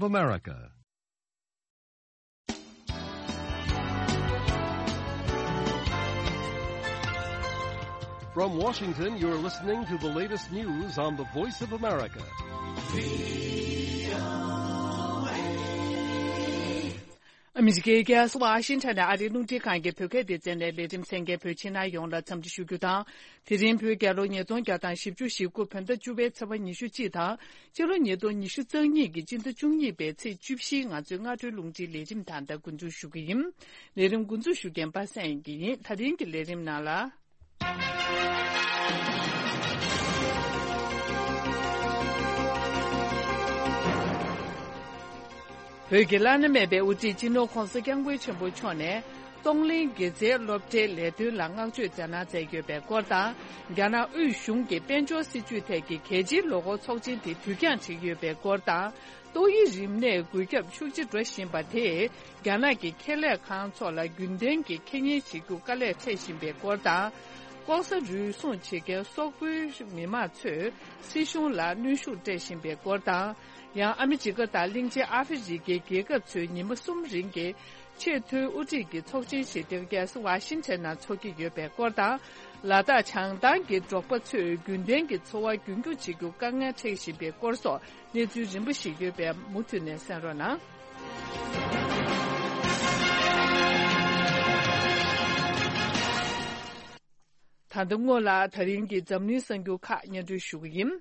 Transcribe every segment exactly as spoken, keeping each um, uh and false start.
of America. From Washington, you're listening to the latest news on the Voice of America. ཨ་མི་རི་ཀའི་རྒྱལ་ས་ཝ་ཤིང་ཊོན་ནས་ཨ་རིའི་རླུང་འཕྲིན་ཁང་གི་བོད་སྐད་སྡེ་ཚན་ནས་ལས་རིམ་གསན་མཁན་བོད་ཕྱི་ནང་ཡོངས་ལ་འཚམས་འདྲི་ཞུ་རྒྱུ་དང་། དེ་རིང་བོད་རྒྱལ་ལོ་ཉིས་སྟོང་བརྒྱ་དང་བཞི་བཅུ་ཞེ་དགུ་བོད་ཟླ་བཅུ་པའི་ཚེས་པ་ཉི་ཤུ་གཅིག་དང་། ཕྱི་ལོ་ཉིས་སྟོང་ཉི་ཤུ་རྩ་གཉིས་ཀྱི་སྤྱི་ཟླ་བཅུ་གཉིས་པའི་ཚེས་བཅུ་བཞིའི་ང་ཚོའི་སྔ་དྲོའི་རླུང་འཕྲིན་ལས་རིམ་ད་ལྟ་འགོ་འཛུགས་ཞུ་གི་ཡིན། ལས་རིམ་འགོ་འཛུགས་ཞུ་མཁན་པ་སངས་ཡིན་གྱི་ཡིན། ད་རིང་གི་ལས་རིམ་ནང་ལ། བོད་ཀྱི་བླ་ན་མེད་པའི་དབུ་ཁྲིད་སྤྱི་ནོར་༧གོང་ས་༧སྐྱབས་མགོན་ཆེན་པོ་མཆོག་ནས། གཏོང་ལེན་དགེ་རྩའི་སློབ་གྲྭའི་ལས་དོན་ལ་བསྔགས་བརྗོད་མཛད་གནང་མཛད་ཡོད་པའི་སྐོར་དང་། རྒྱ་ནག་དབུས་གཞུང་གིས་དཔལ་འབྱོར་སྲིད་ཇུས་ཐད་ཀྱི་གལ་ཆེའི་ལོ་འཁོར་ཚོགས་ཆེན་དེ་དུས་འགྱངས་བྱེད་ཀྱི་ཡོད་པའི་སྐོར་དང་། ཏོག་དབྱིབས་རིམས་ནད་འགོས་ཁྱབ་ཤུགས་ཆེ་འགྲོ་བཞིན་པ་དེས་རྒྱ་ནག་གི་ཁེ་ལས་ཁང་ཚོ་ལ་རྒྱུན་ལྡན་གྱི་ཁེ་གཉེར་བྱེད་རྒྱུ་དཀའ་ལས་འཕྲད་བཞིན་པའི་སྐོར་དང་། ལྐོག་ཟ་རུལ་སུངས་བྱེད་མཁན་སོག་པོའི་མི་མང་ཚོས་སྲིད་གཞུང་ལ་གནོན་ཤུགས་སྤྲད་བཞིན་པའི་སྐོར་དང་། ཡང་ཨ་མི་རི་ཀ་དང་གླིང་ཆེན་ཨ་ཧྥེ་རི་ཁའི་རྒྱལ་ཁབ་ཚོས་ཉི་མ་གསུམ་རིང་གི་ཆེས་མཐོའི་དབུ་ཁྲིད་ཀྱི་ཚོགས་ཆེན་ཞིག་འདིར་རྒྱལ་ས་ཝ་ཤིང་ཊོན་ནང་འཚོགས་ཀྱི་ཡོད་པའི་སྐོར་དང་། ལ་དྭགས་བྱང་ཐང་གི་འབྲོག་པ་ཚོས་རྒྱུན་ལྡན་གྱི་འཚོ་བ་རྒྱུན་སྐྱོང་བྱེད་རྒྱུ་དཀའ་ངལ་འཕྲད་བཞིན་པའི་སྐོར་སོགས་གནས་ཚུལ་རིམ་པ་ཞིག་ཡོད་པས་མུ་མཐུད་ནས་གསན་རོགས་གནང་། ད་ལྟ་སྔོན་ལ་ད་རིང་གི་འཛམ་གླིང་གསར་འགྱུར་ཁག་སྙན་སྒྲོན་ཞུ་གི་ཡིན།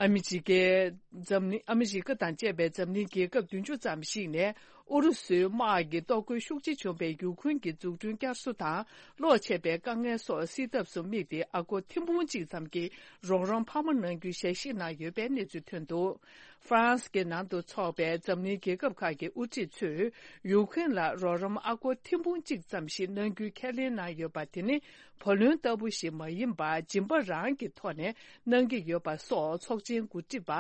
ཨ་མི་རི་ཀའི་འཛམ་གླིང་ཨ་མི་རི་ཀ་དང་བཅས་པའི་འཛམ་གླིང་རྒྱལ་ཁབ་བདུན་ཅུ་ཙམ་ཞིག་ནས་ཨུ་རུ་སུའི་དམག་གི་གཏོར་རྒོལ་ཤུགས་ཆེ་བྱུང་བའི་ཡུ་ཁུན་གྱི་འཛུགས་སྐྲུན་བསྐྱར་གསོ་དང་གློག་ཆད་པའི་དཀའ་ངལ་སོགས་སེལ་ཐབས་སུ་དམིགས་ཏེ་ཨ་སྒོར་ཐེར་འབུམ་གཅིག་ཙམ་གྱི་རོགས་རམ་འཕར་མ་གནང་རྒྱུའི་ཞལ་བཞེས་གནང་ཡོད་པའི་གནས་ཚུལ་ཐོན་འདུག་ཧྥ་རན་སི་གི་ནང་དུ་འཚོགས་པའི་འཛམ་གླིང་རྒྱལ་ཁབ་ཁག་གི་དབུ་ཁྲིད་ཚོས་ཡུ་ཁུན་ལ་རོགས་རམ་ཨ་སྒོར་ཐེར་འབུམ་གཅིག་ཙམ་ཞིག་གནང་རྒྱུའི་ཁས་ལེན་གནང་ཡོད་པ་དེ་ནི། བུ་ལོན་ལྟ་བུ་ཞིག་མ་ཡིན་པར་སྦྱིན་པ་རང་གི་ཐོག་ནས་གནང་གི་ཡོད་པ་སོགས་ཚོགས་ཆེན་འགོ་ཁྲིད་པ་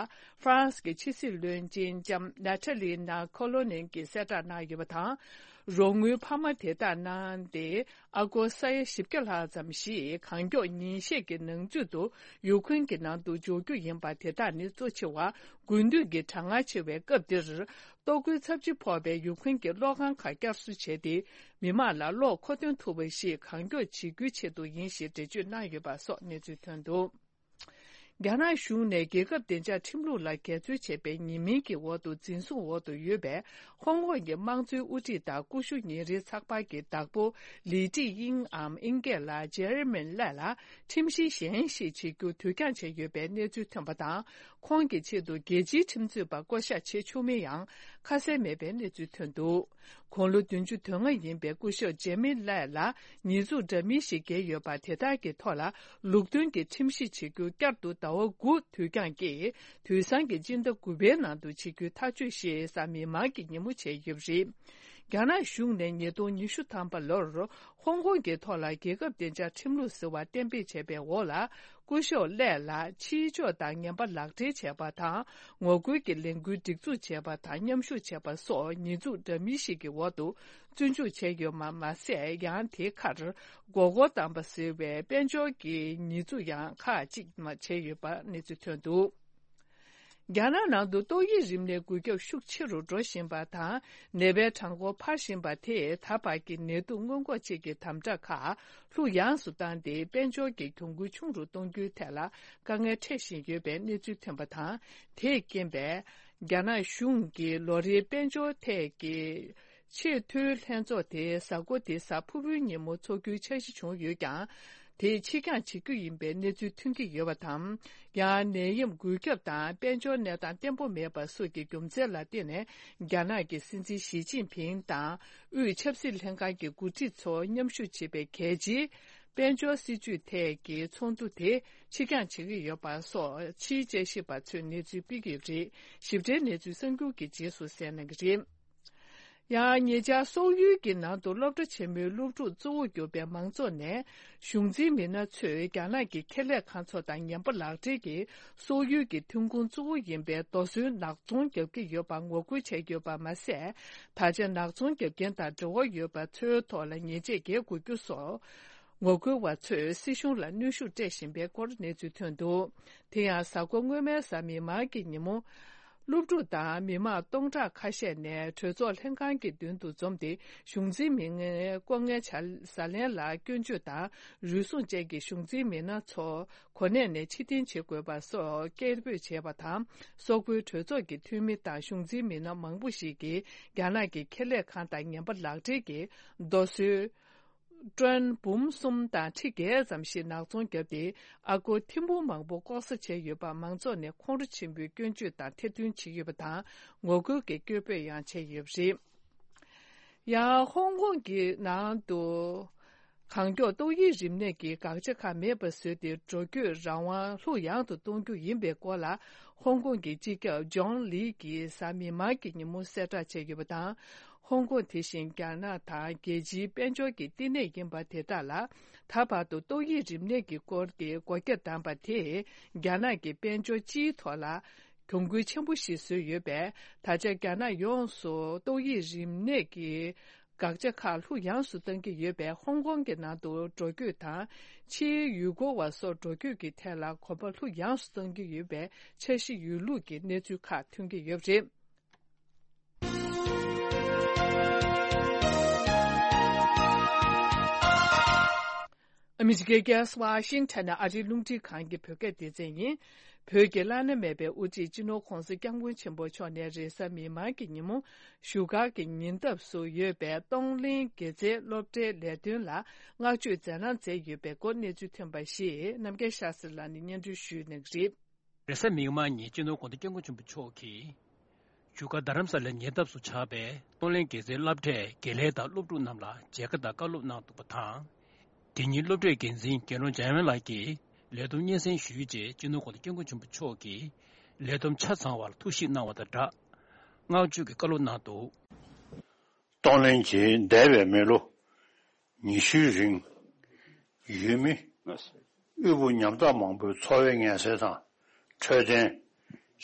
ཧྥ་རན་སི་གི་ཕྱི་སྲིད་བློན་ཆེན་ལྕམ་ནཱ་ཐ་ལི་ནཱ་ཁོ་ལོ་ནན་གྱིས་གསལ་བསྒྲགས་གནང་ཡོད་པ་དང་། རོགས་དངུལ་འཕར་མ་དེ་དག་གནང་སྟེ་ཨ་སྒོར་ས་ཡ་བཞི་བརྒྱ་ལྷག་ཙམ་ཞིག་གང་མགྱོགས་ཉིན་ཤས་ཀྱི་ནང་ཚུད་དུ་ཡུ་ཁུན་གྱི་ནང་དུ་འབྱོར་རྒྱུ་ཡིན་པ། དེ་དག་ནི་གཙོ་ཆེ་བ་དགུན་དུས་ཀྱི་གྲང་ངར་ཆེ་བའི་སྐབས་འདིར། གཏོར་རྒོལ་ཚབས་ཆེ་ཕོག་པའི་ཡུ་ཁུན་གྱི་གློག་ཁང་ཁག་བསྐྱར་གསོ་བྱས་ཏེ། མི་དམངས་ལ་གློག་མཁོ་འདོན་ཐུབ་པ་ཞིག་གང་མགྱོགས་བྱེད་རྒྱུའི་ཆེད་དུ་ཡིན་ཞེས་འགྲེལ་བརྗོད་གནང་ཡོད་པ་སོགས་གནས་ཚུལ་ཐོན་འདུག་རྒྱ་ནག་གཞུང་ནས་རྒྱལ་ཁབ་བདེ་འཇགས་ཁྲིམས་ལུགས་ལ་འགལ་འཛོལ་བྱས་པའི་ཉེས་མིང་གི་འོག་ཏུ་འཛིན་བཟུང་འོག་ཏུ་ཡོད་པའི་ཧོང་ཀོང་གི་དམངས་གཙོའི་དབུ་ཁྲིད་དང་ཀུ་ཤུ་ཉིན་རེའི་ཚགས་པར་གྱི་བདག་པོ་ལི་ཀྲི་དབྱིང་འམ་དབྱིན་སྐད་ལ་ཇེ་རི་མིན་ལེ་ལ་ཁྲིམས་གཞི་གཞན་ཞིག་བྱེད་རྒྱུ་དུས་འགྱངས་བྱས་ཡོད་པའི་གནས་ཚུལ་ཐོན་པ་དང་། ཁོང་གི་ཆེད་དུ་རྒྱལ་སྤྱིའི་ཁྲིམས་རྩོད་པ་བསྐོ་གཞག་བྱེད་ཆོག་མིན་ཡང་ཁ་གསལ་མེད་པའི་གནས་ཚུལ་ཐོན་འདུག་དགུང་ལོ་བདུན་ཅུ་དོན་ལྔ་ཡིན་པའི་སྐུ་ཞབས་ཇེ་མི་ལེ་ལ་ཉེས་འཛུགས་འདྲ་མིན་ཞིག་འགེལ་ཡོད་པ་དེ་དག་གི་ཐོག་ལ་ལུགས་མཐུན་གྱི་ཁྲིམས་གཞི་བྱེད་རྒྱུ་བསྐྱར་དུ་ཟླ་བ་དགུ་དུས་འགྱངས་ཀྱིས་དུས་སང་གི་སྤྱི་ཟླ་དགུ་པའི་ནང་དུ་བྱེད་རྒྱུའི་ཐག་གཅོད་ཞིག་གཟའ་མིག་དམར་གྱི་ཉིན་མོ་བྱས་ཡོད་པ་རེད། རྒྱ་ནག་གཞུང་ནས་ཉིས་སྟོང་ཉི་ཤུ་ཐམ་པ་ལོར་ཧོང་ཀོང་གི་ཐོག་ལ་རྒྱལ་ཁབ་བདེ་འཇགས་ཁྲིམས་ལུགས་ཟེར་བ་གཏན་འབེབས་བྱས་པའི་འོག་ལ། སྐུ་ཞབས་ལེ་ལ་ཕྱིའི་ཕྱོགས་དང་ངན་པ་ལག་སྦྲེལ་བྱས་པ་དང་། ངོ་རྒོལ་གྱི་ལས་འགུལ་སྒྲིག་འཛུགས་བྱས་པ་དང་མཉམ་ཞུགས་བྱས་པ་སོགས་ཉེས་འཛུགས་འདྲ་མིན་ཞིག་གི་འོག་ཏུ་བཙོན་འཇུག་བྱས་ཡོད་པ་མ་ཟད། ཡང་དེའི་ཁར་མགོ་སྐོར་བཏང་པ་ཟེར་བའི་དཔལ་འབྱོར་གྱི་ཉེས་འཛུགས་ཡང་ཁག་ཅིག་བྱས་ཡོད་པ་གནས་ཚུལ་ཐོན་འདུག་རྒྱ་ནག་ནང་དུ་ཏོག་དབྱིབས་རིམས་ནད་འགོས་ཁྱབ་ཤུགས་ཆེ་རུ་འགྲོ་བཞིན་པ་དང་། ནད་པའི་གྲངས་འབོར་འཕར་བཞིན་པ་དེས་ད་བར་གྱི་ནད་དུག་སྔོན་འགོག་ཅན་གྱི་དམ་དྲག་ཁག་ལྷུག་ཡངས་སུ་བཏང་སྟེ། དཔལ་འབྱོར་གྱི་གྱོང་གུན་ཆུང་རུ་གཏོང་རྒྱུའི་ཐད་ལ་དཀའ་ངལ་འཕྲད་བཞིན་ཡོད་པའི་གནས་ཚུལ་ཐོན་པ་དང་། དེས་རྐྱེན་པས། རྒྱ་ནག་གཞུང་གིས་ལོ་རེའི་དཔལ་འབྱོར་ཐད་ཀྱི་ཆེས་མཐོའི་ལྷན་ཚོགས་དེ་གཟའ་འཁོར་འདིའི་གཟའ་ཕུར་བུའི་ཉིན་མོ་འཚོགས་རྒྱུའི་འཆར་གཞི་བྱུང་ཡོད་ཀྱང་། དེ་ཕྱིར་འགྱངས་བྱེད་རྒྱུ་ཡིན་པའི་གནས་ཚུལ་ཐོན་གྱི་ཡོད་པ་དང་། ཡང་ནད་ཡམས་འགོས་ཁྱབ་དང་དཔལ་འབྱོར་གནས་སྟངས་བརྟན་པོ་མེད་པ་སོགས་ཀྱི་རྒྱུ་མཚན་ལ་བརྟེན་ནས། རྒྱ་ནག་གི་སྲིད་འཛིན་ཞི་ཅིན་ཕིང་དང་དབུས་ཆབ་སྲིད་ལྷན་ཁང་གི་འགོ་ཁྲིད་ཚོ་མཉམ་ཞུགས་བྱེད་པའི་གལ་ཆེའི་དཔལ་འབྱོར་སྲིད་ཇུས་ཐད་ཀྱི་ཚོགས་འདུ་དེ་ཕྱིར་འགྱངས་བྱེད་ཀྱི་ཡོད་པ་སོགས་ཕྱིའི་དཔྱད་ཞིབ་པ་ཚོས་གནས་ཚུལ་སྤེལ་གྱི་ཡོད་པ་རེད། ཞིབ་ཕྲའི་གནས་ཚུལ་གསར་འགྱུར་གྱི་རྗེས་སུ་གསན་གནང་གི་རེད། ཡང་ཉེ་ཆར་སོག་ཡུལ་གྱི་ནང་དུ་སློབ་གྲྭ་ཆེན་མོའི་སློབ་ཕྲུག་གཙོ་བོ་གྱུར་པའི་མང་ཚོགས་ནས། གཞུང་འཛིན་མི་སྣ་ཚོས་རྒྱ་ནག་གི་ཁེ་ལས་ཁང་ཚོ་དང་ངན་པ་ལག་སྦྲེལ་གྱིས་སོག་ཡུལ་གྱི་ཐོན་ཁུངས་གཙོ་བོ་ཡིན་པའི་རྡོ་སོལ་ནག་ཚོང་བརྒྱབ་ཀྱི་ཡོད་པར་ངོ་རྒོལ་བྱས་ཡོད་པ་མ་ཟད། ད་ཆ་ནག་ཚོང་བརྒྱབ་མཁན་དང་འབྲེལ་བ་ཡོད་པ་ཚོའི་ཐོག་ལ་ཉེས་ཆད་འགེལ་དགོས་རྒྱུ་སོགས། ངོ་རྒོལ་བ་ཚོས་སྲིད་གཞུང་ལ་གནོན་ཤུགས་སྤྲད་བཞིན་པའི་སྐོར་གནས་ཚུལ་ཐོན་འདུག་དེ་ཡང་གཟའ་འཁོར་སྔོན་མའི་གཟའ་མིག་དམར་གྱི་ཉིན་མོ། སློབ་ཕྲུག་དང་མི་མང་སྟོང་ཕྲག་ཁ་ཤས་ནས་གྲོས་ཚོགས་ལྷན་ཁང་གི་མདུན་དུ་འཛོམས་ཏེ། གཞུང་འཛིན་མི་སྣའི་ལྐོག་རྔན་ཆ་ཟ་ལེན་ལ་སྐྱོན་བརྗོད་དང་། རུལ་སུངས་ཅན་གྱི་གཞུང་འཛིན་མི་སྣ་ཚོ་གོ་གནས་ནས་ཕྱིར་འཐེན་བྱེད་དགོས་པ་སོགས་སྐད་འབོད་བྱས་པ་དང་། སོག་པོའི་གྲོས་ཚོགས་ཀྱི་འཐུས་མི་དང་གཞུང་འཛིན་མི་སྣ་མང་པོ་ཞིག་གིས་རྒྱ་ནག་གི་ཁེ་ལས་ཁང་དང་ངན་པ་ལག་སྦྲེལ་གྱི་རྡོ་སོལ། ཀྲོན་འབུམ་གསུམ་དང་ཁྲི་བརྒྱད་ཙམ་ཞིག་ནག་ཚོང་བརྒྱབ་སྟེ། ཨ་སྒོར་ཐེར་འབུམ་མང་པོ་ལྐོག་ཟ་བྱས་ཡོད་པ་མང་ཚོགས་ནས་ཁོང་ཁྲོ་ཆེན་པོས་སྐྱོན་བརྗོད་དང་ཐེར་འདོན་བྱས་ཡོད་པ་དང་། ངོ་རྒོལ་གྱི་སྐད་འབོད་ཡང་བྱས་ཡོད་པ་རེད། ཡང་ཧོང་ཀོང་གི་ནང་དུ་གང་མགྱོགས་ཏོག་དབྱིབས་རིམས་ནད་ཀྱི་དགག་བྱ་ཁག་མེད་པ་བཟོས་ཏེ། འགྲོ་སྐྱོད་རང་དབང་ལྷུག་ཡངས་སུ་གཏོང་རྒྱུ་ཡིན་པའི་སྐོར་ལ། ཧོང་ཀོང་གི་སྤྱི་ཁྱབ་ཇོན་ལི་གིས་གཟའ་མིག་དམར་གྱི་ཉིན་མོ་གསལ་བསྒྲགས་བྱས་ཡོད་པ་དང་། ཧོང་ཀོང་དེ་བཞིན་རྒྱ་ནག་དང་རྒྱལ་སྤྱིའི་དཔལ་འབྱོར་གྱི་བསྟི་གནས་ཡིན་པ་དེ་དག་ལ། ད་བར་དུ་ཏོག་དབྱིབས་རིམས་ནད་ཀྱི་སྐོར་གྱི་སྒོ་རྒྱ་བསྡམས་པ་དེས་རྒྱ་ནག་གི་དཔལ་འབྱོར་སྤྱིའི་ཐོག་ལ་གྱོང་གུན་ཆེན་པོ་ཞིག་བཟོས་ཡོད་པས། ད་ཆ་རྒྱ་ནག་ཡོངས་སུ་ཏོག་དབྱིབས་རིམས་ནད་ཀྱི་དགག་བྱ་ཁག་ལྷུག་ཡངས་སུ་གཏང་གི་ཡོད་པས། ཧོང་ཀོང་གི་ནང་དུ་འགྲོ་སྐྱོད་དང་། ཕྱིའི་ཡུལ་སྐོར་བ་སོགས་འགྲོ་སྐྱོད་ཀྱི་ཐད་ལ་གོམ་པ་ལྷུག་ཡངས་སུ་གཏང་གི་ཡོད་པའི་འཆར་གཞི་ཡོད་ལུགས་ཀྱི་གནས་ཚུལ་ཁག་ཐོན་གྱི་ཡོད་པ་རེད། ཨ་མི་རི་ཀའི་རྒྱལ་ས་ཝ་ཤིང་ཊོན་ནས་ཨ་རིའི་རླུང་འཕྲིན་ཁང་གི་བོད་སྐད་སྡེ་ཚན་ཡིན། བོད་ཀྱི་བླ་ན་མེད་པའི་དབུ་ཁྲིད་སྤྱི་ནོར་༧གོང་ས་༧སྐྱབས་མགོན་ཆེན་པོ་མཆོག་ནས་རེས་གཟའ་མིག་དམར་གྱི་ཉིན་མོ་བཞུགས་སྒར་གྱི་ཉེ་འདབས་སུ་ཡོད་པའི་གཏོང་ལེན་དགེ་རྩའི་སློབ་གྲྭའི་ལས་དོན་ལ་བསྔགས་བརྗོད་མཛད་གནང་མཛད་ཡོད་པའི་སྐོར་གནས་ཚུལ་ཐོན་པ་ཞིག་རྣམ་རྒྱལ་ཤཱ་སི་ལགས་ནས་སྙན་སྒྲོན་ཞུས་གནང་གི་རེད། རེས་གཟའ་མིག་དམར་ཉིན་སྤྱི་ནོར་༧གོང་ས་༧སྐྱབས་མགོན་ཆེན་པོ་མཆོག་གིས། བཞུགས་སྒར་རྡ་རམ་ས་ལའི་ཉེ་འདབས་སུ་ཆགས་པའི་གཏོང་ལེན་དགེ་རྩའི་སློབ་གྲྭའི་དགེ་ལས་དང་སློབ་ཕྲུག་རྣམས་ལ་མཇལ་ཁ་དང་བཀའ་སློབ་གནང་འདུག་པ་དང་། དེ་ཉིན་སློབ་གྲྭའི་འགན་འཛིན་དགེ་སློང་འཇམ་དབྱངས་ལགས་ཀྱིས་ལས་བསྡོམས་སྙན་སེང་ཞུས་རྗེས། སྤྱི་ནོར་༧གོང་ས་༧སྐྱབས་མགོན་ཆེན་པོ་མཆོག་གིས་ལས་བསྡོམས་ཆ་ཚང་བར་ཐུགས་ཞིབ་གནང་བ་དང་སྦྲགས། བསྔགས་བརྗོད་ཀྱི་བཀའ་སློབ་གནང་འདུག་གཏོང་ལེན་གྱིས་འདས་པའི་མི་ལོ་ཉི་ཤུའི་རིང་། ཡུལ་མི་དབུལ་པོ་ཉམ་ཐག་མང་པོའི་འཚོ་བའི་ངལ་སེལ་དང་། འཕྲོད་བསྟེན།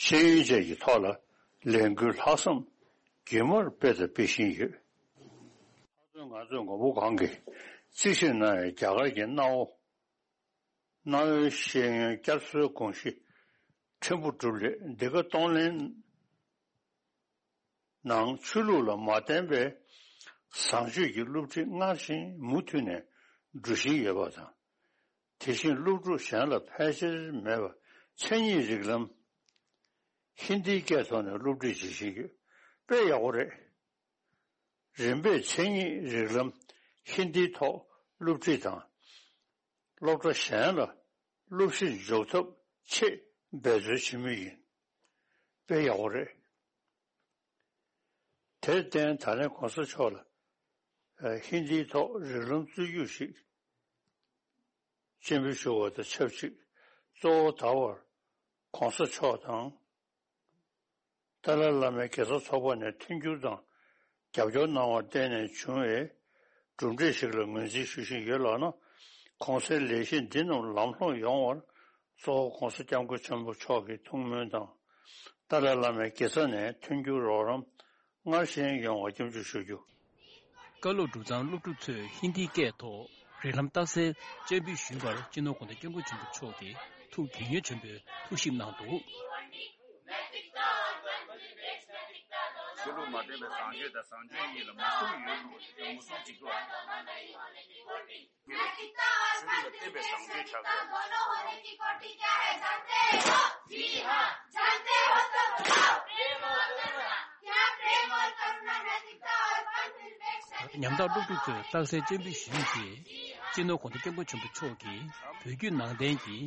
ཤེས་ཡོན་བཅས་ཀྱི་ཐོག་ལ་ལས་འགུལ་ལྷག་བསམ་རྒྱུན་མར་སྤེལ་དང་སྤེལ་བཞིན་ཡོད། ལྷག་དོན་ང་ཚོས་མགོན་པོ་གང་གིས་རྩིས་ཞིབ་གནང་བའི་རྒྱ་གར་གྱི་གནའ་བོ། གནའ་བོའི་ཤེས་ཡོན་བསྐྱར་གསོའི་དགོངས་གཞི་ཕྲན་བུ་གྲུབ་སླད། འདི་ག་གཏོང་ལེན་ནང་ཆོས་ལུགས་ལ་མ་བརྟེན་པའི་བཟང་སྤྱོད་ཀྱི་སློབ་ཁྲིད་སྔར་བཞིན་མུ་མཐུད་ནས་འགྲོ་བཞིན་ཡོད་པ་དང་། དེ་བཞིན་སློབ་ཕྲུག་གཞན་ལ་ཕལ་ཆེར་མེད་པ་མཚན་ཉིད་རིགས་ལམ་ཧིན་དིའི་སྐད་ཐོག་ནས་སློབ་ཁྲིད་བྱེད་བཞིན་ཡོད། དཔེ་ཡག་པོ་རེད། རིམ་པས་མཚན་ཉིད་རིགས་ལམ་ཧིན་དིའི་ཐོག་སློབ་ཁྲིད་དང་། སློབ་གྲྭ་གཞན་ལ་སློབ་གཞི་འཇོག་ཐབས་ཆེད་འབད་རྩོལ་བྱེད་མུས་ཡིན། དཔེ་ཡག་པོ་རེད། དེར་བརྟེན་ད་ལན་གོང་ས་མཆོག་ལ་ཧིན་དིའི་ཐོག་རིགས་ལམ་རྩོད་རྒྱུགས་ཤིག་སྤྱན་འབུལ་ཞུ་བ་དང་ཆབས་ཅིག་གཙོ་བོ་ད་བར་གོང་ས་མཆོག་དང་། ཏཱ་ལའི་བླ་མའི་དགེ་རྩ་ཚོགས་པ་ནས་མཐུན་འགྱུར་དང་རྒྱབ་སྐྱོར་གནང་བར་བརྟེན་ནས་བྱུང་བའི་གྲུབ་འབྲས་ཤིག་ལ་ངོས་འཛིན་ཞུ་བཞིན་ཡོད་ལགས་ན། གོང་གསལ་ལས་གཞི་འདི་རྣམས་ལམ་ལྷོང་ཡོང་བར་གཙོ་བོ་༧གོང་ས་༧སྐྱབས་མགོན་ཆེན་པོ་མཆོག་གི་ཐུགས་སྨོན་དང་། ཏཱ་ལའི་བླ་མའི་དགེ་རྩ་ནས་མཐུན་འགྱུར་རོགས་རམ་སྔར་བཞིན་ཡོང་བར་སྐྱབས་འཇུག་ཞུ་རྒྱུ། བཀའ་སློབ་གྲུབ་ཙང་སློབ་ཕྲུག་ཚོས་ཧིན་དིའི་སྐད་ཐོག་རིགས་ལམ་རྟགས་གསལ་སྤྱན་འབུལ་ཞུས་པར་སྤྱི་ནོར་༧གོང་ས་༧སྐྱབས་མགོན་ཆེན་པོ་མཆོག་གིས་ཐུགས་དགྱེས་མྱོང་ཆེན་པོས་ཐུགས་ཞིབ་གནང་འདུག་ཆོས་ལུགས་མ་འདྲེས་པའི་བཟང་སྤྱོད་དང་བཟང་སྤྱོད་གཉིས་ལ་མུ་གསུམ་ཡོད་འདུག་མུ་གསུམ་གཅིག་ལ། ཉམ་ཐག་སློབ་ཕྲུག་ཚོས་རྟགས་གསལ་སྤྱན་འབུལ་ཞུས་རྗེས། སྤྱི་ནོར་༧གོང་ས་༧སྐྱབས་མགོན་ཆེན་པོ་མཆོག་གིས་བོད་བརྒྱུད་ནང་བསྟན་གྱི་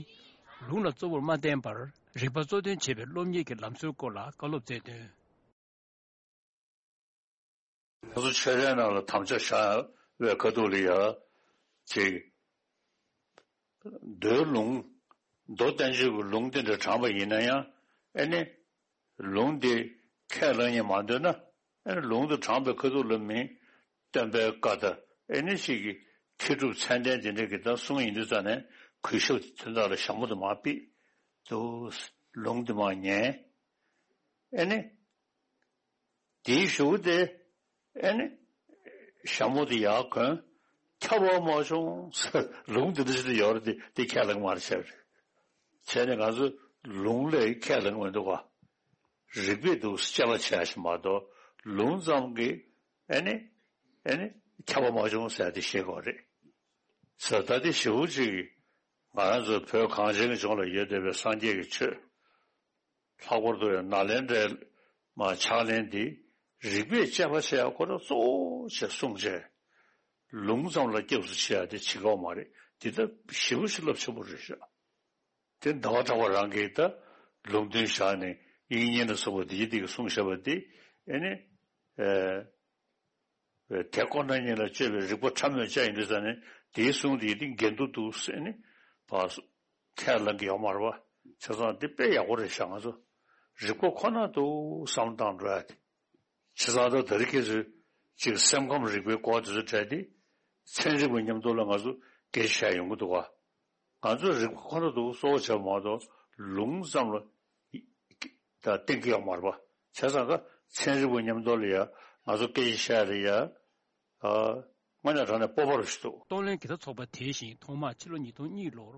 ལུང་ལ་གཙོ་བོར་མ་བསྟན་པར། རིག་པ་གཙོ་འདོན་བྱེད་པའི་སློབ་གཉེར་གྱི་ལམ་སྲོལ་སྐོར་ལ་བཀའ་སློབ་སྩལ་དོན། ང་ཚོ་ཆོས་ལྡན་རྣམས་ལ་དམ་བཅའ་བཞག་པའི་ཁ་ཐུག་ལ་ཡ། ཅིག་མདོའི་ལུང་། མདོ་བསྟན་བཅོས་ཀྱི་ལུང་དེ་འདྲ་དྲངས་པ་ཡིན་ན་ཡང་། ཨེ་ནི། ལུང་དེ་ཁས་བླངས་ཉན་མ་འདོད་ན། ཨེ་ནི་ལུང་དེ་དྲངས་པའི་ཁ་ཐུག་ལ་མི། སྟོན་པའི་བཀའ་དང་ཨེ་ནི་ཞིག་གི་མཁས་གྲུབ་མཚན་ལྡན་དེ་འདྲ་གི་ད་གསུང་ཡིན་དུས་ཙ་ནས་གུས་ཞབས་དེ་དག་ལ་ཞྭ་མོ་དེ་མར་ཕུད་དུ། ལུང་དེ་མར་ཉན། ཨེ་ནི། དེའི་གཞུག་དེ། ཨེ་ནི། ཞྭ་མོ་དེ་ཡར་གོན། ཁྱབ་པ་མ་བྱུང་ཟེར་ལུང་འདི་འདྲ་ཞིག་ཡོད་རེད། དེ་དེ་ཁས་ལེན་མ་རེད་བྱས་པ་རེད། བྱས་ནས་ང་ཚོ་ལུང་ལས་ཁས་ལེན་མི་འདུག་ག་རིགས་པས་འདུག་དཔྱད་པ་བྱས་ཤིག་མ་གཏོགས་ལུང་ཙམ་གྱིས་ཨེ་ནི་ཨེ་ནི་ཁྱབ་པ་མ་བྱུང་ཟེར་དེ་ཤེས་དགོས་རེད། ཟེར་ད་དེ་ཞེ་པོ་ཅིག་ང་རང་ཚོ་བོད་གངས་ཅན་གྱི་ལྗོངས་ལ་ཡོད་བསྡད་པའི་སངས་རྒྱས་ཀྱི་ཆོས། ལྷག་པར་དུ་ཡང་ནཱ་ལེནྡྲའི་མ་ཕྱག་ལེན་འདི་རིགས་པས་དཔྱད་པ་བྱེད་ཡག་ཁོ་རང་གཙོ་བོ་བྱས་གསུངས་བྱས། ལུང་ཙམ་ལ་སྐྱབས་སུ་མཆི་ཡག་དེ་བྱེད་ཀྱི་ཡོད་མ་རེད། འདི་ད་ཞེ་པོ་ཞིག་རླབས་ཆེན་པོ་རེད་ཤག་དེ་ཟླ་བ་གྲགས་པ་རང་གིས་ད་ལུང་བསྟན་བཞག་ནས་དབྱིག་གཉེན་ལ་སོགས་པ་འདི་ཡི་འདི་གི་གསུངས་བཞག་པ་འདི་ཨེ་ནི། ཨེ། དེ་ཁོ་ན་ཉིད་ལ་དཔྱོད་པའི་རིག་པ་ཕྲ་མོས་དཔྱད་ཡིན་དུས་ཙང་ནས་དེའི་གསུང་དེ་དེ་འགལ་འདུ་འདུག་ཟེར་ནས་ཕར་ཁས་ལེན་གྱི་ཡོད་མ་རེད་པ། བྱས་ཙང་དེ་དཔེ་ཡག་པོ་རེད་ཤག་ང་ཚོ་རིག་པ་ཁོ་ན་འདུག་བསམ་བློ་བཏང་འགྲོ་ཡ་དེ། བྱས་ཙང་ད་དེ་རིང་ཁྱེད་ཚོས་ཅིག་སེམས་ཁམས་རིག་པའི་སྐོར་དེ་ཚོ་དྲན་དེ་ཚན་རིག་པའི་མཉམ་དུ་ལ་ང་ཚོ་སྐད་ཆ་བཤད་ཡོང་གི་འདུག་ག་ང་ཚོས་རིག་པ་ཁོ་ན་འདུག་གསོ་བྱེད་མ་གཏོགས་ལུང་ཙམ་ལ་ད་བསྟན་གྱི་ཡོད་མ་རེད་པ། བྱས་ཙང་ད་ཚན་རིག་པ་མཉམ་དུ་ལ་ཡ་ང་ཚོ་སྐད་ཆ་བཤད་ལ་ཡ་དངོས་གནས་དྲང་གནས་སྤོབས་པ་རུ་ཞིག་འདུག་གཏོང་ལེན་གྱི་ད་ཚོགས་པ་དེ་བཞིན་ཐོག་མར་ཕྱི་ལོ་ཉིས་སྟོང་གཉིས་ལོར་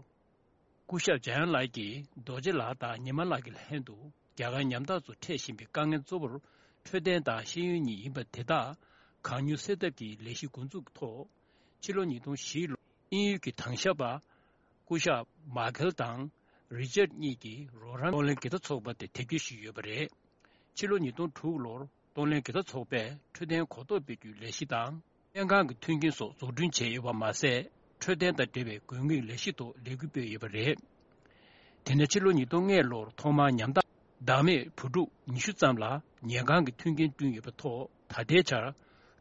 སྐུ་ཞབས་འཇམ་དབྱངས་ལགས་ཀྱིས་རྡོ་རྗེ་ལགས་དང་ཉི་མ་ལགས་ཀྱི་ལྷན་དུ་རྒྱ་གར་ཉམ་ཐག་ཚོ་འཕྲད་བཞིན་པའི་དཀའ་ངལ་གཙོ་བོར་འཕྲོད་བསྟེན་དང་ཤེས་ཡོན་གཉིས་ཡིན་པ་དེ་དག་གང་མྱུར་སེལ་ཐབས་ཀྱི་ལས་གཞི་འགོ་འཛུགས་ཀྱི་ཐོག་ཕྱི་ལོ་ཉིས་སྟོང་བཞི་ལོར་དབྱིན་ཡུལ་གྱི་དྭང་ཞབས་པ་སྐུ་ཞབས་མཱ་ཁེལ་དང་རི་ཅར་གཉིས་ཀྱིས་རོགས་རམ་གཏོང་ལེན་གྱི་ད་ཚོགས་པ་དེ་དེབ་སྐྱེལ་ཞུས་ཡོད་པ་རེད། ཕྱི་ལོ་ཉིས་སྟོང་དྲུག་ལོར་གཏོང་ལེན་གྱི་ད་ཚོགས་པས་འཕྲོད་བསྟེན་གོ་རྟོགས་སྤེལ་རྒྱུའི་ལས་གཞི་དང་སྨན་ཁང་གི་མཐུན་རྐྱེན་སོགས་འཛུགས་སྐྲུན་བྱས་ཡོད་པ་མ་ཟད། འཕྲོད་བསྟེན་དང་འབྲེལ་བའི་དགོས་ངེས་ལས་གཞི་ཐོག་ལས་འགུལ་སྤེལ་ཡོད་པ་རེད། དེ་ནས་ཕྱི་ལོ་ཉིས་སྟོང་ལྔ་ལོར་ཐོག་མར་ཉམ་ཐག་བདག་མེད་བུ་ཕྲུག་ཉི་ཤུ་ཙམ་ལ་ཉལ་ཁང་གི་མཐུན་རྐྱེན་བསྐྲུན་ཡོད་པའི་ཐོག་ད་ལྟའི་ཆར་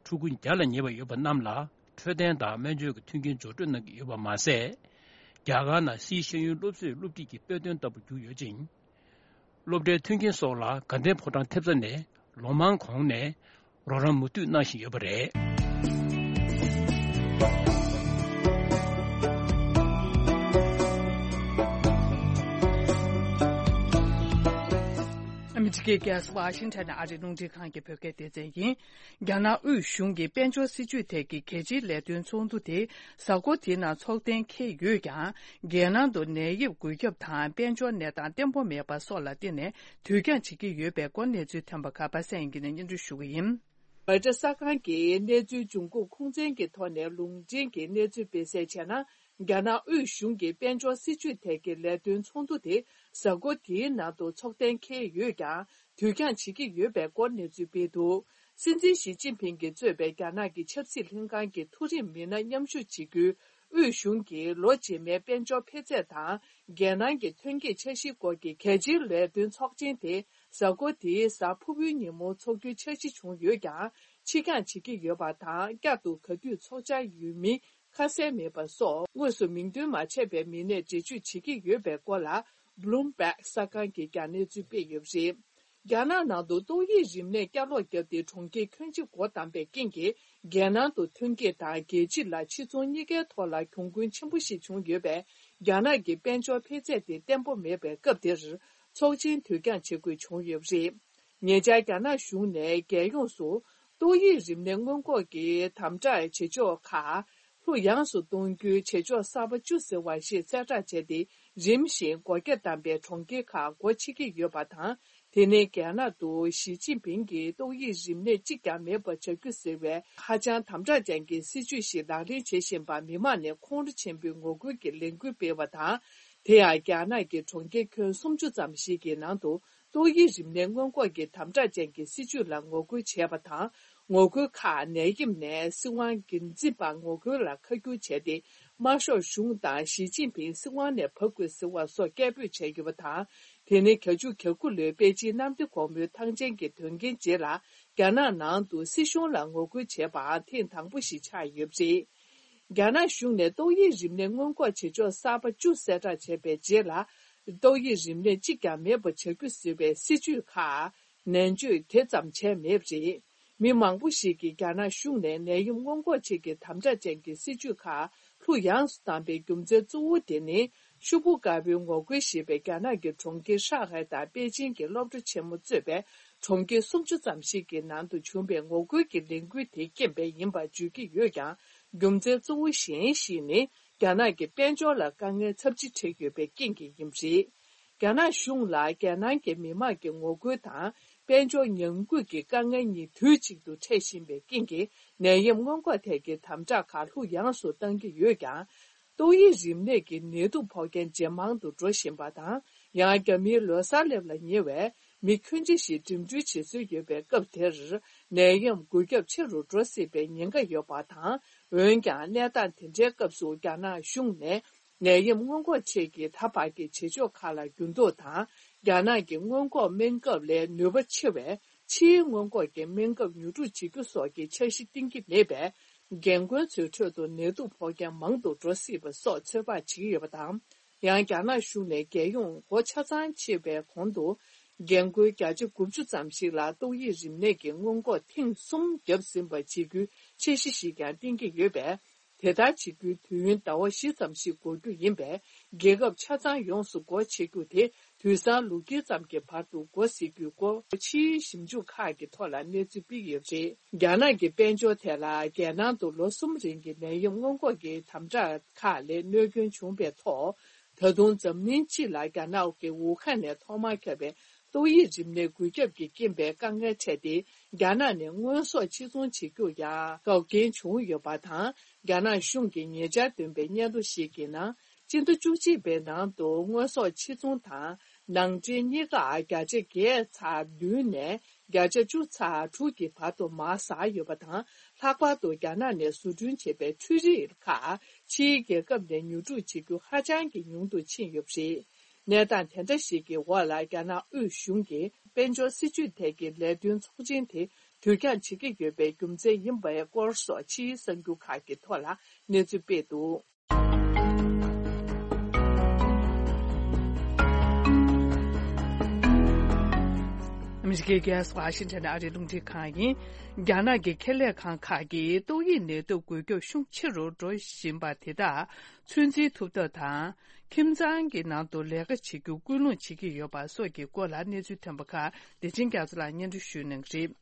ཕྲུ་གུ་བརྒྱ་ལ་ཉེ་བ་ཡོད་པ་རྣམས་ལ་འཕྲོད་བསྟེན་དང་སྨན་བཅོས་ཀྱི་མཐུན་རྐྱེན་འབྱོར་སྤྲོད་གནང་གི་ཡོད་པ་མ་ཟད། རྒྱ་གར་ནང་སིའི་ཤེས་ཡོན་སློབ་གསོས་སློབ་ཁྲིད་ཀྱི་དཔེ་སྟོན་ལྟ་བུ་གྱུར་ཡོད་ཅིང་། སློབ་གྲྭའི་མཐུན་རྐྱེན་སོགས་ལ་དགའ་ལྡན་ཕོ་བྲང་ཐེབས་རྩ་ནས་ལོ་མང་གོང་ནས་རོགས་རམ་མུ་མཐུད་གནང་བཞིན་ཡོད་པ་རེད། ཨ་མི་རི་ཀའི་རྒྱལ་ས་ཝ་ཤིང་ཊོན་ནས་ཨ་རིའི་རླུང་འཕྲིན་ཁང་གི་བོད་སྐད་སྡེ་ཚན་ཡིན། རྒྱ་ནག་དབུས་གཞུང་གི་དཔལ་འབྱོར་སྲིད་ཇུས་ཐད་ཀྱི་གལ་ཆེའི་ལས་དོན་ཚོགས་འདུ་དེ་གཟའ་འཁོར་འདིའི་ནང་ཚོགས་གཏན་འཁེལ་ཡོད་ཀྱང་། རྒྱལ་ནང་དུ་ནད་ཡམས་འགོས་ཁྱབ་དང་དཔལ་འབྱོར་གནས་སྟངས་བརྟན་པོ་མེད་པ་སོགས་ལ་བརྟེན་ནས་དུས་འགྱངས་བྱེད་ཀྱི་ཡོད་པའི་སྐོར་གནས་ཚུལ་ཐོན་པ་ཁག་པ་སངས་ཡིན་གྱི་ནས་སྙན་སྒྲོན་ཞུ་གི་ཡིན། རོའི་ཊར་གསར་ཁང་གིས་གནས་ཚུལ་འབྱུང་ཁུངས་ཁུངས་བཙན་གྱི་ཐོག་ནས་ལུང་འདྲེན་གྱིས་གནས་ཚུལ་སྤེལ་གསལ་བྱས་ན། རྒྱ་ནག་དབུས་གཞུང་གི་དཔལ་འབྱོར་སྲིད་ཇུས་ཐད་ཀྱི་ལས་དོན་ཚོགས་འདུ་དེ་གཟའ་འཁོར་འདིའི་ནང་དུ་ཚོགས་གཏན་འཁེལ་ཡོད་ཀྱང་། དུས་འགྱངས་བྱེད་ཀྱི་ཡོད་པའི་སྐོར་གནས་ཚུལ་སྤེལ་འདུག་སྲིད་འཛིན་ཞི་ཅིན་ཕིང་གིས་གཙོས་པའི་རྒྱ་ནག་གི་ཆབ་སྲིད་ལྷན་ཁང་གི་མཐོ་རིམ་མི་སྣ་མཉམ་ཞུགས་བྱེད་རྒྱུའི་དབུས་གཞུང་གི་ལོ་རྗེས་མའི་དཔལ་འབྱོར་འཕེལ་ཚད་དང་། རྒྱལ་ནང་གི་ཐོན་སྐྱེད་འཆར་གཞིའི་སྐོར་གྱི་གལ་ཆེའི་ལས་དོན་ཚོགས་ཆེན་དེ་གཟའ་འཁོར་འདིའི་གཟའ་ཕུར་བུའི་ཉིན་མོ་འཚོགས་རྒྱུའི་འཆར་གཞི་བྱུང་ཡོད་ཀྱང་། ཕྱིར་འགྱངས་བྱེད་ཀྱི་ཡོད་པ་དང་། བསྐྱར་དུ་ག་དུས་འཚོགས་འཆར་ཡོད་མིན་ཁ་གསལ་མེད་པ་སོགས། དངོས་སུ་མིང་འདོན་མ་བྱས་པའི་མི་སྣས་འགྲེལ་བརྗོད་བྱེད་ཀྱི་ཡོད་པའི་སྐོར་ལ་Bloomberg གསར་ཁང་གིས་ཀྱང་གནས་ཚུལ་སྤེལ་ཡོད་པ་རེད། རྒྱ་ནག་ནང་དུ་ཏོག་དབྱིབས་རིམས་ནད་བསྐྱར་ལོག་བརྒྱབ་སྟེ་གྲོང་ཁྱེར་ཁྱོན་ཆེ་སྒོ་བསྡམས་པའི་རྐྱེན་གྱིས། རྒྱལ་ནང་དུ་ཐོན་སྐྱེད་དང་རྒྱལ་སྤྱི་ལ་ཕྱིར་ཚོང་གཉིས་ཀའི་ཐོག་ལ་གྱོང་གུན་ཆེན་པོ་ཞིག་བྱུང་ཡོད་པས། རྒྱ་ནག་གི་དཔལ་འབྱོར་འཕེལ་ཚད་དེ་བརྟན་པོ་མེད་པའི་སྐབས་འདིར། ཚོགས་ཆེན་དུས་འགྱངས་བྱེད་དགོས་བྱུང་ཡོད་པ་རེད། ཉེ་ཆར་རྒྱ་ནག་གཞུང་ནས་རྒྱལ་ཡོངས་སུ་ཏོག་དབྱིབས་རིམས་ནད་སྔོན་འགོག་གི་དམ་དྲག་བྱེད་ཕྱོགས་ཁག་ལྷུ་ཡངས་སུ་གཏོང་རྒྱུའི་བྱེད་ཕྱོགས་གསར་པ་བཅུ་ཟེར་བ་ཞིག་གསལ་བསྒྲགས་བྱས་ཏེ། རིམ་བཞིན་སྒོ་རྒྱ་བསྡམས་པའི་གྲོང་ཁྱེར་ཁག་སྒོ་ཕྱེ་གི་ཡོད་པ་དང་། དེ་ནི་རྒྱ་ནག་ཏུ་ཞི་ཅིན་ཕིང་གིས་ཏོག་དབྱིབས་རིམས་ནད་གཅིག་ཀྱང་མེད་པ་བྱ་རྒྱུ་ཟེར་བའི་ཧ་ཅང་དམ་དྲག་ཅན་གྱི་སྲིད་ཇུས་ཤིག་ལག་ལེན་བྱེད་བཞིན་པར་མི་མང་ནས་ཁོང་ཁྲོ་ཆེན་པོས་ངོ་རྒོལ་གྱི་ལས་འགུལ་སྤེལ་བ་དང་། དེ་ཡང་རྒྱ་ནག་གི་གྲོང་ཁྱེར་ཁྱོན་སུམ་ཅུ་ཙམ་ཞིག་གི་ནང་དུ། ཏོག་དབྱིབས་རིམས་ནད་སྔོན་འགོག་གི་དམ་དྲག་ཅན་གྱི་སྲིད་ཇུས་ལ་ངོ་རྒོལ་བྱས་པ་དང་། ངོ་རྒོལ་ཁག་ནད་ཡམས་ནས་སྲིད་དབང་སྒེར་འཛིན་པར་ངོ་རྒོལ་ལ་ཁ་བསྒྱུར་བྱས་ཏེ། དམར་ཤོག་གཞུང་དང་ཞི་ཅིན་ཕིང་སྲིད་དབང་ནས་བབས་དགོས་ཟེར་བ་སོགས་སྐད་འབོད་བྱས་ཡོད་པ་དང་། དེ་ནི་བརྒྱད་ཅུ་གྱ་དགུ་ལོའི་པེ་ཅིན་གནམ་བདེ་སྒོ་མོའི་ཐང་ཆེན་གྱི་དོན་རྐྱེན་རྗེས་ལ། རྒྱ་ནག་ནང་དུ་སྲིད་གཞུང་ལ་ངོ་རྒོལ་བྱས་པའང་ཐེངས་དང་པོ་ཞིག་ཆགས་ཡོད་པ་རེད། རྒྱ་ནག་གཞུང་ནས་ཏོག་དབྱིབས་རིམས་ནད་སྔོན་འགོག་བྱེད་ཕྱོགས་གསར་པ་བཅུ་གསལ་བསྒྲགས་བྱས་པའི་རྗེས་ལ། ཏོག་དབྱིབས་རིམས་ནད་གཅིག་ཀྱང་མེད་པ་བྱ་རྒྱུ་ཟེར་བའི་སྲིད་ཇུས་ཁག་ནན་བརྗོད་དེ་ཙམ་བྱས་མེད་པ་རེད། མི་མང་པོ་ཞིག་གིས་རྒྱ་ནག་གཞུང་ནས་ནད་ཡམས་སྔོན་འགོག་ཆེད་ཀྱི་དམ་དྲག་ཅན་གྱི་སྲིད་ཇུས་ཁག་ལྷུ་ཡངས་སུ་བཏང་པའི་རྒྱུ་མཚན་གཙོ་བོ་དེ་ནི། ཤུ་པུ་དཀར་པོའི་ངོ་རྒོལ་ཞེས་པའི་རྒྱ་ནག་གི་གྲོང་ཁྱེར་ཧྲང་ཧའེ་དང་པེ་ཅིན་གྱི་སློབ་གྲྭ་ཆེན་མོ་གཙོས་པའི་གྲོང་ཁྱེར་སུམ་ཅུ་ཙམ་ཞིག་གི་ནང་དུ་བྱུང་བའི་ངོ་རྒོལ་གྱི་ལས་འགུལ་དེའི་རྐྱེན་པས་ཡིན་པར་བརྗོད་ཀྱི་ཡོད་ཀྱང་། རྒྱུ་མཚན་གཙོ་བོ་གཞན་ཞིག་ནི། རྒྱ་ནག་གི་དཔལ་འབྱོར་ལ་དཀའ་ངལ་ཚབས་ཆེ་འཕྲད་ཡོད་པའི་རྐྱེན་གྱིས་ཡིན་པ་རེད། རྒྱ་ནག་གཞུང་ལ་རྒྱལ་ནང་གི་མི་དམངས་ཀྱི་ངོ་རྒོལ་དང་དཔལ་འབྱོར་ཉམས་རྒུད་ཀྱི་དཀའ་ངལ་གཉིས་དུས་གཅིག་ཏུ་འཕྲད་བཞིན་པའི་རྐྱེན་གྱིས། ནད་ཡམས་སྔོན་འགོག་ཐད་ཀྱི་དམ་དྲག་ཁག་ལྷུག་ཡངས་སུ་གཏང་གི་ཡོད་ཀྱང་། ཏོག་དབྱིབས་རིམས་ནད་ཀྱི་ནད་དུག་ཕོག་མཁན་ཇེ་མང་དུ་འགྲོ་བཞིན་པ་དང་། ཡང་རྒྱ་མིའི་ལོ་གསར་སླེབས་ལ་ཉེ་བས། མི་ཁྱོན་ཆེ་ཞིག་འགྲིམ་འགྲུལ་བྱེད་སྲོལ་ཡོད་པའི་སྐབས་དེར། ནད་ཡམས་འགོས་ཁྱབ་ཆེ་རུ་འགྲོ་སྲིད་པའི་ཉེན་ཁ་ཡོད་པ་དང་། འོན་ཀྱང་། གནས་སྟངས་དེ་འདྲའི་སྐབས་སུ་རྒྱ་ནག་གཞུང་ནས། ནད་ཡམས་སྔོན་འགོག་ཆེད་ཀྱི་ད་བར་གྱི་བྱེད་ཕྱོགས་ཁག་ལ་འགྱུར་ལྡོག་དང་། རྒྱ་ནག་གི་སྔོན་འགོག་སྨན་ཁབ་ལས་ནུས་པ་ཆེ་བའི་ཕྱིའི་སྔོན་འགོག་གི་སྨན་ཁབ་ཉོ་སྒྲུབ་བྱེད་རྒྱུ་སོགས་ཀྱི་འཆར་གཞི་བཏིང་གི་མེད་པས། རྒན་རྒོན་ཚོའི་ཁྲོད་དུ་ནད་དུག་ཕོག་མཁན་མང་དུ་འགྲོ་སྲིད་པ་སོགས་ཚོད་དཔག་བྱེད་ཀྱི་ཡོད་པ་དང་། ཡང་། རྒྱ་ནག་གཞུང་ནས་རྒྱལ་ཡོངས་སྒོ་ཆ་ཚང་ཕྱེ་བའི་གོང་དུ། རྒན་རྒོན་བརྒྱ་ཆ་དགུ་བཅུ་ཙམ་ཞིག་ལ་ཏོག་དབྱིབས་རིམས་ནད་ཀྱི་སྔོན་འགོག་ཐེངས་གསུམ་བརྒྱབ་ཟིན་པ་བྱེད་རྒྱུའི་འཆར་གཞི་ཞིག་ཀྱང་བཏིང་གི་ཡོད་པས། དེ་ལྟར་བྱེད་རྒྱུའི་དུས་ཡུན་ཟླ་བ་བཞི་ཙམ་ཞིག་འགོར་རྒྱུ་ཡིན་པས། རྒྱལ་ཁབ་ཆ་ཚང་ཡོངས་སུ་སྒོ་ཕྱེ་རྒྱུ་དེ་དུས་སང་ལོ་དཀྱིལ་ཙམ་གྱི་བར་དུ་འགོ་འཛུགས་རྒྱུའི་སྐོར་ཕྱིའི་ཞིབ་འཇུག་ཁག་གི་ཐོག་ལ་གནས་ཚུལ་སྤེལ་ཡོད་པ་རེད། རྒྱ་ནག་གི་དཔལ་འབྱོར་ཐད་ལ། རྒྱལ་ནང་དུ་ལོ་གསུམ་རིང་གི་ནད་ཡམས་སྔོན་འགོག་གི་དམ་དྲག་ཁག་ལས་གནོད་སྐྱོན་བྱུང་བའི་ཐོག་ད་དུང་འཛམ་གླིང་སྤྱི་ལ་རྒྱ་ནག་གི་ཝུ་ཧན་ནས་ཐོག་མར་ཁྱབ་པའི་ཏོག་དབྱིབས་རིམས་ནད་འགོས་ཁྱབ་ཀྱི་རྐྱེན་པས་དཀའ་ངལ་འཕྲད་དེ། རྒྱ་ནག་ནས་དངོས་ཟོག་ཕྱིར་ཚོང་བྱེད་རྒྱུར་ཡང་འགལ་རྐྱེན་བྱུང་ཡོད་པ་དང་། རྒྱ་ནག་གཞུང་གིས་ཉེ་ཆར་བཏོན་པའི་སྙན་ཐོ་ཞིག་གི་ནང་། སྤྱི་ཟླ་བཅུ་གཅིག་པའི་ནང་དུ་དངོས་ཟོག་ཕྱིར་ཚོང་དང་ནང་འདྲེན་གཉིས་ཀ་བརྒྱ་ཆ་བརྒྱད་ཚེག་བདུན་ནས་བརྒྱ་ཆ་བཅུ་ཚེག་དྲུག་གི་བར་དུ་མར་ཟག་ཡོད་པ་དང་། ལྷག་པར་དུ་རྒྱ་ནག་ནས་བཟོ་སྐྲུན་བྱས་པའི་འཕྲུལ་རིགས་ཁག་ཕྱིའི་རྒྱལ་ཁབ་ནས་ཉོ་སྒྲུབ་བྱེད་རྒྱུ་ཧ་ཅང་གི་ཉུང་དུ་ཕྱིན་ཡོད་པ་རེད། གནས་སྟངས་དེ་འདྲ་ཞིག་གི་འོག་ལ། རྒྱ་ནག་དབུས་གཞུང་གིས་དཔལ་འབྱོར་སྲིད་ཇུས་ཐད་ཀྱི་ལས་དོན་ཚོགས་ཆེན་དེ་དུས་འགྱངས་བྱེད་ཀྱི་ཡོད་པའི་རྒྱུ་མཚན་ཡིན་པའི་སྐོར་སོགས་ཕྱིའི་གསར་འགྱུར་ཁག་གི་ཐོག་ལ་གནས་ཚུལ་སྤེལ་འདུག། ཨ་མི་རི་ཀའི་རྒྱལ་ས་ཝ་ཤིང་ཊོན་ཨ་རིའི་རླུང་འཕྲིན་ཁང་ཡིན། རྒྱ་ནག་གི་ཁེ་ལས་ཁང་ཁག་གིས་ཏོག་དབྱིབས་ནད་དུག་འགོས་ཁྱབ་ཤུགས་ཆེ་རུ་འགྲོ་བཞིན་པ་དེ་དག་ཚོད་འཛིན་ཐུབ་ཐབས་དང་། ཁྱིམ་ཚང་གི་ནང་དུ་ལས་ཀ་བྱེད་རྒྱུ་སྐུལ་སློང་བྱེད་ཀྱི་ཡོད་པ་སོགས་ཀྱི་སྐོར་ལ་གནས་ཚུལ་ཐོན་པ་ཁག་བདེ་ཆེན་རྒྱ་མཚོ་ལགས་སྙན་སྒྲོན་ཞུ་གནང་གི་རེད།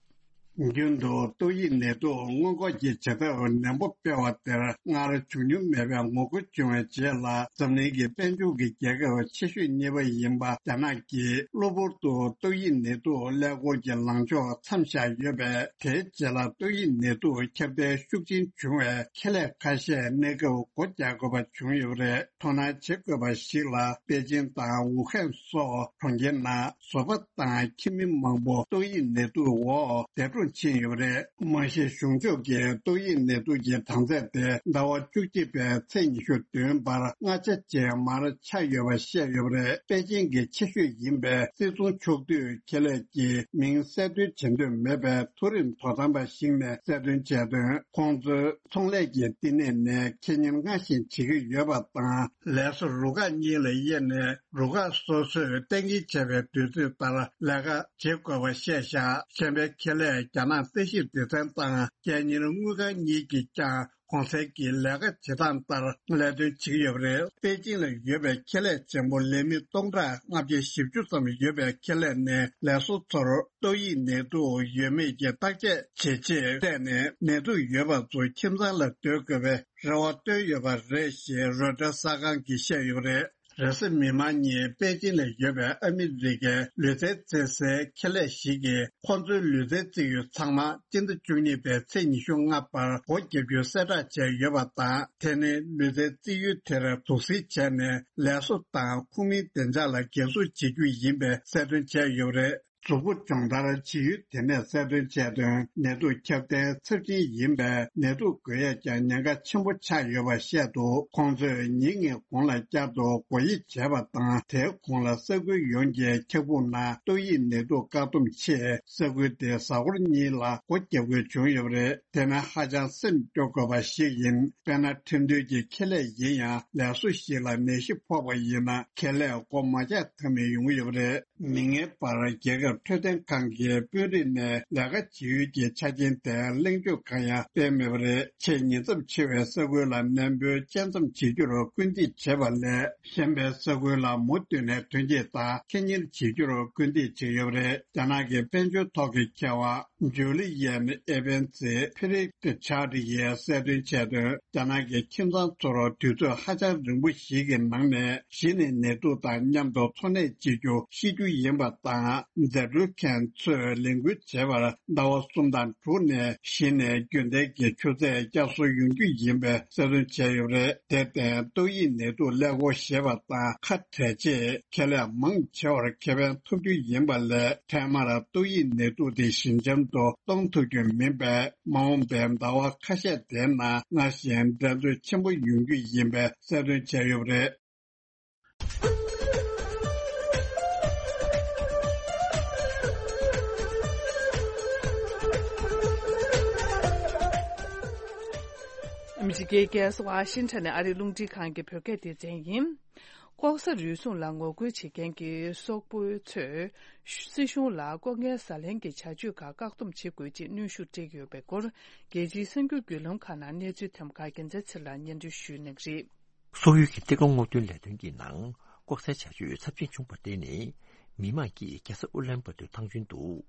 རྒྱུན་དུ་ཏོག་དབྱིབས་ནད་དུག་སྔོན་འགོག་གི་བྱེད་ཐབས་ནན་པོ་སྤེལ་བ་དེར་སྔར་བྱུང་མྱོང་མེད་པའི་ངོ་རྒོལ་བྱུང་བའི་རྗེས་ལ། འཛམ་གླིང་གི་དཔལ་འབྱོར་གྱི་རྒྱལ་ཁབ་ཆེ་ཤོས་གཉིས་པ་ཡིན་པ་རྒྱ་ནག་གིས་གློ་བུར་དུ་ཏོག་དབྱིབས་ནད་དུག་ཀླད་ཀོར་གྱི་ལངས་ཕྱོགས་མཚམས་བཞག་ཡོད་པས། དེའི་རྗེས་ལ་ཏོག་དབྱིབས་ནད་དུག་ཁྱབ་གདལ་ཤུགས་ཆེན་བྱུང་བས། ཁེ་ལས་ཁ་ཤས་གནས་སྐབས་སྒོ་རྒྱག་དགོས་པ་བྱུང་ཡོད་པ་རེད། དོ་སྣང་བྱེད་དགོས་པ་ཞིག་ལ། པེ་ཅིན་དང་ཝུ་ཧན་སོགས་གྲོང་ཁྱེར་ནང་བཟོ་པ་དང་ཁྱིམ་མི་མང་པོ་ཏོག་དབྱིབས་ནད་དུག་འོག་འདས་གྲོངས་ཕྱིན་ཡོད་པ་རེད། མ་གཞི་གཞུང་ཕྱོགས་ཀྱིས་ཏོག་དབྱིབས་ནད་དུག་གི་གྲངས་ཚད་དེ་ཟླ་བ་བཅུ་གཅིག་པའི་ཚེས་ཉི་ཤུ་བདུན་བར་ལྔ་ཆ་ཅན་མར་ཆག་ཡོད་པ་བཤད་ཡོད་པ་རེད། པེ་ཅིན་གྱི་ཆེ་ཤོས་ཡིན་པའི་སྲིད་ཚོང་ཕྱོགས་བསྡུས་ཁེ་ལས་ཀྱིས་མིང་གསལ་སྟོན་བྱེད་འདོད་མེད་པའི་མཐོ་རིམ་དོ་དམ་པ་ཞིག་ནས་གསལ་སྟོན་བྱས་དོན། ཁོང་ཚོའི་ཚོང་ལས་ཀྱི་བསྟི་གནས་ནས་ཁེ་གཉེར་སྔར་བཞིན་བྱེད་ཀྱི་ཡོད་པ་དང་། ལས་བཟོ་རུ་ཁག་གཉིས་ལ་དབྱེ་ནས། རུ་ཁག་སོ་སོས་གཏན་འཁེལ་བྱས་པའི་དུས་ཚོད་ལྟར་ལས་ཀ་བྱེད་དགོས་པ་བཤད་བཞག་གཞན་པའི་ཁེ་ལས་རྒྱ་ནག་ས་གཞིར་སྡེ་ཚན་དང་རྒྱལ་གཉེར་དངུལ་ཁང་གཉིས་ཀྱིས་ཀྱང་གོང་གསལ་གྱི་ལས་ཀ་བྱེད་སྟངས་ལྟར་ལས་དོན་བྱེད་ཀྱི་ཡོད་པ་རེད། པེ་ཅིང་ལ་ཡོད་པའི་ཁེ་ལས་ཆེན་པོ་ལས་མི་སྟོང་ཕྲག་ལྔ་བརྒྱ་བཞི་བཅུ་ཙམ་ཡོད་པའི་ཁེ་ལས་ནས་ལས་བཟོ་ཚོར་ཏོག་དབྱིབས་ནད་དུག་ཡོད་མེད་ཀྱི་བརྟག་དཔྱད་བྱེད་ཆེད་བལྟས་ནས། ནད་དུག་ཡོད་པ་ཚོ་ཁྱིམ་ཚང་ལ་སྡོད་དགོས་པའི་རེ་བ་བཏོན་ཡོད་པ་རེད་ཞེས་རོའི་ཊར་གསར་ཁང་གིས་བཤད་ཡོད་པ་རེད། རེས་གཟའ་མིག་དམར་ཉིན་པེ་ཅིང་ལ་ཡོད་པའི་ཨ་མི་རི་ཀའི་ལུས་རྩལ་རྩེད་སའི་ཁེ་ལས་ཞིག་གིས། ཁོང་ཚོའི་ལུས་རྩལ་རྩེད་ཡུལ་ཚང་མ་སྤྱི་ཟླ་བཅུ་གཉིས་པའི་ཚེས་ཉི་ཤུ་ལྔ་བར་སྒོ་བརྒྱབ་རྒྱུའི་གསལ་བསྒྲགས་བྱས་ཡོད་པ་དང་། དེ་ནི་ལུས་རྩལ་རྩེད་ཡུལ་དེར་དུག་སེལ་བྱས་ནས་ལས་བཟོ་དང་ཁོངས་མིའི་བདེ་འཇགས་ལ་འགན་སྲུང་བྱེད་རྒྱུ་ཡིན་པའི་གསལ་སྟོན་བྱས་ཡོད་པ་རེད། གཟུགས་པོ་སྦྱོང་བརྡར་བྱེད་ཡུལ་དེ་ནས་གསལ་སྟོན་བྱས་དོན། ནད་དུག་ཁྱབ་གདལ་ཚབས་ཆེན་ཡིན་པས། ནད་དུག་འགོས་ཡས་ཀྱང་ཉེན་ཁ་ཆེན་པོ་ཆགས་ཡོད་པ་བཤད་འདུག་ཁོང་ཚོས་ཉིན་གཉིས་གོང་ལ་བསྐྱར་དུ་སྒོ་དབྱེ་བྱས་པ་དང་། དེའི་གོང་ལ་ས་ཁུལ་ཡོངས་ཀྱི་འཁྱག་སྦུག་ནང་ཏོག་དབྱིབས་ནད་དུག་བཀག་སྡོམ་ཆེད་ས་ཁུལ་དེའི་གཟའ་འཁོར་གཉིས་ལ་སྒོ་བརྒྱབ་དགོས་བྱུང་ཡོད་པ་རེད། དེ་ནི་ཧ་ཅང་སེམས་སྐྱོ་དགོས་པ་ཞིག་ཡིན། དཔེར་ན། ཁྲིམས་མཐུན་གྱི་ཁེ་ལས་ཡིན་ཡང་། ལས་བཟོ་ཞིག་ལ་ནད་གཞི་ཕོག་པ་ཡིན་ན། ཁེ་ལས་སྒོ་མ་རྒྱག་ཐབས་མེད་ཡོང་གི་ཡོད་པ་རེད། མིག་སྔའི་བར་རྒྱལ་ཁབ་ འཕྲོད་བསྟེན་ཁང་གི་དཔོན་རིགས་ནས་ལས་ཀ་བྱེད་ཡུལ་གྱི་ཆ་རྐྱེན་དེ་གླེང་བརྗོད་གང་ཡང་སྤེལ་མེད་པ་རེད། ཆེས་ཉེ་ཚབས་ཆེ་བའི་ས་ཁུལ་ལ་གནས་སྤོས་དཔྱད་མཚམས་བྱེད་རྒྱུར་སྐུལ་འདེད་བྱེད་པ་ལས། གཞན་པའི་ས་ཁུལ་ལ་མུ་མཐུད་ནས་ཐོན་སྐྱེད་དང་ཁེ་གཉེར་བྱེད་རྒྱུར་སྐུལ་འདེད་བྱས་ཡོད་པ་རེད། རྒྱ་ནག་གི་དཔལ་འབྱོར་ཐོག་གི་མཁས་དབང་ཇུ་ལི་ཡན་ཨེ་བན་ཙི་ཕི་རིག་ཏི་ཆར་ཡིས་གསལ་སྟོན་བྱས་དོན། རྒྱ་ནག་གི་ཁྱིམ་ཚང་ཚོར་དུས་ཚོད་ཧ་ཅང་རིང་པོ་ཞིག་གི་ནང་ནས་གཞི་ནས་ནད་དུག་དང་མཉམ་དུ་འཚོ་གནས་བྱེད་རྒྱུ་ཤེས་རྒྱུ་ཡིན་པ་དང་། འཛད་སྤྲོད་མཁན་ཚོས་ལས་འགུལ་བྱེད་པར་ཟླ་བ་གསུམ་དང་དྲུག་ནས་གཞི་ནས་རྒྱུན་ལྡན་གྱི་ཆུ་ཚད་བསྐྱར་གསོ་ཡོང་རྒྱུ་ཡིན་པའི་གསལ་སྟོན་བྱས་ཡོད་པ་རེད། དེར་བརྟེན་ཏོག་དབྱིབས་ནད་དུག་ཀླད་ཀོར་ཞེས་པ་དང་ཁ་བྲལ་རྗེས་ཁེ་ལས་མང་ཆེ་བར་ཁེ་ཕན་ཐོབ་རྒྱུ་ཡིན་པ་ལས། ཐད་མར་ཏོག་དབྱིབས་ནད་དུག་དེ་ཞི་འཇམ་དུ་གཏོང་ཐུབ་རྒྱུ་མིན་པས། མ་འོངས་པའི་ཟླ་བ་ཁ་ཤས་དེའི་ནང་སྔར་བཞིན་འགྲན་རྩོད་ཆེན་པོ་ཡོང་རྒྱུ་ཡིན་པའི་གསལ་སྟོན་བྱས་ཡོད་པ་རེད། ཨ་མི་རི་ཀའི་རྒྱལ་ས་ཝ་ཤིང་ཊོན་ནས་ཨ་རིའི་རླུང་འཕྲིན་ཁང་གི་བོད་སྐད་སྡེ་ཚན་ཡིན། ལྐོག་ཟ་རུལ་སུངས་ལ་ངོ་རྒོལ་བྱེད་མཁན་གྱི་སོག་པོའི་ཚོས་སྲིད་གཞུང་ལ་ལྐོག་རྔན་ཟ་ལེན་གྱི་བྱ་སྤྱོད་ཁག་བཀག་སྡོམ་བྱེད་དགོས་ཅེས་གནོན་ཤུགས་སྤྲད་ཀྱི་ཡོད་པའི་སྐོར། རྒྱལ་སྤྱིའི་གསར་འགྱུར་བརྒྱུད་ལམ་ཁག་ནང་གནས་ཚུལ་ཐོན་པ་ཁག་རྒྱལ་མཚན་ཚེ་ལགས་སྙན་སྒྲོན་ཞུ་གནང་གི་རེད། སོག་ཡུལ་གྱི་གཏེར་ཁ་སྔོག་འདོན་ལས་དོན་གྱི་ནང་ལྐོག་ཟའི་བྱ་སྤྱོད་ཚབས་ཆེན་བྱུང་བར་བརྟེན་ནས། མི་མང་གིས་རྒྱལ་ས་ཨུ་ལན་བ་ཏུར་ཐང་ཆེན་དུ་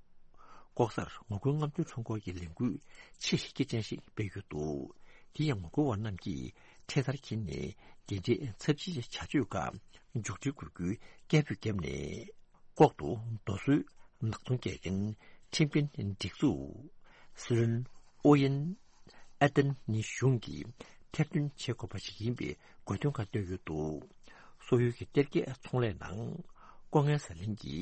ལྐོག་ཟར་ངོ་རྒོལ་རྔམ་སྟོན་ཁྲོམ་སྐོར་གྱི་ལས་འགུལ་ཆེས་སྐྱེད་ཅན་ཞིག་སྤེལ་ཡོད་འདུག་དེ་ཡང་ངོ་རྒོལ་བ་རྣམས་ཀྱིས་འཕྲེད་དར་འཁྱེར་ནས་འདི་འདྲའི་ཚབས་ཆེའི་བྱ་སྤྱོད་ཁག་མཇུག་སྒྲིལ་དགོས་རྒྱུའི་སྐད་འབོད་བརྒྱབ་ནས། ལྐོག་ཏུ་རྡོ་སོལ་ནག་ཚོང་རྒྱག་མཁན་ཁྲིམས་དཔོན་སྒྲིག་འཛུགས་སི་ལོན་ཨོ་ཡན། ཨ་ཏན་ནི་གཞུང་གིས་ཐེར་འདོན་བྱེད་དགོས་པ་ཞིག་ཡིན་པའི་དགོས་འདུན་ཁག་བཏོན་ཡོད་འདུག་སོག་ཡུལ་གྱི་གཏེར་ཁའི་ཚོང་ལས་ནང་ལྐོག་རྔན་ཟ་ལེན་གྱི་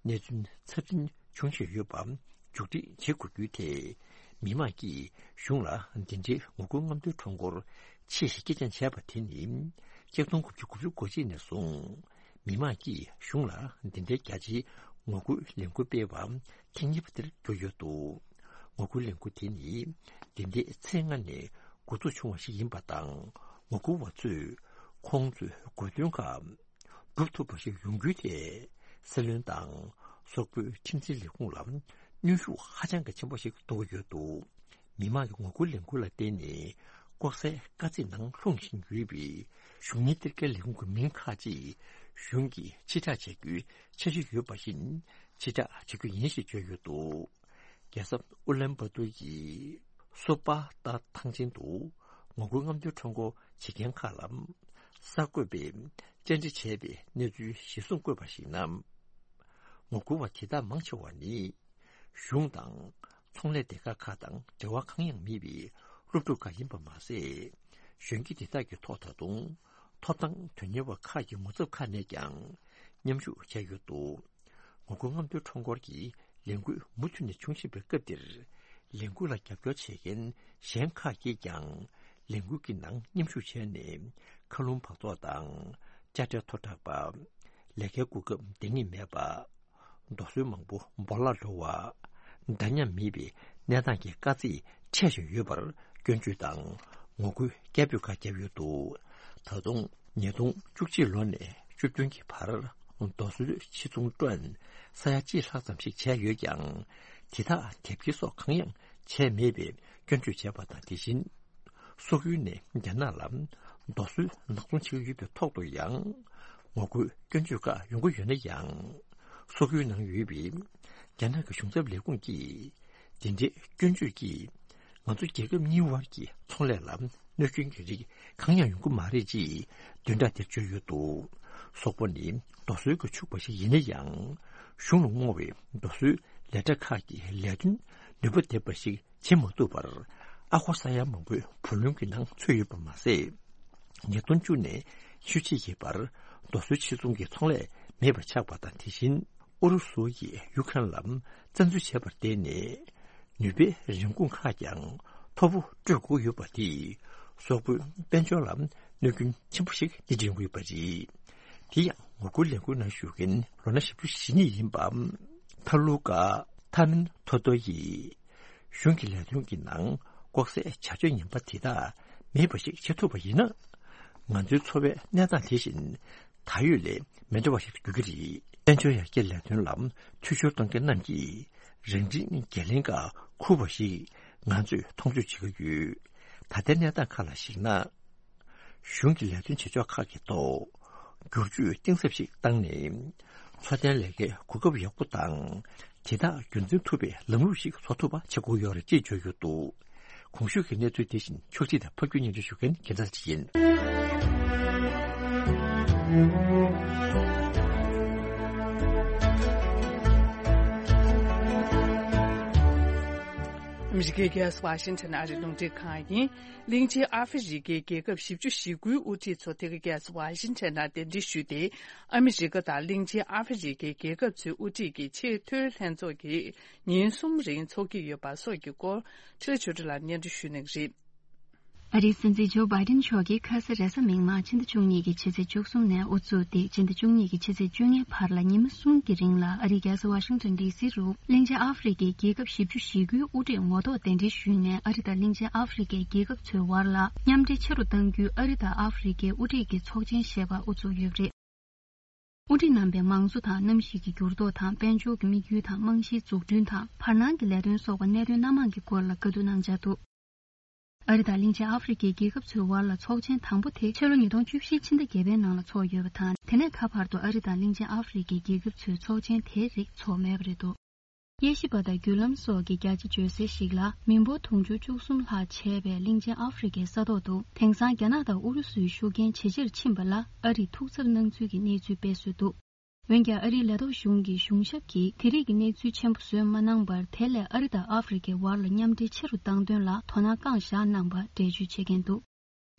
གནས་ཚུལ་ཚབས་ཆེན་བྱུང་བཞིན་ཡོད་པ་མཇུག་སྒྲིལ་བྱེད་དགོས་རྒྱུའི་ཐད། མི་མང་གིས་གཞུང་ལ་འདི་འདྲའི་ངོ་རྒོལ་རྔམ་སྟོན་ཁྲོམ་སྐོར་ཆེས་སྐྱེད་ཅན་བྱས་པ་དེ་ནི། ཆིག་སྟོང་དགུ་བརྒྱ་དགུ་བཅུ་གོ་གཅིག་ནས་བཟུང་། མི་མང་གིས་གཞུང་ལ་འདི་འདྲའི་རྒྱ་ཆེའི་ངོ་རྒོལ་ལས་འགུལ་སྤེལ་བ་ཐེངས་གཉིས་པ་དེར་གྱུར་ཡོད་འདུག་ངོ་རྒོལ་ལས་འགུལ་དེ་ནི་འདི་འདྲའི་ཚེས་ལྔ་ནས་འགོ་འཛུགས་བྱུང་བ་ཞིག་ཡིན་པ་དང་། ངོ་རྒོལ་བ་ཚོས་ཁོང་ཚོའི་དགོས་འདུན་ཁག་སྒྲུབ་ཐུབ་པ་ཞིག་ཡོང་རྒྱུའི་ཐད། སྲིད་བློན་དང་སོག་པོའི་ཁྲིམས་འཛིན་ལས་ཁུངས་ལ་གནོན་ཤུགས་ཧ་ཅང་གི་ཆེན་པོ་ཞིག་གཏོང་གི་ཡོད་འདུག་མི་མང་གི་ངོ་རྒོལ་ལས་འགུལ་ལ་བརྟེན་ནས་ལྐོག་ཟའི་དཀའ་ཚེགས་ནང་ལྷུང་བཞིན་ཡོད་པའི་གཞུང་གཉེར་གཏེར་ཁའི་ལས་ཁུངས་ཀྱི་མི་ཁག་ཅིག་གཞུང་གིས་ཕྱིར་བསྒྲགས་བྱ་རྒྱུའི་འཆར་གཞི་ཡོད་པ་བཞིན་ཕྱིར་བསྒྲགས་བྱ་རྒྱུ་ཡིན་ཞེས་བརྗོད་ཡོད་འདུག་རྒྱལ་ས་ཨུ་ལན་བ་ཏུར་གྱི་སོ་པ་ཏ་ཐང་ཆེན་དུ་ངོ་རྒོལ་རྔམ་སྟོན་ཁྲོམ་སྐོར་བྱེད་མཁན་ཁག་ལ་གསར་འགོད་པས་བཅར་འདྲི་བྱས་པའི་གནས་ཚུལ་གཞིར་བཟུང་བཀོད་པར་གཞིགས་ན། ངོ་རྒོལ་བ་དེ་དག་མང་ཆེ་བ་ནི། གཞུང་དང་ཚོང་ལས་སྡེ་ཁག་ཁག་དང་འབྲེལ་བ་གང་ཡང་མེད་པའི་སློབ་ཕྲུག་ཁག་ཡིན་པ་མ་ཟད། གཞོན་སྐྱེས་དེ་དག་གི་ཐོག་ད་དུང་ཐོབ་ཐང་དོན་གཉེར་བ་ཁག་གི་ངོ་ཚབ་ཁག་ནས་ཀྱང་མཉམ་ཞུགས་བྱས་ཡོད་འདུག་ངོ་རྒོལ་རྔམ་སྟོན་ཁྲོམ་སྐོར་གྱི་ལས་འགུལ་མུ་མཐུད་ནས་འབྱུང་བཞིན་པའི་སྐབས་འདིར། ལས་འགུལ་ལ་རྒྱབ་སྐྱོར་བྱེད་མཁན་གཞན་ཁག་གིས་ཀྱང་ལས་འགུལ་གྱི་ནང་མཉམ་ཞུགས་བྱས་ནས། མཁའ་རླུང་འབག་བཙོག་དང་། དཔྱ་ཁྲལ་མཐོ་དྲགས་པ། ལས་ཀའི་གོ་སྐབས་འདང་ངེས་མེད་པ། རྡོ་སོལ་མང་པོ་སྦོ་ལོགས་འགྲོ་བ། འདྲ་མཉམ་མེད་པའི་གནས་སྟངས་ཀྱི་དཀའ་ཚེགས་འཕྲད་བཞིན་ཡོད་པར་སྐྱོན་བརྗོད་དང་ངོ་རྒོལ་སྐད་འབོད་ཁག་བརྒྱབ་ཡོད་འདུག་ད་དུང་ཉིས་སྟོང་བཅུ་གཅིག་ལོ་ནས་བཅུ་བདུན་གྱི་བར་རྡོ་སོལ་ཕྱིར་ཚོང་ཊོན་ས་ཡ་གཅིག་ལྷག་ཙམ་ཞིག་བྱས་ཡོད་ཀྱང་། དེ་དག་དེབ་སྐྱེལ་སོགས་གང་ཡང་བྱས་མེད་པའི་སྐྱོན་བརྗོད་བྱས་པ་དང་། དེ་བཞིན། སོག་ཡུལ་ནས་རྒྱ་ནག་ལ་རྡོ་སོལ་ནག་ཚོང་བྱེད་ཀྱི་ཡོད་པའི་ཐོག་ཏུ་ཡང་ངོ་རྒོལ་སྐྱོན་བརྗོད་ཁག་ཡོང་གི་ཡོད་ན་ཡང་། སོག་ཡུལ་ནང་ཡོད་པའི་རྒྱ་ནག་གི་གཞུང་ཚབ་ལས་ཁུངས་ཀྱིས་དེ་འདྲའི་སྐྱོན་བརྗོད་ཀྱིས་ང་ཚོ་རྒྱལ་ཁབ་གཉིས་དབར་གྱི་ཚོང་ལས་ལ་གནོད་སྐྱོན་གྱི་རིགས་གང་ཡང་ཡོང་གི་མ་རེད་ཅེས་བདུན་ཕྲག་འདིར་བརྗོད་ཡོད་འདུག་སོག་པོ་ནི་རྡོ་སོལ་གྱིས་ཕྱུག་པ་ཞིག་ཡིན་ན་ཡང་། གཞུང་ལ་བསྔོ་བའི་རྡོ་སོལ་ལས་གྲྭ་ཁག་གི་ལས་དོན་ནུས་པ་ལྡན་པ་ཞིག་བྱེད་མ་ཐུབ་པར་ཨ་སྒོར་ས་ཡ་མང་པོའི་བུ་ལོན་གྱི་ནང་ཚུད་ཡོད་པ་མ་ཟད། ཉིས་སྟོང་བཅུ་ནས་ཉི་ཤུ་གཅིག་གི་བར་རྡོ་སོལ་ཕྱིར་ཚོང་གི་ཚོང་ལས་མེད་པ་ཆགས་པ་དང་། དེ་བཞིན་ཨུ་རུ་སུ་ཡིས་ཡུ་ཁ་རན་ལ་བཙན་འཛུལ་བྱས་པར་བརྟེན་ནས། ནུས་པའི་རིན་གོང་ཁག་ཀྱང་མཐོ་པོ་སྤྲོད་དགོས་ཡོད་པ་དེས་སོག་པོའི་དཔལ་འབྱོར་ལ་གནོད་སྐྱོན་ཆེན་པོ་ཞིག་སྣེ་ཁྲིད་ཡོང་གི་ཡོད་པ་རེད། དེ་ཡང་ངོ་རྒོལ་ལས་འགུལ་ནང་ཞུགས་མཁན་ལོ་ན་བཞི་བཅུ་ཞེ་གཉིས་ཡིན་པ། ཐ་ལུ་ཀ་ཐ་མིན་ཐོ་ཏོ་ཡིས། གཞུང་གི་ལས་དོན་གྱི་ནང་ལྐོག་ཟའི་བྱ་སྤྱོད་ངན་པ་དེ་དག་མེད་པ་ཞིག་བྱེད་ཐུབ་པ་ཡིན་ན། ང་ཚོའི་འཚོ་བའི་གནས་སྟངས་དེ་བཞིན་ད་ཡོད་ལས་མི་འདྲ་བ་ཞིག་ཏུ་འགྱུར་གྱི་རེད། དཔལ་འབྱོར་ཡར་རྒྱས་ལས་དོན་ལ་འཐུས་ཤོར་གཏོང་མཁན་རྣམས་ཀྱིས་རང་འཁྲིའི་འགན་ལེན་ཁག་འཁུར་བ་ཞིག་ང་ཚོས་མཐོང་ཆོས་བྱེད་ཀྱི་ཡོད། ད་ལྟའི་གནས་སྟངས་ཁག་ལ་གཞིགས་ན། གཞུང་གི་ལས་དོན་བྱེད་ཕྱོགས་ཁག་གི་ཐོག་བསྒྱུར་བཅོས་གཏིང་ཟབ་ཞིག་བཏང་ནས། འཚོ་རྟེན་ལས་ཀའི་གོ་སྐབས་ཡག་པོ་དང་། དེ་དག་རྒྱུན་འཛིན་ཐུབ་པའི་ལམ་ལུགས་ཤིག་བཟོ་ཐུབ་པ་བྱེད་དགོས་ཡོད་རེད་ཅེས་བརྗོད་ཡོད་འདུག་གོང་ཞུས་ཀྱི་གནས་ཚུལ་དེ་བཞིན་ཕྱོགས་སྒྲིག་དང་ཕབ་སྒྱུར་སྙན་སྒྲོན་ཞུ་མཁན་རྒྱལ་མཚན་ལགས་ཡིན། ཨ་མི་རི་ཀའི་རྒྱལ་ས་ཝ་ཤིང་ཊོན་ཨ་རིའི་རླུང་འཕྲིན་ཁང་ཡིན། གླིང་ཆེན་ཨ་ཧྥེ་རི་ཀའི་རྒྱལ་ཁབ་བཞི་བཅུ་ཞེ་དགུའི་དབུ་ཁྲིད་ཚོ་དེ་ག་རྒྱལ་ས་ཝ་ཤིང་ཊོན་ནང་གདན་འདྲེན་ཞུས་ཏེ། ཨ་མི་རི་ཀ་དང་གླིང་ཆེན་ཨ་ཧྥེ་རི་ཀའི་རྒྱལ་ཁབ་ཚོའི་དབུ་ཁྲིད་ཀྱི་ཆེས་མཐོའི་ལྷན་ཚོགས་ཀྱིས་ཉིན་གསུམ་རིང་འཚོགས་ཀྱི་ཡོད་པ་སོགས་ཀྱི་སྐོར་ཁྲི་ཆོས་སྒྲོན་ལགས་སྙན་སྒྲོན་ཞུ་གནང་གི་རེད། ཨ་རིའི་སྲིད་འཛིན་ཇོ་བྷའི་ཏིན་མཆོག་གིས་ཁ་ས་རེས་གཟའ་མིག་དམར་ཕྱི་ཟླ་བཅུ་གཉིས་ཀྱི་ཕྱི་ཚེས་བཅུ་གསུམ་ནས་དབུ་བཙུགས་ཏེ་ཕྱི་ཟླ་བཅུ་གཉིས་ཀྱི་ཕྱི་ཚེས་བཅོ་ལྔའི་བར་ལ་ཉི་མ་གསུམ་གྱི་རིང་ལ་ཨ་རིའི་རྒྱལ་ས་ཝ་ཤིང་ཊོན་ཌི་སི་རུ་གླིང་ཆེན་ཨ་ཧྥེ་རི་ཀའི་རྒྱལ་ཁབ་བཞི་བཅུ་ཞེ་དགུའི་དབུ་ཁྲིད་ངོ་ཐོག་གདན་འདྲེན་ཞུས་ནས། ཨ་རི་དང་གླིང་ཆེན་ཨ་ཧྥེ་རི་ཀའི་རྒྱལ་ཁབ་ཚོའི་བར་ལ་མཉམ་འབྲེལ་ཆེ་རུ་གཏང་རྒྱུའི་ཨ་རི་དང་ཨ་ཧྥེ་རི་ཀའི་དབུ་ཁྲིད་ཀྱི་ཚོགས་ཆེན་ཞེས་པ་དབུ་བཙུགས་ཡོད་པ་རེད། དབུ་ཁྲིད་རྣམ་པས་མང་གཙོ་དང་གནམ་གཤིས་ཀྱི་འགྱུར་ལྡོག་དང་། དཔལ་འབྱོར་གྱི་དམིགས་ཡུལ་དང་། རྨང་གཞིའི་འཛུགས་སྐྲུན་དང་། བར་སྣང་གི་ལས་དོན་སོགས་པ་གནད་དོན་སྣ་མང་གི་སྐོར་ལ་བཀའ་བསྡུར་གནང་འཆར་འདུག་ཨ་རི་དང་གླིང་ཆེན་ཨ་ཧྥེ་རི་ཀའི་རྒྱལ་ཁབ་ཚོའི་བར་ལ་ཚོགས་ཆེན་དང་པོ་དེ་ཕྱི་ལོ་ཉིས་སྟོང་བཅུ་བཞི་ཕྱི་ཟླ་བརྒྱད་པའི་ནང་ལ་ཚོགས་ཡོད་པ་དང་། དེ་ནས་ད་བར་དུ་ཨ་རི་དང་གླིང་ཆེན་ཨ་ཧྥེ་རི་ཀའི་རྒྱལ་ཁབ་ཚོའི་ཚོགས་ཆེན་དེའི་རིགས་ཚོགས་མེད་པ་རེད་འདུག་དབྱེ་ཞིབ་པ་དང་བརྒྱུད་ལམ་སོགས་ཀྱིས་བརྒྱ་ཆ་བརྗོད་གསལ་ཞིག་ལ། མི་འབོར་དུང་ཕྱུར་བཅུ་གསུམ་ལྷག་བྱས་པའི་གླིང་ཆེན་ཨ་ཧྥེ་རི་ཀའི་ས་ཐོག་ཏུ། དེང་སང་རྒྱ་ནག་དང་ཨུ་རུ་སུའི་ཤུགས་རྐྱེན་ཇེ་ཆེར་ཕྱིན་པ་ལ་ཨ་རིས་ཐུགས་འཚབ་གནང་ཚུལ་གྱི་གནས་ཚུལ་སྤེལ་སྲོལ་འདུག་འོན་ཀྱང་། ཨ་རིའི་ལས་ཐོག་གཞུང་གིས་གཞུང་ཞབས་ཀྱིས་དེ་རིགས་ཀྱི་གནས་ཚུལ་ཆེན་པོ་བཟོས་མ་གནང་བར། དེ་ལས་ཨ་རི་དང་ཨ་ཧྥེ་རི་ཀའི་བར་ལ་མཉམ་འབྲེལ་ཆེ་རུ་བཏང་དོན་ལ་དོ་སྣང་བསྐངས་བཞག་གནང་བར་འགྲེལ་བརྗོད་བྱེད་མཁན་འདུག་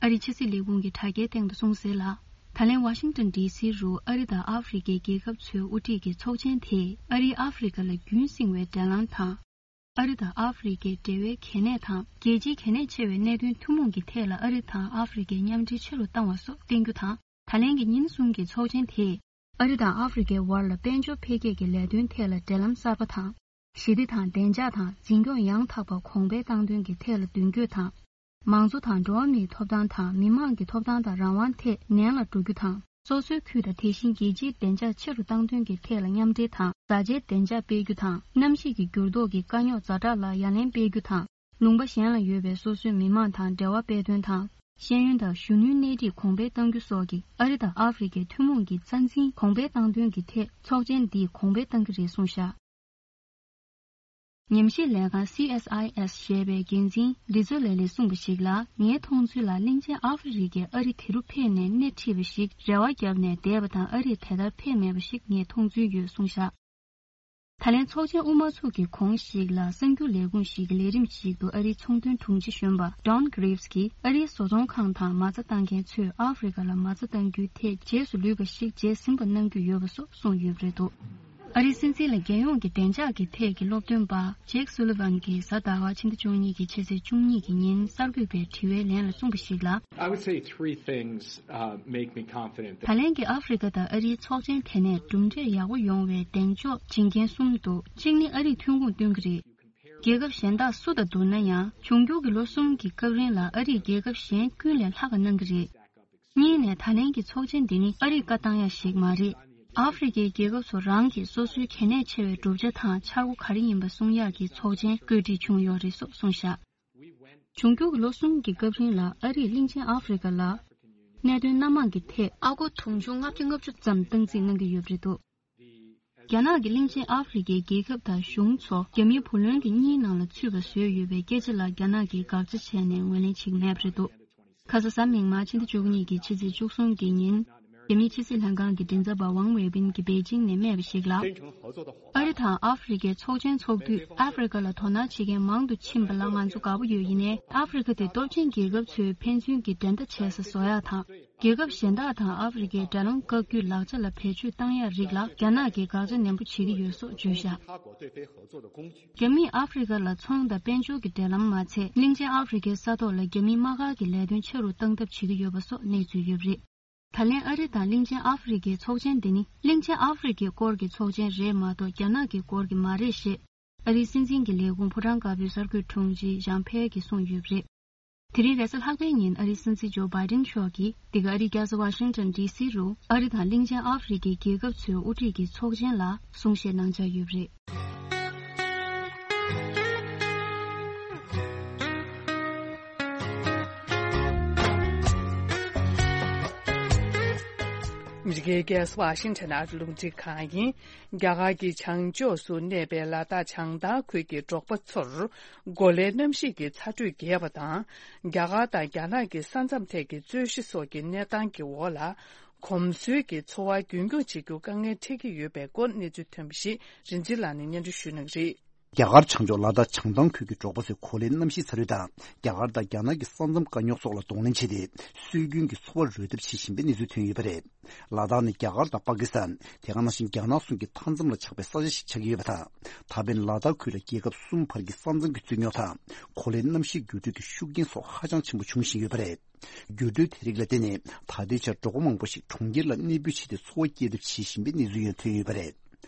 ཨ་རིའི་ཕྱི་སྲིད་ལས་ཁུངས་ཀྱི་དྲ་རྒྱའི་སྟེང་དུ་གསུངས་གསལ་ལ། ད་ལན་ཝ་ཤིང་ཏོན་ཌི་སི་རུ་ཨ་རི་དང་ཨ་ཧྥེ་རི་ཀའི་རྒྱལ་ཁབ་ཚོའི་དབུ་ཁྲིད་ཀྱི་ཚོགས་ཆེན་དེས། ཨ་རིའི་ཨ་ཧྥེ་རི་ཀ་ལ་རྒྱུན་བསྲིངས་པའི་འབྲེལ་ལམ་དང་། ཨ་རི་དང་ཨ་ཧྥེ་རི་ཀའི་འབྲེལ་བའི་གལ་གནད་དང་། རྒྱལ་སྤྱིའི་གལ་གནད་ཆེ་བའི་གནད་དོན་ཐུན་མོང་གི་ཐད་ལ་ཨ་རི་དང་ཨ་ཧྥེ་རི་ཀས་མཉམ་འབྲེལ་ཆེ་རུ་བཏང་བ་སོགས་བསྟན་རྒྱུ་དང་། ད་ལན་གྱི་ཉིན་གསུམ་གྱི་ཚོགས་ཆེན་དེས། ཨ་རི་དང་ཨ་ཧྥེ་རི་ཀའི་བར་ལ་དཔལ་འབྱོར་འཕེལ་རྒྱས་ཀྱི་ལས་དོན་ཐད་ལ་འབྲེལ་ལམ་གསར་པ་དང་། ཞི་བདེ་དང་། བདེ་འཇགས་དང་། འཛིན་སྐྱོང་ཡང་དག་པ་གོང་འཕེལ་བཏང་དོན་གྱི་ཐད་ལ་མདུན་སྐྱོད་དང་། མང་གཙོ་དང་། འགྲོ་བ་མིའི་ཐོབ་ཐང་དང་། མི་དམངས་ཀྱི་ཐོབ་ཐང་དང་རང་དབང་ཐད་ནན་ལ་འགྲོ་རྒྱུ་དང་། སོ་སོའི་ཁུལ་དང་། དེ་བཞིན་རྒྱལ་སྤྱིའི་བདེ་འཇགས་ཆེ་རུ་བཏང་དོན་གྱི་ཐད་ལ་མཉམ་འབྲེལ་དང་། བཟའ་བཅའི་བདེ་འཇགས་སྤེལ་རྒྱུ་དང་། གནམ་གཤིས་ཀྱི་འགྱུར་ལྡོག་གི་དཀའ་རྙོག་ཛ་དྲག་ལ་ཡ་ལན་སྤེལ་རྒྱུ་དང་། ལུང་པ་གཞན་ལ་ཡོད་པའི་སོ་སོའི་མི་མང་དང་འབྲེལ་བ་སྤེལ་དོན་དང་། ཤེས་ཡོན་དང་གཞོན་ནུའི་སྣེ་ཁྲིད་གོང་འཕེལ་གཏང་རྒྱུ་སོགས་ཀྱི་ཨ་རི་དང་ཨ་ཧྥེ་རི་ཀའི་ཐུན་མོང་གི་རྩ་འཛིན་གོང་འཕེལ་གཏང་དོན་གྱི་ཐད་ཚོགས་ཆེན་འདིས་གོང་འཕེལ་གཏང་གི་རེད་གསུངས་བཞག་ཉམས་ཞིབ་ལས་ཁང་སི་ཨེས་ཨའི་ཨེས་ཞེས་པའི་འགན་འཛིན་རི་ཛོ་ལེ་ལིས་གསུངས་པ་ཞིག་ལ། ངའི་མཐོང་ཚུལ་ལ། གླིང་ཆེན་ཨ་ཧྥེ་རི་ཀས་ཨ་རི་དེ་རུ་ཕེབས་ནས་སྣེ་ཁྲིད་པ་ཞིག་རེ་བ་བརྒྱབ་ནས་བསྡད་པ་དང་། ཨ་རིས་དེ་ལྟར་ཕེབས་མེད་པ་ཞིག་ངས་མཐོང་ཚུལ་ཡོད་གསུངས་བཞག་ད་ལན་ཚོགས་ཆེན་དབུ་མ་ཚུགས་ཀྱི་གོང་ཞིག་ལ། གསར་འགྱུར་ལས་ཁུངས་ཤིག་གི་ལས་རིམ་ཞིག་ཏུ་ཨ་རིའི་ཚོང་དོན་དྲུང་ཆེ་གཞོན་པ་Don Graves གྱིས་ཨ་རིའི་བཟོ་ཚོང་ཁང་དང་མ་རྩ་བཏང་མཁན་ཚོས་ཨ་ཧྥེ་རི་ཀ་ལ་མ་རྩ་གཏང་རྒྱུའི་ཐད་རྗེས་སུ་ལུས་པ་ཞིག་བྱས་ཟིན་པ་གནང་རྒྱུ་ཡོད་པ་སོགས་གསུངས་ཡོད་པ་རེད་འདུག་ཨ་རིའི་སྲིད་འཛིན་ལ་རྒྱལ་ཡོངས་ཀྱི་བདེ་འཇགས་ཀྱི་ཐད་ཀྱི་སློབ་སྟོན་པ་Jake Sullivan གྱིས་གཟའ་ཟླ་བ་ཕྱི་ཟླ་བཅུ་གཉིས་ཀྱི་ཕྱི་ཚེས་བཅུ་གཉིས་ཀྱི་ཉིན་གསར་འགོད་པའི་དྲི་བའི་ལན་ལ་གསུངས་པ་ཞིག་ལ། I would say three things, uh, make me confident that ད་ལན་གྱི་ཨ་ཧྥེ་རི་ཀ་དང་ཨ་རིའི་ཚོགས་ཆེན་དེ་ནས་གྲུབ་འབྲས་ཡག་པོ་ཡོང་བའི་གདེང་འཇོག་བྱེད་མཁན་གསུམ་འདུག་གཅིག་ནི་ཨ་རིས་ཐོན་ཁུངས་བཏོན་གྱི་རེད། རྒྱལ་ཁབ་གཞན་དག་སུ་དང་བསྡུར་ན་ཡང་། འབྱུང་འགྱུར་གྱི་ལོ་གསུམ་གྱི་སྐབས་རིང་ལ་ཨ་རིས་རྒྱལ་ཁབ་གཞན་ཀུན་ལས་ལྷག་ག་གནང་གི་རེད། གཉིས་ནས། ད་ལན་གྱི་ཚོགས་ཆེན་འདི་ནི་ཨ་རིས་བཀའ་བཏང་ཡག་ཞིག་མ་རེད། ཨ་ཧྥེ་རི་ཀའི་རྒྱལ་ཁབ་ཚོ་རང་གིས་སོ་སོའི་གལ་གནད་ཆེ་བའི་གྲུབ་ཆ་དང་འཆར་སྒོ་ག་རེ་ཡིན་པ་གསུང་ཡག་གི་ཚོགས་ཆེན་བཀོད་སྒྲིག་བྱུང་ཡོད་རེད་སོགས་གསུངས་བཞག་འབྱུང་འགྱུར་གྱི་ལོ་གསུམ་གྱི་སྐབས་རིང་ལ་ཨ་རིས་གླིང་ཆེན་ཨ་ཧྥེ་རི་ཀ་ལ་གནད་དོན་སྣ་མང་གི་ཐད་ཨ་སྒོར་དུང་ཕྱུར་ལྔ་བརྒྱ་ལྔ་བཅུ་ཙམ་སྟངས་འཛིན་གནང་གི་ཡོད་པ་རེད་འདུག་རྒྱ་ནག་གིས་གླིང་ཆེན་ཨ་ཧྥེ་རི་ཀའི་རྒྱལ་ཁབ་དང་གཞུང་ཚོ་རྒྱ་མིའི་བུ་ལོན་གྱི་གཉིས་ནང་ལ་ཚུད་པ་བཟོས་ཡོད་པའི་སྐད་ཆ་ལ་རྒྱ་ནག་གིས་དགག་བྱ་བྱས་ནས་ངོས་ལེན་བྱེད་ཀྱི་མེད་པ་རེད་འདུག་ཁ་ས་གཟའ་མིག་དམར་ཕྱི་ཟླ་བཅུ་གཉིས་ཀྱི་ཕྱི་ཚེས་བཅུ་གསུམ་གྱི་ཉིན། རྒྱ་མིའི་ཕྱི་སྲིད་ལྷན་ཁང་གི་མགྲིན་ཚབ་པ་ཝང་ཝེ་བིན་གྱིས་པེ་ཅིང་ནས་སྨྲས་པ་ཞིག་ལ། ཨ་རི་དང་ཨ་ཧྥེ་རི་ཀའི་ཚོགས་ཆེན་ཚོགས་དུས་ཨ་ཧྥེ་རི་ཀ་ལ་དོ་སྣང་བྱེད་མཁན་མང་དུ་ཕྱིན་པ་ལ་ང་ཚོ་དགའ་པོ་ཡོད། ཡིན་ནའི་ཨ་ཧྥེ་རི་ཀ་དེ་སྟོབས་ཆེན་རྒྱལ་ཁབ་ཚོའི་ཕན་ཚུན་གྱི་འགྲན་ཟླ་བྱེད་ས་བཟོ་ཡག་དང་། རྒྱལ་ཁབ་གཞན་དག་དང་ཨ་ཧྥེ་རི་ཀའི་འབྲེལ་ལམ་བཀག་རྒྱུའི་ལག་ཆ་ལ་བེད་སྤྱོད་བཏང་ཡག་རིགས་ལ་རྒྱ་ནག་གིས་དགག་བྱ་ནན་པོ་བྱེད་ཀྱི་ཡོད་སོགས་བརྗོད་བཞག་རྒྱ་མིས་ཨ་ཧྥེ་རི་ཀ་ལ་ཚོང་དང་དཔལ་འབྱོར་གྱི་འབྲེལ་ལམ་མ་ཚད། གླིང་ཆེན་ཨ་ཧྥེ་རི་ཀའི་ས་ཐོག་ལ་རྒྱ་མིའི་དམག་སྒར་གྱི་ལས་དོན་ཆེ་རུ་གཏང་ཐབས་བྱེད་ཀྱི་ཡོད་པ་སོགས་གནས་ཚུལ་ཡོད་པ་རེད། ད་ལན་ཨ་རི་དང་གླིང་ཆེན་ཨ་ཧྥེ་རི་ཀའི་ཚོགས་ཆེན་འདི་ནི་གླིང་ཆེན་ཨ་ཧྥེ་རི་ཀའི་སྐོར་གྱི་ཚོགས་ཆེན་རེད་མ་གཏོགས་རྒྱ་ནག་གི་སྐོར་གྱི་མ་རེད་ཞེས་ཨ་རིའི་སྲིད་འཛིན་གྱི་ལས་ཁུངས་ཕོ་བྲང་དཀར་པོའི་གསར་འགོད་དྲུང་ཆེ་ཞང་ཕེ་གིས་གསུངས་ཡོད་པ་རེད། དེ་རིང་རེས་གཟའ་ལྷག་པའི་ཉིན་ཨ་རིའི་སྲིད་འཛིན་ཇོ་བྷའི་ཌེན་མཆོག་གིས་འདི་ག་ཨ་རིའི་རྒྱལ་ས་ཝ་ཤིང་ཊོན་ཌི་སི་རུ་ཨ་རི་དང་གླིང་ཆེན་ཨ་ཧྥེ་རི་ཁའི་རྒྱལ་ཁབ་ཚོའི་དབུ་ཁྲིད་ཀྱི་ཚོགས་ཆེན་ལ་གསུང་བཤད་གནང་འཆར་ཡོད་པ་རེད། ཨ་མི་རི་ཀའི་རྒྱལ་ས་ཝ་ཤིང་ཊོན་ཨ་རི་རླུང་འཕྲིན་ཁང་ཡིན། རྒྱ་གར་གྱི་བྱང་ཕྱོགས་སུ་གནས་པའི་ལ་དྭགས་བྱང་ཐང་ཁུལ་གྱི་འབྲོག་པ་ཚོར་གོ་ལའི་གནམ་གཤིས་ཀྱི་ཚ་དྲོད་རྒྱས་པ་དང་། རྒྱ་གར་དང་རྒྱ་ནག་གི་ས་མཚམས་ཐད་ཀྱི་རྩོད་གཞི་སོགས་ཀྱི་གནས་སྟངས་ཀྱི་འོག་ལ། གོམས་སྲོལ་གྱི་འཚོ་བ་རྒྱུན་འཁྱོངས་བྱེད་རྒྱུ་དཀའ་ངལ་འཕྲད་ཀྱི་ཡོད་པའི་སྐོར་གནས་ཚུལ་ཐོན་པ་ཞིག་རིན་ཆེན་ལགས་ནས་སྙན་སྒྲོན་ཞུ་གནང་གི་རེད། རྒྱ་གར་བྱང་ཕྱོགས་ལ་དྭགས་བྱང་ཐང་ཁུལ་གྱི་འབྲོག་པ་ཚོས་གོ་ལའི་གནམ་གཤིས་ཚ་དྲོད་དང་། རྒྱ་གར་དང་རྒྱ་ནག་གི་ས་མཚམས་དཀའ་རྙོག་སོགས་ལ་གདོང་ལེན་བྱས་ཏེ། སྲོལ་རྒྱུན་གྱི་འཚོ་བ་རོལ་སྟབས་ཆེ་བཞིན་པའི་གནས་ཚུལ་ཐོན་ཡོད་པ་རེད། ལ་དྭགས་ནི་རྒྱ་གར་དང་པ་ཀི་སི་ཐན། དེ་ག་ནང་བཞིན་རྒྱ་ནག་གསུམ་གྱི་མཐའ་མཚམས་ལ་ཆགས་པའི་ས་ཆ་ཞིག་ཆགས་ཀྱི་ཡོད་པ་དང་། ད་ཕན་ལ་དྭགས་ཁུལ་ལ་རྒྱལ་ཁབ་གསུམ་བར་གྱི་ས་མཚམས་ཀྱི་རྩོད་རྙོག་དང་། གོ་ལའི་གནམ་གཤིས་འགྱུར་འགྲོས་ཀྱི་ཤུགས་རྐྱེན་སོགས་ཧ་ཅང་ཆེན་པོ་འབྱུང་བཞིན་ཡོད་པ་རེད། འགྱུར་འགྲོས་དེ་རིགས་ལ་བརྟེན་ནས་ད་ལྟའི་ཆར་འབྲོག་པ་མང་པོ་ཞིག་གྲོང་ཁྱེར་ལ་གནས་སྤོས་བྱས་ཏེ་འཚོ་བ་སྐྱེལ་ཐབས་བྱེད་བཞིན་པའི་གནས་ཚུལ་ཡང་ཐོན་ཡོད་པ་རེད།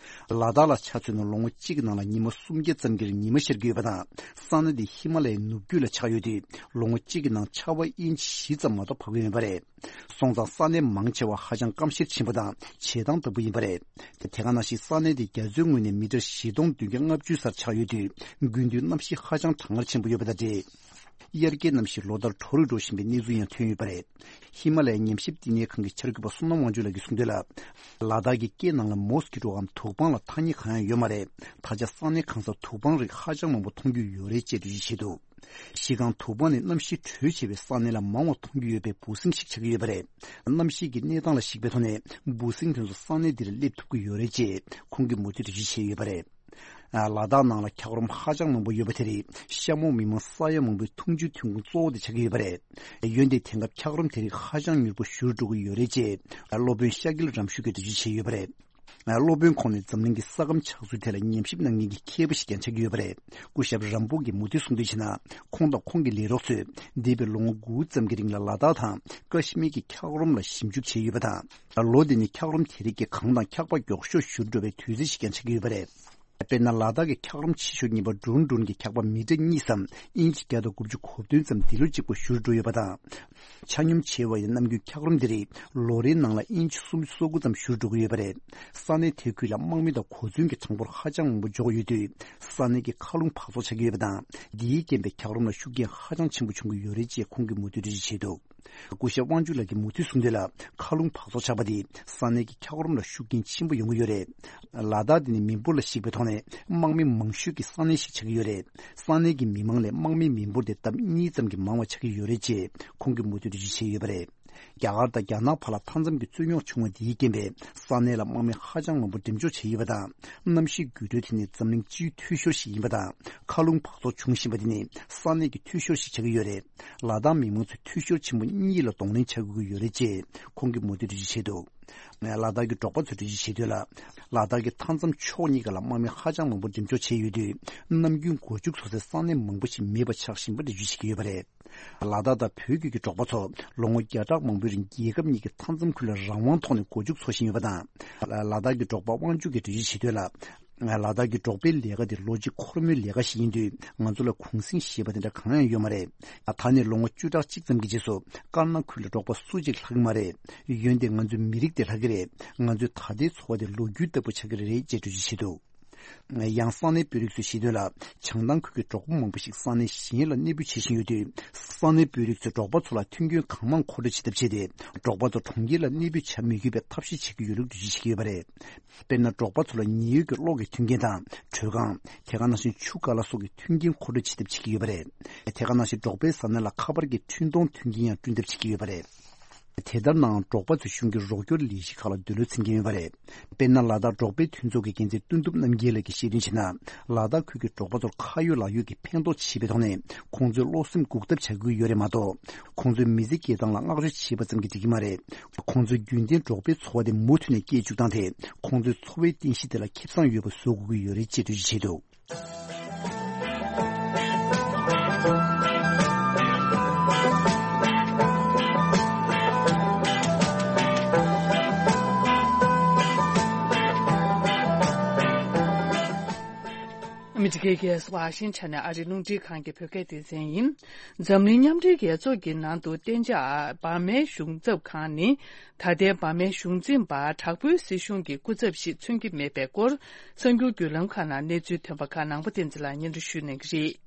ལ་དྭགས་ལ་ཆ་མཚོན་ན་ལོ་ངོ་གཅིག་གི་ནང་ལ་ཉི་མ་སུམ་བརྒྱ་ཙམ་གྱི་རིང་ཉི་མ་ཤར་གྱི་ཡོད་པ་དང་། ས་གནས་འདི་ཧི་མ་ལ་ཡའི་ནུབ་རྒྱུད་ལ་ཆགས་ཡོད་དུས། ལོ་ངོ་གཅིག་གི་ནང་ཆར་པ་ཨིན་ཆི་བཞི་ཙམ་མ་གཏོགས་བབས་ཀྱི་མེད་པ་རེད། སོང་ཙང་ས་གནས་མང་ཆེ་བ་ཧ་ཅང་སྐམ་ཤེད་ཆེན་པོ་དང་བྱེ་ཐང་དྭངས་པོ་ཡིན་པ་རེད། དེ་དེ་ག་ནང་བཞིན་ས་གནས་འདི་རྒྱ་མཚོའི་ངོས་ནས་མི་ཊར་བཞི་སྟོང་བདུན་བརྒྱ་ལྔ་བཅུ་སར་ཆགས་ཡོད་དུས། དགུན་དུས་གནམ་གཤིས་ཧ་ཅང་གྲང་ངར་ཆེན་པོ་ཡོད་པ་དང་འབྲེལ། དབྱར་ཁའི་གནམ་གཤིས་ལོ་ལྟར་དྲོ་རུ་འགྲོ་བཞིན་པའི་གནས་ཚུལ་ཡང་ཐོན་ཡོད་པ་རེད། ཧི་མ་ལ་ཡའི་ཉམས་ཞིབ་བསྟི་གནས་ཁང་གི་འཆར་འགོད་པ་བསོད་ནམས་དབང་ཕྱུག་ལགས་ཀྱིས་གསུངས་དོན་ལ། ལ་དྭགས་ཀྱི་སྐེ་ནང་ལ་མོ་སི་ཀི་ཊོའམ་དུག་པང་ལ་ཐ་སྙད་གང་ཡང་ཡོད་མ་རེད། ད་ཆ་ས་གནས་གང་སར་དུག་པང་རིགས་ཧ་ཅང་མང་པོ་མཐོང་རྒྱུ་ཡོད་རེད་ཅེས་འགྲེལ་བརྗོད་བྱས་འདུག་གཞི་རྐང་དུག་པང་ནི་གནམ་གཤིས་དྲོད་ཆེ་བའི་ས་གནས་ལ་མང་བ་མཐོང་རྒྱུ་ཡོད་པའི་འབུ་སྲིན་ཞིག་ཆགས་ཀྱི་ཡོད་པ་རེད། གནམ་གཤིས་ཀྱི་གནས་སྟངས་ལ་གཞིགས་པའི་ཐོག་ནས་འབུ་སྲིན་དེ་ཚོ་ས་གནས་འདིར་སླེབས་ཐུབ་ཀྱི་ཡོད་རེད་ཅེས་ཁོང་གིས་མུ་མཐུད་དུ་འགྲེལ་བརྗོད་བྱས་ཡོད་པ་རེད། ལ་དྭགས་ནང་ལ་འཁྱགས་རོམ་ཧ་ཅང་མང་པོ་ཡོད་པ་དེ་རིགས་ཤ་མོང་མི་མང་ས་ཡ་མང་པོའི་འཐུང་ཆུའི་ཐོན་ཁུངས་གཙོ་བོ་དེ་ཆགས་ཀྱི་ཡོད་པ་རེད། འོན་ཏེ་དེང་སྐབས་འཁྱགས་རོམ་དེ་རིགས་ཧ་ཅང་མྱུར་པོ་ཞུ་རུ་འགྲོ་གི་ཡོད་རེད་ཅེས་སློབ་དཔོན་ཤཱ་ཀིལ་རམ་ཤུ་གིས་འགྲེལ་བརྗོད་བྱས་ཡོད་པ་རེད། སློབ་དཔོན་ཁོང་ནི་འཛམ་གླིང་གི་ས་ཁམས་ཆགས་ཚུལ་ཐད་ལ་ཉམས་ཞིབ་གནང་མཁན་གྱི་མཁས་པ་ཞིག་ཀྱང་ཆགས་ཀྱི་ཡོད་པ་རེད། སྐུ་ཞབས་རམ་པོ་གིས་མུ་མཐུད་གསུངས་དོན་བྱས་ན། ཁོང་དང་ཁོང་གི་ལས་རོགས་ཚོས་འདས་པའི་ལོ་ངོ་དགུ་ཙམ་གྱི་རིང་ལ་ལ་དྭགས་དང་ཀ་ཤི་མིར་གྱི་འཁྱགས་རོམ་ལ་ཞིབ་འཇུག་བྱས་ཡོད་པ་དང་། ལོ་འདི་ནི་འཁྱགས་རོམ་དེ་རིགས་ཀྱིས་གངས་དང་འཁྱགས་པ་མགྱོགས་ཤོས་བཞུར་འགྲོ་བའི་དུས་ཚོད་ཞིག་ཀྱང་ཆགས་ཀྱི་ཡོད་པ་རེད། དཔེར་ན། ལ་དྭགས་ཀྱི་འཁྱགས་རོམ་ཆེ་ཤོས་གཉིས་པ་ཌུན་ཌུན་གྱི་འཁྱགས་པ་མི་ཊར་གཉིས་སམ་ཨིན་ཆི་བརྒྱ་དང་དགུ་བཅུ་གོ་བདུན་ཙམ་འདི་ལོ་གཅིག་པོ་བཞུར་འགྲོ་ཡོད་པ་དང་། ཆ་སྙོམས་ཆེ་བ་ཡི་ནམ་རྒྱུན་འཁྱགས་རོམ་འདི་རིགས་ལོ་རེའི་ནང་ལ་ཨིན་ཆི་སུམ་ཅུ་སོ་དགུ་ཙམ་བཞུར་འགྲོ་གི་ཡོད་པ་རེད། ས་གནས་དེ་ཁུལ་ལ་དམག་མི་དང་གོ་མཚོན་གྱི་གྲངས་འབོར་ཧ་ཅང་མང་པོ་འབྱོར་ཡོད་དུས། ས་གནས་ཀྱི་མཁའ་རླུང་འབག་བཙོག་ཆགས་ཀྱི་ཡོད་པ་དང་། འདིའི་རྐྱེན་པས་འཁྱགས་རོམ་ལ་ཤུགས་རྐྱེན་ཧ་ཅང་ཆེན་པོ་བྱུང་གི་ཡོད་རེད་ཅེས་ཁོང་གིས་མུ་མཐུད་འགྲེལ་བརྗོད་བྱས་འདུག་སྐུ་ཞབས་དབང་ཕྱུག་ལགས་ཀྱིས་མུ་མཐུད་གསུངས་དོན་ལ། མཁའ་རླུང་འབག་བཙོག་ཆགས་པ་དེས་ས་གནས་ཀྱི་འཁྱགས་རོམ་ལ་ཤུགས་རྐྱེན་ཆེན་པོ་ཡོང་གི་ཡོད་རེད། ལ་དྭགས་འདི་ནི་མི་འབོར་ལ་གཞིགས་པའི་ཐོག་ནས་དམག་མི་མང་ཤོས་ཀྱི་ས་གནས་ཤིག་ཆགས་ཀྱི་ཡོད་རེད། ས་གནས་ཀྱི་མི་མང་ལས་དམག་མིའི་མི་འབོར་དེ་ལྡབ་གཉིས་ཙམ་གྱིས་མང་བ་ཆགས་ཀྱི་ཡོད་རེད་ཅེས་ཁོང་གིས་མུ་མཐུད་འགྲེལ་བརྗོད་བྱས་ཡོད་པ་རེད། རྒྱ་གར་དང་རྒྱ་ནག་བར་ལ་མཐའ་མཚམས་ཀྱི་རྩོད་རྙོག་བྱུང་བ་འདིའི་རྐྱེན་པས་ས་གནས་ལ་དམག་མི་ཧ་ཅང་མང་པོ་འགྲེམས་འཇོག་བྱས་ཡོད་པ་དང་། གནམ་གཤིས་འགྱུར་འགྲོས་དེ་ནི་འཛམ་གླིང་སྤྱིའི་འཐུས་ཤོར་ཞིག་ཡིན་པ་དང་། མཁའ་རླུང་འབག་བཙོག་འབྱུང་བཞིན་པ་དེ་ནི་ས་གནས་ཀྱི་འཐུས་ཤོར་ཞིག་ཆགས་ཀྱི་ཡོད་རེད། ལ་དྭགས་མི་མང་ཚོས་འཐུས་ཤོར་ཆེན་པོ་གཉིས་ལ་གདོང་ལེན་བྱ་དགོས་ཀྱི་ཡོད་རེད་ཅེས་ཁོང་གིས་མུ་མཐུད་འགྲེལ་བརྗོད་བྱས་འདུག་ལ་དྭགས་ཀྱི་འབྲོག་པ་ཚོས་འགྲེལ་བརྗོད་བྱས་དོན་ལ། ལ་དྭགས་ཀྱི་མཐའ་མཚམས་ཕྱོགས་གཉིས་ཀ་ལ་དམག་མི་ཧ་ཅང་མང་པོ་འགྲེམས་འཇོག་བྱས་ཡོད་དུས། ནམ་རྒྱུན་སྒོ་ཕྱུགས་འཚོ་སའི་ས་གནས་མང་པོ་ཞིག་མེད་པ་ཆགས་བཞིན་པ་འགྲེལ་བརྗོད་བྱེད་ཀྱི་ཡོད་པ་རེད། ལ་དྭགས་དང་བོད་ཁུལ་གྱི་འབྲོག་པ་ཚོ་ལོ་ངོ་བརྒྱ་ཕྲག་མང་པོའི་རིང་རྒྱལ་ཁབ་གཉིས་ཀྱི་མཐའ་མཚམས་ཁུལ་ལ་རང་དབང་ཐོག་ནས་སྒོ་ཕྱུགས་འཚོ་བཞིན་ཡོད་པ་དང་། ལ་དྭགས་ཀྱི་འབྲོག་པ་དབང་ཕྱུག་གིས་འགྲེལ་བརྗོད་བྱས་དོན་ལ། ལ་དྭགས་ཀྱི་འབྲོག་པའི་ལས་ཀ་དེ་ལོ་གཅིག་འཁོར་མོའི་ལས་ཀ་ཞིག་ཡིན་དུས། ང་ཚོ་ལ་གུང་གསེང་ཞེས་པ་དེ་འདྲ་གང་ཡང་ཡོད་མ་རེད། ད་ནི་ལོ་ངོ་བཅུ་ཕྲག་གཅིག་ཙམ་གྱི་རྗེས་སུ་དཀར་ནག་ཁུལ་ལ་འབྲོག་པ་སུ་གཅིག་ལྷག་གི་མ་རེད། འོན་ཏེ་ང་ཚོའི་མི་རིགས་དེ་ལྷག་གི་རེད། ང་ཚོའི་ད་ལྟའི་འཚོ་བ་དེ་ལོ་རྒྱུས་ལྟ་བུ་ཆགས་ཀྱི་རེད་ཅེས་འགྲེལ་བརྗོད་བྱས་འདུག་ཡང་ས་གནས་དཔོན་རིགས་ཚོས་བཤད་དོན་ལ། བྱང་ཐང་ཁུལ་གྱི་འབྲོག་པ་མང་པོ་ཞིག་ས་གནས་གཞན་ལ་གནས་སྤོས་བྱེད་བཞིན་ཡོད་དུས། ས་གནས་དཔོན་རིགས་ཚོས་འབྲོག་པ་ཚོ་ལ་མཐུན་རྐྱེན་གང་མང་མཁོ་སྤྲོད་བྱེད་ཐབས་བྱས་ཏེ། འབྲོག་པ་ཚོ་གྲོང་ཁྱེར་ལ་གནས་སྤོས་བྱ་མི་དགོས་པའི་ཐབས་ཤེས་བྱེད་ཀྱི་ཡོད་ལུགས་འགྲེལ་བརྗོད་བྱེད་ཀྱི་ཡོད་པ་རེད། དཔེར་ན། འབྲོག་པ་ཚོ་ལ་ཉེན་གཡོལ་གྱི་གློག་གི་མཐུན་རྐྱེན་དང་། དྲོད་ཁང་། དེ་ག་ནང་བཞིན་ཆུ་ཀ་ལ་སོགས་ཀྱི་མཐུན་རྐྱེན་མཁོ་སྤྲོད་བྱེད་ཐབས་བྱེད་ཀྱི་ཡོད་པ་རེད། དེ་ག་ནང་བཞིན་འབྲོག་པའི་ས་གནས་ལ་ཁ་པར་གྱི་འཕྲིན་གཏོང་མཐུན་རྐྱེན་ཡང་བསྐྲུན་ཐབས་བྱེད་ཀྱི་ཡོད་པ་རེད། དེ་ལྟར་ནའང་འབྲོག་པ་ཚོས་གཞུང་གི་རོགས་སྐྱོར་ལས་གཞི་ཁག་ལ་འདོད་བློ་འཚིམ་གྱིན་ཡོད་པ་རེད། དཔེར་ན། ལ་དྭགས་འབྲོག་པའི་མཐུན་ཚོགས་ཀྱི་འགན་འཛིན་དོན་གྲུབ་རྣམ་རྒྱལ་ལགས་ཀྱིས་བཤད་དོན་བྱས་ན། ལ་དྭགས་ཁུལ་གྱི་འབྲོག་པ་ཚོར་ཁ་ཡོད་ལག་ཡོད་ཀྱི་ཕན་ཐོགས་བྱེད་པའི་ཐོག་ནས་ཁོང་ཚོའི་བློ་སེམས་འགུག་ཐབས་བྱ་དགོས་ཀྱི་ཡོད་རེད་མ་གཏོགས། ཁོང་ཚོའི་མི་ཚེ་སྐྱེལ་སྟངས་ལ་བསྔགས་བརྗོད་བྱས་པ་ཙམ་གྱིས་འགྲིག་གི་མ་རེད། ཁོང་ཚོའི་རྒྱུན་ལྡན་འབྲོག་པའི་འཚོ་བ་དེ་མུ་མཐུད་ནས་སྐྱེལ་བཅུག་སྟངས་དེ། ཁོང་ཚོའི་འཚོ་བའི་རྟེན་གཞི་དེ་ལ་ཁེ་བཟང་ཡོད་པ་བཟོ་དགོས་ཀྱི་ཡོད་རེད་ཅེས་འགྲེལ་བརྗོད་བྱས་འདུག་ཨ་མི་རི་ཀའི་རྒྱལ་ས་ཝ་ཤིང་ཊོན་ནས་ཨ་རིའི་རླུང་འཕྲིན་ཁང་གི་བོད་སྐད་སྡེ་ཚན་ཡིན། འཛམ་གླིང་མཉམ་འབྲེལ་རྒྱལ་ཚོགས་ཀྱི་ནང་དུ་གཏན་འཇགས་འབར་མའི་གཞུང་ཚབ་ཁང་ནི། ད་ལྟའི་འབར་མའི་གཞུང་འཛིན་པ་དྲག་པོའི་སྲིད་གཞུང་གི་སྐུ་ཚབ་ཞིག་མཚོན་གྱི་མེད་པའི་སྐོར། གསར་འགྱུར་བརྒྱུད་ལམ་ཁག་ནང་གནས་ཚུལ་ཐོན་པ་ཁག་ནང་པ་བསྟན་འཛིན་ལགས་སྙན་སྒྲོན་ཞུ་གནང་གི་རེད།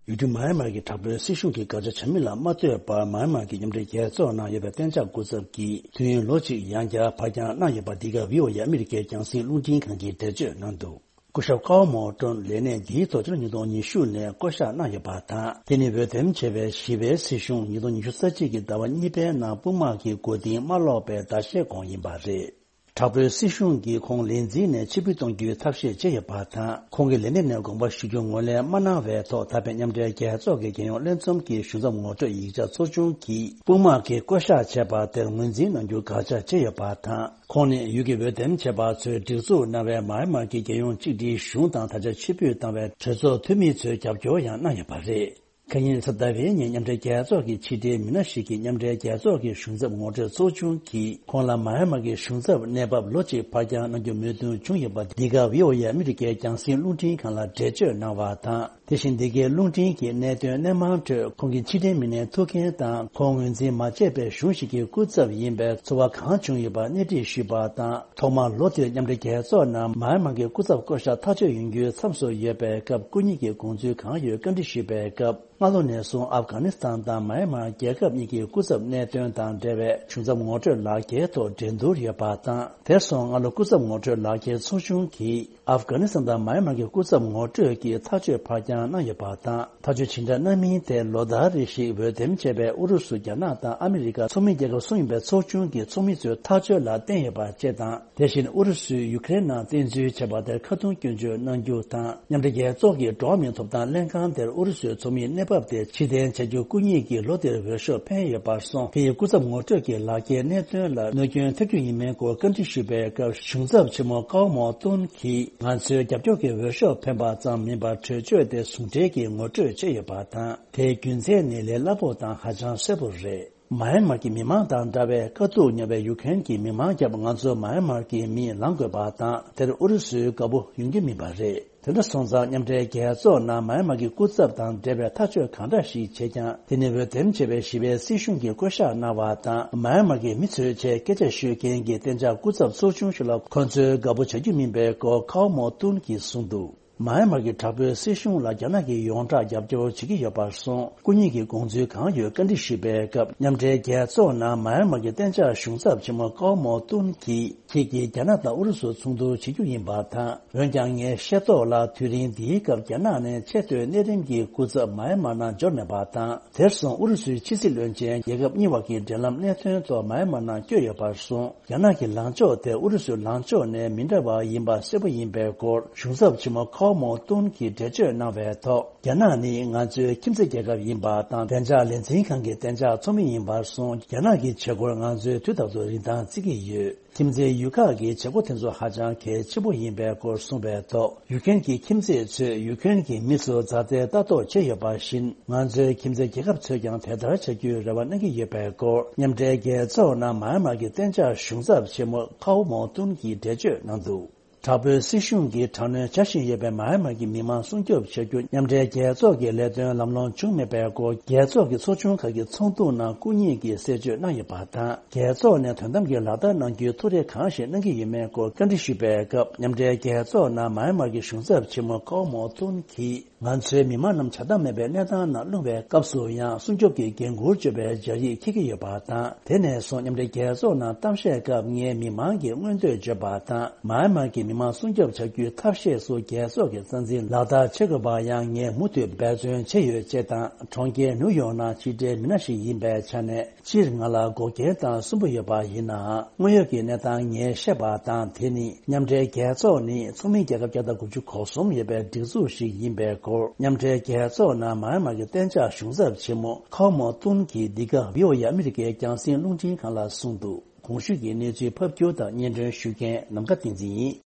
ཡུལ་གྲུ་མཱ་ཡན་མར་གྱི་དྲག་པོའི་སྲིད་གཞུང་གིས་དགག་བྱ་བྱ་མིན་ལ་མ་ལྟོས་པར་མཱ་ཡན་མར་གྱི་མཉམ་འབྲེལ་རྒྱལ་ཚོགས་ནང་ཡོད་པའི་གཏན་འཇགས་སྐུ་ཚབ་ཀྱིས་དུས་ཡུན་ལོ་གཅིག་ཡང་བསྐྱར་ཕར་འགྱངས་གནང་ཡོད་པ། འདི་ག་བྷི་ཨོ་ཨེ་ཨ་མི་རི་ཀའི་རྒྱང་སྲིང་རླུང་འཕྲིན་ཁང་གིས་འགྲེལ་བརྗོད་གནང་འདུག། སྐུ་ཞབས་ཀའོ་མོ་ཀྲོན་ལས་གནས་འདིའི་ཐོག་ཕྱི་ལོ་ཉིས་སྟོང་ཉི་ཤུ་ནས་བསྐོ་གཞག་གནང་ཡོད་པ་དང་། དེ་ནི་འོས་འདེམས་བྱས་པའི་བཞི་པའི་སྲིད་གཞུང་ཉིས་སྟོང་ཉི་ཤུ་རྩ་གཅིག་གི་ཟླ་བ་གཉིས་པའི་ནང་དཔུང་དམག་གིས་མགོ་རྟིང་མ་སློག་པའི་ཟླ་ཤས་གོང་ཡིན་པ་རེད། དྲག་པོའི་སྲིད་གཞུང་གིས་ཁོང་ལས་འཛིན་ནས་ཕྱིར་འབུད་གཏོང་རྒྱུའི་ཐབས་ཤེས་བྱས་ཡོད་པ་དང་། ཁོང་གི་ལས་གནས་ནས་དགོངས་པ་ཞུ་རྒྱུ་ངོས་ལེན་མ་གནང་བའི་ཐོག་ད་ཕན་མཉམ་འབྲེལ་རྒྱལ་ཚོགས་ཀྱི་རྒྱལ་ཡོངས་ལྷན་འཛོམས་ཀྱི་གཞུང་ཚབ་ངོ་སྤྲོད་ཡིག་ཆ་ཚོགས་ཆུང་གིས་དཔུང་དམག་གིས་བསྐོ་གཞག་བྱས་པ་དེར་ངོས་འཛིན་གནང་རྒྱུ་དགག་བྱ་བྱས་ཡོད་པ་དང་། ཁོང་ནི་ཡུལ་གྱི་འོས་འདེམས་བྱས་པ་ཚོས་སྒྲིག་འཛུགས་གནང་བའི་མཱ་ཡན་མར་གྱི་རྒྱལ་ཡོངས་གཅིག་སྒྲིལ་གཞུང་དང་། ད་ཆ་ཕྱིར་འབུད་བཏང་བའི་གྲོས་ཚོགས་འཐུས་མི་ཚོས་རྒྱབ་སྐྱོར་ཡང་གནང་ཡོད་པ་རེད། ཁ་ཉིན་སི་ཏཱ་བྷེ་ཉིན་མཉམ་འབྲེལ་རྒྱལ་ཚོགས་ཀྱི་ཕྱི་དྲིལ་མི་སྣ་ཞིག་གིས་མཉམ་འབྲེལ་རྒྱལ་ཚོགས་ཀྱི་གཞུང་ཚབ་ངོ་སྤྲོད་ཚོགས་ཆུང་གིས་ཁོང་ལ་མཱ་ཡན་མར་གྱི་གཞུང་ཚབ་གནས་བབ་ལོ་གཅིག་ཕར་འགྱངས་གནང་རྒྱུ་མོས་མཐུན་བྱུང་ཡོད་པ། འདི་ག་བྷི་ཨོ་ཨེ་ཨ་མི་རི་ཀའི་རྒྱང་སྲིང་རླུང་འཕྲིན་ཁང་ལ་འགྲེལ་བརྗོད་གནང་བ་དང་། དེ་བཞིན་འདི་གའི་རླུང་འཕྲིན་གྱི་གནད་དོན་སྣེ་མང་ཁྲོད་ཁོང་གི་ཕྱི་དྲིལ་མི་སྣའི་ཐུགས་འགན་དང་། ཁོང་ངོས་འཛིན་མ་བྱས་པའི་གཞུང་ཞིག་གི་སྐུ་ཚབ་ཡིན་པའི་ཚོར་བ་གང་བྱུང་ཡོད་པ་སྣེ་ཁྲིད་ཞུས་པ་དང་། ཐོག་མར་ལོ་དེར་མཉམ་འབྲེལ་རྒྱལ་ཚོགས་ནང་མཱ་ཡན་མར་གྱི་སྐུ་ཚབ་བསྐོ་གཞག་ཐག་གཅོད་ཡོང་རྒྱུའི་མཚམས་སུ་ཡོད་པའི་སྐབས། སྐུ་ཉིད་ཀྱི་དགོངས་ཚུལ་གང་ཡོད་བཀའ་འདྲི་ཞུས་པའི་སྐབས། སྔ་ལོ་ནས་བཟུང་ཨབ་གྷ་ནི་སི་ཐན་དང་མཱ་ཡན་མར་རྒྱལ་ཁབ་གཉིས་ཀྱི་སྐུ་ཚབ་གནད་དོན་དང་འབྲེལ་བའི་གཞུང་ཚབ་ངོ་སྤྲོད་ལག་འཁྱེར་ཐོག་འགྲན་བསྡུར་ཡོད་པ་དང་། དེར་སོང་སྔ་ལོ་སྐུ་ཚབ་ངོ་སྤྲོད་ལག་འཁྱེར་ཚོགས་ཆུང་གིས་ཨབ་གྷ་ནི་སི་ཐན་དང་མཱ་ཡན་མར་གྱི་སྐུ་ཚབ་ངོ་སྤྲོད་ཀྱི་ཐག་གཅོད་ཕར་འགྱངས་གནང་ཡོད་པ་དང་། ཐག་གཅོད་ཇི་འདྲ་གནང་མིན་དེ་ལོ་ལྟར་རེ་བཞིན་འོས་འདེམས་བྱས་པའི་ཨུ་རུ་སུ། རྒྱ་ནག་དང་ཨ་མི་རི་ཀ་ཚོགས་མི་རྒྱལ་ཁབ་གསུམ་ཡིན་པའི་ཚོགས་ཆུང་གི་ཚོགས་མི་ཚོའི་ཐག་གཅོད་ལ་བརྟེན་ཡོད་པ་བཅས་དང་། དེ་བཞིན་ཨུ་རུ་སུས་ཡུ་ཀེ་རེན་ནང་བཙན་འཛུལ་བྱས་པ་དེར་ཁ་རྡུང་སྐྱོན་བརྗོད་གནང་རྒྱུ་དང་། མཉམ་འབྲེལ་རྒྱལ་ཚོགས་ཀྱི་འགྲོ་བ་མིའི་ཐོབ་ཐང་ལྷན་ཁང་དེར་ཨུ་རུ་སུའི་ཚོགས་མིའི་གནས་བབ་དེ་ཕྱིར་འཐེན་བྱ་རྒྱུ་སྐུ་ཉིད་ཀྱིས་ལོ་དེར་འོས་ཤོག་འཕེན་ཡོད་པར་སོང་། དེ་ཡི་སྐུ་ཚབ་ངོ་སྤྲོད་ཀྱི་ལག་འཁྱེར་གནད་དོན་ལ་གནོད་སྐྱོན་ཐེབས་རྒྱུ་ཡིན་མིན་སྐོར་བཀའ་འདྲི་ཞུས་པའི་སྐབས། གཞུང་ཚབ་ཆེན་མོ་ཀའོ་མོ་ཏུན་གྱིས་ང་ཚོའི་རྒྱབ་སྐྱོར་གྱི་འོས་ཤོག་འཕེན་པ་ཙམ་མིན་པར་གྲོས་ཆོད་དེ་ཟུང་འབྲེལ་གྱིས་ངོ་སྤྲོད་བྱས་ཡོད་པ་དང་། དེའི་རྒྱུ་མཚན་ནི་ལས་སླ་པོ་དང་ཧ་ཅང་གསལ་པོ་རེད། མཱ་ཡན་མར་གྱི་མི་མང་དང་འདྲ་བའི་དཀའ་སྡུག་མྱོང་བའི་ཡུ་ཀེ་རེན་གྱི་མི་མང་རྒྱབ་ང་ཚོ་མཱ་ཡན་མར་གྱི་མིས་ལངས་དགོས་པ་དང་། དེར་ཨུ་རུ་སུའི་དགའ་པོ་ཡོང་རྒྱུ་མིན་པ་རེད། དེ་འདྲ་སོང་ཙང་མཉམ་འབྲེལ་རྒྱལ་ཚོགས་ནང་མཱ་ཡན་མར་གྱི་སྐུ་ཚབ་དང་འབྲེལ་བའི་ཐག་གཅོད་གང་འདྲ་ཞིག་བྱེད་ཀྱང་། དེ་ནི་འོས་འདེམས་བྱས་པའི་བཞི་པའི་སྲིད་གཞུང་གིས་བསྐོ་གཞག་གནང་བ་དང་། མཱ་ཡན་མར་གྱི་མི་ཚོའི་ཆེད་སྐད་ཆ་ཤོད་མཁན་གྱི་གཏན་འཇགས་སྐུ་ཚབ་ཚོགས་ཆུང་ཞིག་ལ་ཁོ་ཚོས་དགའ་པོ་བྱ་རྒྱུ་མིན་པའི་སྐོར་ཀའོ་མོ་ཏུན་གྱིས་གསུངས་འདུག། མཱ་ཡན་མར་གྱི་དྲག་པོའི་སྲིད་གཞུང་ལ་རྒྱ་ནག་གིས་ཡོངས་གྲགས་རྒྱབ་སྐྱོར་བྱེད་ཀྱི་ཡོད་པར་སོང་། སྐུ་ཉིད་ཀྱིས་དགོངས་ཚུལ་གང་ཡོད་བཀའ་འདྲི་ཞུས་པའི་སྐབས། མཉམ་འབྲེལ་རྒྱལ་ཚོགས་ནང་མཱ་ཡན་མར་གྱི་གཏན་འཇགས་གཞུང་ཚབ་ཆེན་མོ་ཀའོ་མོ་ཏུན་གྱིས། ཁྱེད་ཀྱིས་རྒྱ་ནག་དང་ཨུ་རུ་སུ་ཚོགས་འདུ་བྱེད་རྒྱུ་ཡིན་པ་དང་། འོན་ཀྱང་ངས་ཤེས་རྟོགས་ལ། དུས་རིང་འདིའི་སྐབས་རྒྱ་ནག་ནས་ཆེས་མཐོའི་གནས་རིམ་གྱི་སྐུ་ཚབ་མཱ་ཡན་མར་ནང་འབྱོར་མེད་པ་དང་། དེར་སོང་ཨུ་རུ་སུའི་ཕྱི་སྲིད་བློན་ཆེན་རྒྱལ་ཁབ་གཉིས་བར་གྱི་འབྲེལ་ལམ་གནད་དོན་ཐོག་མཱ་ཡན་མར་ནང་བསྐྱོད་ཡོད་པར་སོང་། རྒྱ་ནག་གི་ལངས་ཕྱོགས་དེ་ཨུ་རུ་སུའི་ལངས་ཕྱོགས་ནས་མི་འདྲ་བ་ཡིན་པ་གསལ་པོ་ཡིན་པའི་སྐོར། གཞུང་ཚབ་ཆེན་མོ་ཁའོ་མོ་ཏུན་གྱིས་འགྲེལ་བརྗོད་གནང་བའི་ཐོག། རྒྱ་ནག་ནི་ང་ཚོའི་ཁྱིམ་མཚེས་རྒྱལ་ཁབ་ཡིན་པ་དང་། བདེ་འཇགས་ལས་འཛིན་ཁང་གི་གཏན་འཇགས་ཚོགས་མི་ཡིན་པར་སོང་། རྒྱ་ནག་གི་བྱེད་སྒོར་ང་ཚོས་དུས་རྟག་ཏུ་རིན་ཐང་བརྩི་གི་ཡོད། ཁྱིམ་མཚེས་ཡུལ་ཁག་གི་བྱེད་སྒོ་དེ་ཚོ་ཧ་ཅང་གལ་ཆེན་པོ་ཡིན་པའི་སྐོར་གསུངས་པའི་ཐོག། ཡུ་ཀེན་གྱི་ཁྱིམ་མཚེས་ཚོས་ཡུ་ཀེན་གྱི་མི་ཚོ་མཛའ་བརྩེ་ལྟ་རྟོག་བྱས་ཡོད་པ་བཞིན། ང་ཚོའི་ཁྱིམ་མཚེས་རྒྱལ་ཁབ་ཚོས་ཀྱང་དེ་ལྟར་བྱ་རྒྱུའི་རེ་བ་གནང་གི་ཡོད་པའི་སྐོར། མཉམ་འབྲེལ་རྒྱལ་ཚོགས་ནང་མཱ་ཡན་མར་གྱི་གཏན་འཇགས་གཞུང་ཚབ་ཆེན་མོ་ཁའོ་མོ་ཏུན་གྱིས་འགྲེལ་བརྗོད་གནང་འདུག། དྲག་པོའི་སྲིད་གཞུང་གིས་དྲག་གནོན་བྱ་བཞིན་ཡོད་པའི་མཱ་ཡན་མར་གྱི་མི་མང་སྲུང་སྐྱོབ་བྱ་རྒྱུ་མཉམ་འབྲེལ་རྒྱལ་ཚོགས་ཀྱི་ལས་དོན་ལམ་ལྷོང་བྱུང་མེད་པའི་སྐོར། རྒྱལ་ཚོགས་ཀྱི་ཚོགས་ཆུང་ཁག་གི་ཚོགས་འདུ་ནང་སྐུ་ཉིད་ཀྱིས་གསལ་བརྗོད་གནང་ཡོད་པ་དང་། རྒྱལ་ཚོགས་ནས་དོན་དམ་གྱི་ལག་བསྟར་གནང་རྒྱུའི་ཐུགས་རེ་གང་ཞིག་གནང་གི་ཡོད་མེད་སྐོར་བཀའ་འདྲི་ཞུས་པའི་སྐབས། མཉམ་འབྲེལ་རྒྱལ་ཚོགས་ནང་མཱ་ཡན་མར་གྱི་གཞུང་ཚབ་ཆེན་མོ་ཁའོ་མོ་ཏུན་གྱིས། ང་ཚོའི་མི་མང་རྣམས་བྱ་དགའ་མེད་པའི་གནས་སྟངས་ནང་ལྷུང་བའི་སྐབས་སུ་ཡང་། སྲུང་སྐྱོབ་ཀྱི་འགན་འཁུར་གཅོད་པའི་སྦྱར་ཡིག་འཁྱེར་གྱི་ཡོད་པ་དང་། དེ་ནས་བཟུང་མཉམ་འབྲེལ་རྒྱལ་ཚོགས་ནང་གཏམ་བཤད་སྐབས། ངས་མི་མང་གི་མངོན་འདོད་བརྗོད་པ་དང་། མཱ་ཡན་མར་གྱི་མི་མང་སྲུང་སྐྱོབ་བྱ་རྒྱུའི་ཐབས་ཤེས་སུ་རྒྱལ་ཚོགས་ཀྱི་རྩ་འཛིན་ལག་བསྟར་བྱེད་དགོས་པར་ཡང་ངས་མུ་མཐུད་འབད་བརྩོན་བྱས་ཡོད་ཅེས་དང་། གྲོང་ཁྱེར་ནིའུ་ཡོག་ནང་ཕྱི་འབྲེལ་མི་སྣ་ཞིག་ཡིན་པའི་ཆ་ནས། སྤྱིར་ང་ལ་འགོག་རྐྱེན་དང་གསུམ་པོ་ཡོད་པ་ཡིན་ནའང་། དངོས་ཡོད་ཀྱི་གནས་སྟངས་ངས་ཤེས་པ་དང་། དེ་ནི་མཉམ་འབྲེལ་རྒྱལ་ཚོགས་ནི་ཚོགས་མི་རྒྱལ་ཁབ་བརྒྱ་དང་དགུ་བཅུ་གོ་གསུམ་ཡོད་པའི་སྒྲིག་འཛུགས་ཤིག་ཡིན་པའི་སྐོར། མཉམ་འབྲེལ་རྒྱལ་ཚོགས་ནང་མཱ་ཡན་མར་གྱི་གཏན་འཇགས་གཞུང་ཚབ་ཆེན་མོ་ཁའོ་མོ་ཏུན་གྱིས་འདི་ག་བྷི་ཨོ་ཨེ་ཨ་མི་རི་ཀའི་རྒྱང་སྲིང་རླུང་འཕྲིན་ཁང་ལ་གསུངས་འདུག། གོང་ཞུས་ཀྱི་གནས་ཚུལ་ཕབ་སྒྱུར་དང་སྙན་སྒྲོན་ཞུ་མཁན་ནམ་མཁའ་བསྟན་འཛིན་ཡིན།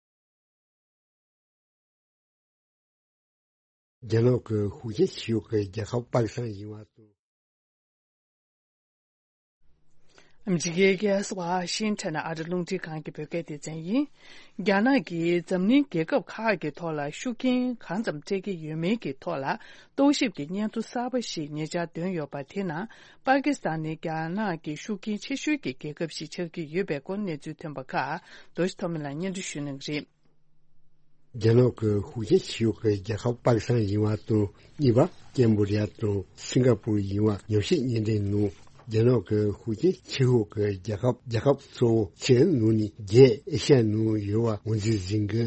རྒྱ་ནག་གི་ཤུགས་རྐྱེན་ཆེ་ཤོས་ཀྱི་རྒྱལ་ཁབ་པ་ཀི་སི་ཐན་ཡིན་པ་དང་། ཨ་མི་རི་ཀའི་རྒྱལ་ས་ཝ་ཤིང་ཊོན་ཨ་རི་རླུང་འཕྲིན་ཁང་གི་བོད་སྐད་སྡེ་ཚན་ཡིན། རྒྱ་ནག་གིས་འཛམ་གླིང་རྒྱལ་ཁབ་ཁག་གི་ཐོག་ལ་ཤུགས་རྐྱེན་གང་ཙམ་སྤྲད་ཀྱི་ཡོད་མེད་ཀྱི་ཐོག་ལ་རྟོག་ཞིབ་ཀྱི་སྙན་ཐོ་གསར་པ་ཞིག་ཉེ་ཆར་བཏོན་ཡོད་པ། དེ་ནང་པ་ཀི་སི་ཐན་ནི་རྒྱ་ནག་གི་ཤུགས་རྐྱེན་ཆེ་ཤོས་ཀྱི་རྒྱལ་ཁབ་ཞིག་ཆགས་ཀྱི་ཡོད་པའི་སྐོར་གནས་ཚུལ་ཐོན་པ་ཁག་རྡོ་རྗེ་ཐོགས་མེད་ལགས་སྙན་སྒྲོན་ཞུ་གནང་གི་རེད། རྒྱ་ནག་གི་ཤུགས་རྐྱེན་ཆེ་ཤོས་ཀྱི་རྒྱལ་ཁབ་པ་ཀི་སི་ཐན་ཡིན་པ་དང་། གཉིས་པ་ཀེམ་བྷོ་ཌི་ཡ་དང་སིང་ག་པུར་ཡིན་པ་ཉམས་ཞིབ་སྙན་འགྲེལ་ནང་རྒྱ་ནག་གི་ཤུགས་རྐྱེན་ཆེ་ཤོས་ཀྱི་རྒྱལ་ཁབ། རྒྱལ་ཁབ་གཙོ་བོ་བཅུའི་ནང་ནས་བརྒྱད་ཨེ་ཤ་ཡའི་ནང་ཡོད་པ་ངོས་འཛིན་གཟིགས་གི།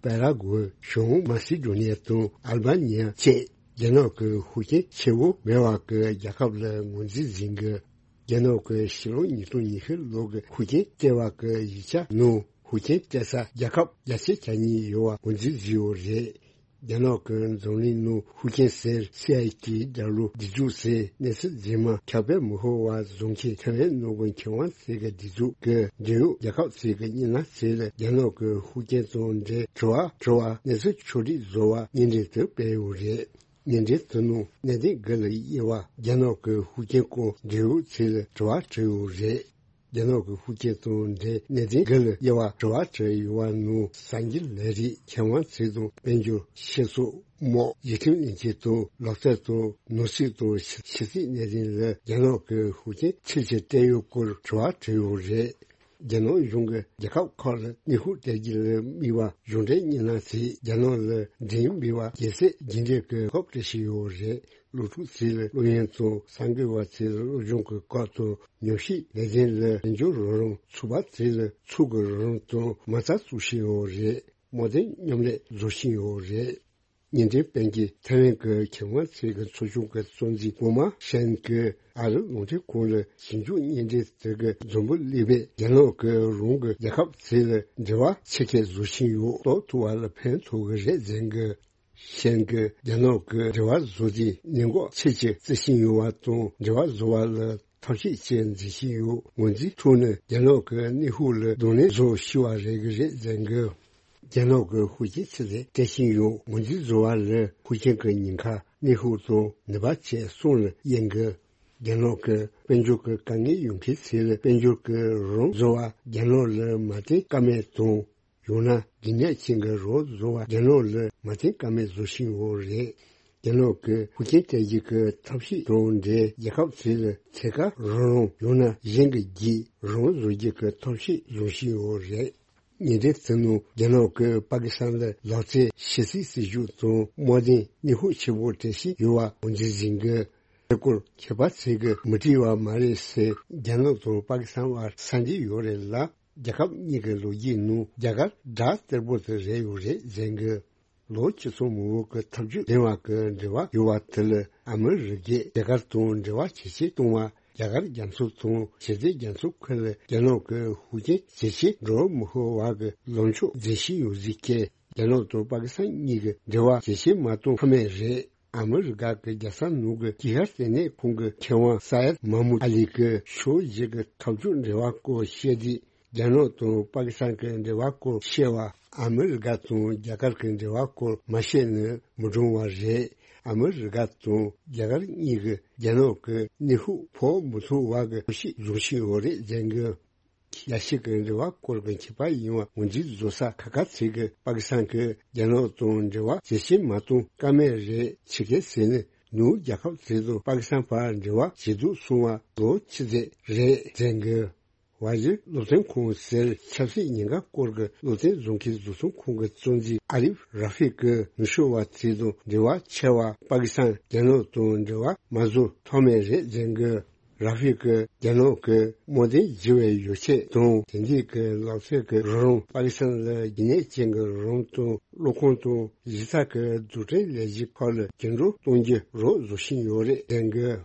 པ་ར་གུ་ཝེ། བྱང་མ་སི་ཌོ་ནི་ཡ་དང་ཨལ་བྷ་ནི་ཡ་བཅས་རྒྱ་ནག་གི་ཤུགས་རྐྱེན་ཆེ་བོ་མེད་པ་གི་རྒྱལ་ཁབ་ལ་ངོས་འཛིན་གཟིགས་གི། རྒྱ་ནག་གི་ཕྱི་ལོ་ཉིས་སྟོང་ཉི་ཤུ་ལོ་གི་ཤུགས་རྐྱེན་སྤྲད་པ་གི་ཡིག་ཆ་ནང་ཤུགས་རྐྱེན་སྤྲད་ས་རྒྱལ་ཁབ་བརྒྱ་ཆ་གྱ་གཉིས་ཡོད་པ་ངོས་འཛིན་བཟོས་ཡོད་རེད། རྒྱ་ནག་གི་འཛམ་གླིང་ནང་ཤུགས་རྐྱེན་ཟེར་སི་ཨའི་ཊི་ཌབ་ལུ་སྒྲིག་འཛུགས་ཟེར་གནས་ཚུལ་རྫུན་མ་ཁྱབ་སྤེལ་མི་ཤོར་བ་བཟོ་མཁན་ཐའེ་ཝན་ནང་གི་མཁས་དབང་ཚོས་གི་སྒྲིག་འཛུགས་ཀྱི་འབྲེལ་ཡོད་རྒྱལ་ཁབ་ཚོས་གི་སྙན་ཐོ་ཚོ་ལ་རྒྱ་ནག་གི་ཤུགས་རྐྱེན་དང་འབྲེལ་དྲི་བ་དྲི་བ་གནས་ཚུལ་ཕྱོགས་སྒྲིག་བཟོ་བ་སྙན་འགྲེལ་དུ་སྤེལ་ཡོད་རེད། སྙན་འགྲེལ་དེ་ནང་གནད་དོན་དགུ་ལ་དབྱེ་བ་རྒྱ་ནག་གི་ཤུགས་རྐྱེན་སྐོར་འབྲེལ་ཡོད་ཚོས་ལ་དྲི་བ་དྲིས་ཡོད་རེད། རྒྱ་ནག་གི་ཤུགས་རྐྱེན་དང་འབྲེལ་གནད་དོན་དགུ་ལ་དབྱེ་བ་དྲི་བ་དྲིས་ཡོད་པ་ནང་གསར་འགྱུར་ལས་རིགས་མཁས་དབང་ཚོས་དང་དཔལ་འབྱོར་ཆོས་ཕྱོགས་དམག་ཡུལ་ཁྲིམས་ལས་འཁྱུར་དང་ལག་རྩལ་དང་ནོར་སྲིད་དང་ཕྱི་ཕྱི་སྲིད་གནད་དོན་ལ་རྒྱ་ནག་གི་ཤུགས་རྐྱེན་ཆེ་ཆེ་སྤྲད་ཡོད་སྐོར་དྲི་བ་དྲིས་ཡོད་རེད། རྒྱ་ནག་གཞུང་གིས་རྒྱལ་ཁབ་ཁག་ལ་གནོན་ཤུགས་སྤྲད་རྒྱུ་ལ་དམིགས་པ་གཞུང་འབྲེལ་སྙན་ཐོ་ཚོས་རྒྱ་ནག་ལ་འགྲེམས་འབུལ་བ་རྒྱལ་སྲིད་རྒྱུན་འབྲེལ་གྱི་ཐོབ་སྤྲད་བཞིན་ཡོད་རེད། སློབ་ཕྲུག་ཚོ་ལ་སློབ་ཡོན་དང་གསར་འགོད་པ་ཚོ་ལ་སློབ་སྦྱོང་གི་སྐབས་དང་ཉམས་ཞིབ་ལས་དོན་ལ་དཔལ་འབྱོར་རོགས་རམ། ཚོགས་པ་ཚོ་ལ་ཚོགས་ཀྱི་རོགས་རམ་དང་མ་རྩ་བཙུགས་བཞིན་ཡོད་རེད། དམག་དོན་མཉམ་ལས་བཟོ་བཞིན་ཡོད་རེད། སྙན་འགྲེལ་སྤེལ་མཁན་ཐའེ་ཝན་གྱི་མཁས་དབང་ཚོས་གི་ཚོགས་ཆུང་གི་གཙོ་འཛིན་གོང་མ་ཤན་གྱིས་ཨ་རི་རླུང་འཕྲིན་ཁང་ལ་ཞིབ་འཇུག་སྙན་འགྲེལ་དེ་གི་འཛོམས་པོ་སླེབས་པས་རྒྱ་ནག་གི་རང་གི་རྒྱལ་ཁབ་ཚོ་ལ་འབྲེལ་བ་ཆེ་ཁེ་བཟོ་བཞིན་ཡོད། གཏོགས་ཐུབ་པ་ལ་ཕན་ཐོགས་གི་རེད་ཟེར་གི། ཤན་གྱིས་རྒྱ་ནག་གི་འབྲེལ་བ་བཟོ་རྒྱུའི་ཉེན་འགོག་ཆེ་ཆེ་བརྩི་བཞིན་ཡོད་པ་དང་འབྲེལ་བ་བཟོ་བ་ལ་ཐབས་ཤེས་ཆེ་འཛིན་བཞིན་ཡོད། ངོས་འཛིན་ཐུབ་ན་རྒྱ་ནག་གི་གནོན་ཤུགས་ལ་གདོང་ལེན་བཟོ་ཤེས་པ་རེད་གི་རེད་ཟེར་གི། རྒྱ་ནག་གི་ཤུགས་རྐྱེན་ཆེ་ཚད་སྤྲད་བཞིན་ཡོད། ངོས་འཛིན་བཟོ་བ་ལ་ཤུགས་རྐྱེན་གྱི་ཉེན་ཁ་གནོན་ཤུགས་དང་ནུས་པ་བཅས་གསུམ་ལ་དབྱེ་གི། རྒྱ་ནག་གི་དཔལ་འབྱོར་གྱི་དཀའ་ངལ་ཡོད་མཁན་ཚོ་ལ་དཔལ་འབྱོར་གྱི་རོགས་རམ་བཟོ་བ་རྒྱ་ནག་ལ་མ་བརྟེན་ཀ་མེད་དང་། ཡང་ན་གལ་གནད་ཅན་གྱི་རོགས་བཟོ་བ་རྒྱ་ནག་ལ་མ་བརྟེན་ཀ་མེད་བཟོ་བཞིན་ཡོད་རེད། རྒྱ་ནག་གི་ཤུགས་རྐྱེན་སྤྲད་རྒྱུ་གི་ཐབས་ཤེས་དང་འབྲེལ་རྒྱལ་ཁབ་ཚོ་ལ་ཐད་ཀར་རོགས་རམ་ཡང་ན་གཞན་གྱི་བརྒྱུད་རོགས་བཟོ་རྒྱུ་གི་ཐབས་ཤེས་བཟུང་བཞིན་ཡོད་རེད། ཉིན་རེའི་ཚེ་ནང་རྒྱ་ནག་གིས་པ་ཀི་སི་ཐན་ལ་ལག་རྩལ་ཕྱི་སྲིད་སྲིད་ཇུས་དང་དམག་དོན་གནོན་ཤུགས་ཆེ་པོ་སྤྲད་བཞིན་ཡོད་པ་ངོས་འཛིན་བྱེད་ཀྱི། དེ་སྐོར་མཁས་པ་ཚོས་ཀྱིས་མི་བྲེལ་བ་མ་རེད་ཟེར། རྒྱ་ནག་དང་པ་ཀི་སི་ཐན་བར་ས་འབྲེལ་ཡོད་རེད་ལ། རྒྱལ་ཁབ་གཉིས་ཀྱི་ལོ་རྒྱུས་ནང་རྒྱ་གར་དགྲ་སྟེར་པོ་དེ་རེད་ཡོད་རེད་ཟེར་གི། ལོ་བཅུ་ཚང་མ་བོད་ཀྱི་འཐབ་ཇུས་འབྲེལ་བ་གི་འབྲེལ་བ་ཡོད་པ་དེ་ལ་ཨ་མི་རི་ཀས་རྒྱ་གར་དང་འབྲེལ་བ་ཇེ་ཆེ་གཏོང་བ། རྒྱ་གར་རྒྱ་མཚོ་དང་ཞི་བདེ་རྒྱ་མཚོ་ཁུལ་ལ་རྒྱ་ནག་གི་ཤུགས་རྐྱེན་ཇེ་ཆེ་འགྲོ་མི་ཤོར་བ་གི་ལངས་ཕྱོགས་འཛིན་བཞིན་ཡོད་ཟེར་གི། རྒྱ་ནག་དང་པ་ཀི་སི་ཐན་གཉིས་ཀྱི་འབྲེལ་བ་ཇེ་ཆེ་མ་གཏོང་ཐབས་མེད་རེད། ཨ་མི་རི་ཀ་གི་རྒྱལ་ས་ནང་གི་དཀྱིལ་ཤར་ལྟེ་གནས་ཁང་གི་མཁས་དབང་ས་ཡད་མ་མུད་ཨ་ལི་གིས་ཕྱོགས་བཞི་གི་འཐབ་ཕྱོགས་འབྲེལ་བ་སྐོར་བཤད་དུས། རྒྱ་ནག་དང་པ་ཀི་སི་ཐན་གྱི་འབྲེལ་བ་སྐོར་བཤད་པ་ཨ་མི་རི་ཀ་དང་རྒྱ་གར་གྱི་འབྲེལ་བ་སྐོར་མ་བཤད་ན་མི་འགྲིག་པ་རེད། ཨ་མི་རི་ཀ་དང་རྒྱ་གར་གཉིས་ཀྱིས་རྒྱ་ནག་གི་གནོན་ཤུགས་ཕོག་མི་ཐུབ་པ་གི་ཐབས་ཤེས་བཟུང་བཞིན་ཡོད་རེད་ཟེར་གི། རྒྱལ་སྤྱི་གི་འབྲེལ་བ་སྐོར་གྱི་མཁས་པ་ཡིན་པ་ངོས་འཛིན་བཟོ་ས་ཁག་ཁག་ཚོས་ཀྱིས་པ་ཀི་སི་ཐན་གྱིས་རྒྱ་ནག་དང་འབྲེལ་བ་ཇེ་ཆེ་མ་གཏོང་ཀ་མེད་རེད། ཆི་གེ་ཟེར་ནི་ནུབ་རྒྱལ་ཁབ་དེ་དང་པ་ཀི་སི་ཐན་བར་འབྲེལ་བ་ཇེ་སྡུག་སོང་བ་ལོ་ཆི་ཟད་རེད་ཟེར་གི། ཝཱ་ཇི་སློབ་སྟོན་ཁང་ཟེར་ཆབ་སྲིད་ཉེན་ཁ་སྐོར་གྱི་སློབ་སྟོན་བཟོ་མཁན་བཟོ་ཚོང་ཁང་གི་གཙོ་འཛིན་ཨ་རིབ་ར་ཧྥི་ཀི་ནུབ་ཕྱོགས་པ་ཚོ་དང་འབྲེལ་བ་ཆེ་བ་པ་ཀི་སི་ཐན་རྒྱ་ནག་དང་འབྲེལ་བ་མ་བཟོ་ཐབས་མེད་རེད་ཟེར་གི། ར་ཧྥི་ཀི་རྒྱ་ནག་གི་དམག་དོན་བརྗེ་བའི་ཡོ་བྱད་དང་དེ་འདྲའི་གི་ལག་རྩལ་གྱི་རོགས་རམ་པ་ཀི་སི་ཐན་ལ་རྒྱུན་གནས་ཅན་གྱི་རོགས་རམ་དང་གློག་ཁང་དང་གཞི་རྩ་གི་འཛུགས་སྐྲུན་ལས་གཞི་ཁག་ལ་འགྱུར་ལྡོག་གཏོང་རྒྱུ་རོགས་བཟོ་བཞིན་ཡོད་རེད་ཟེར་གི།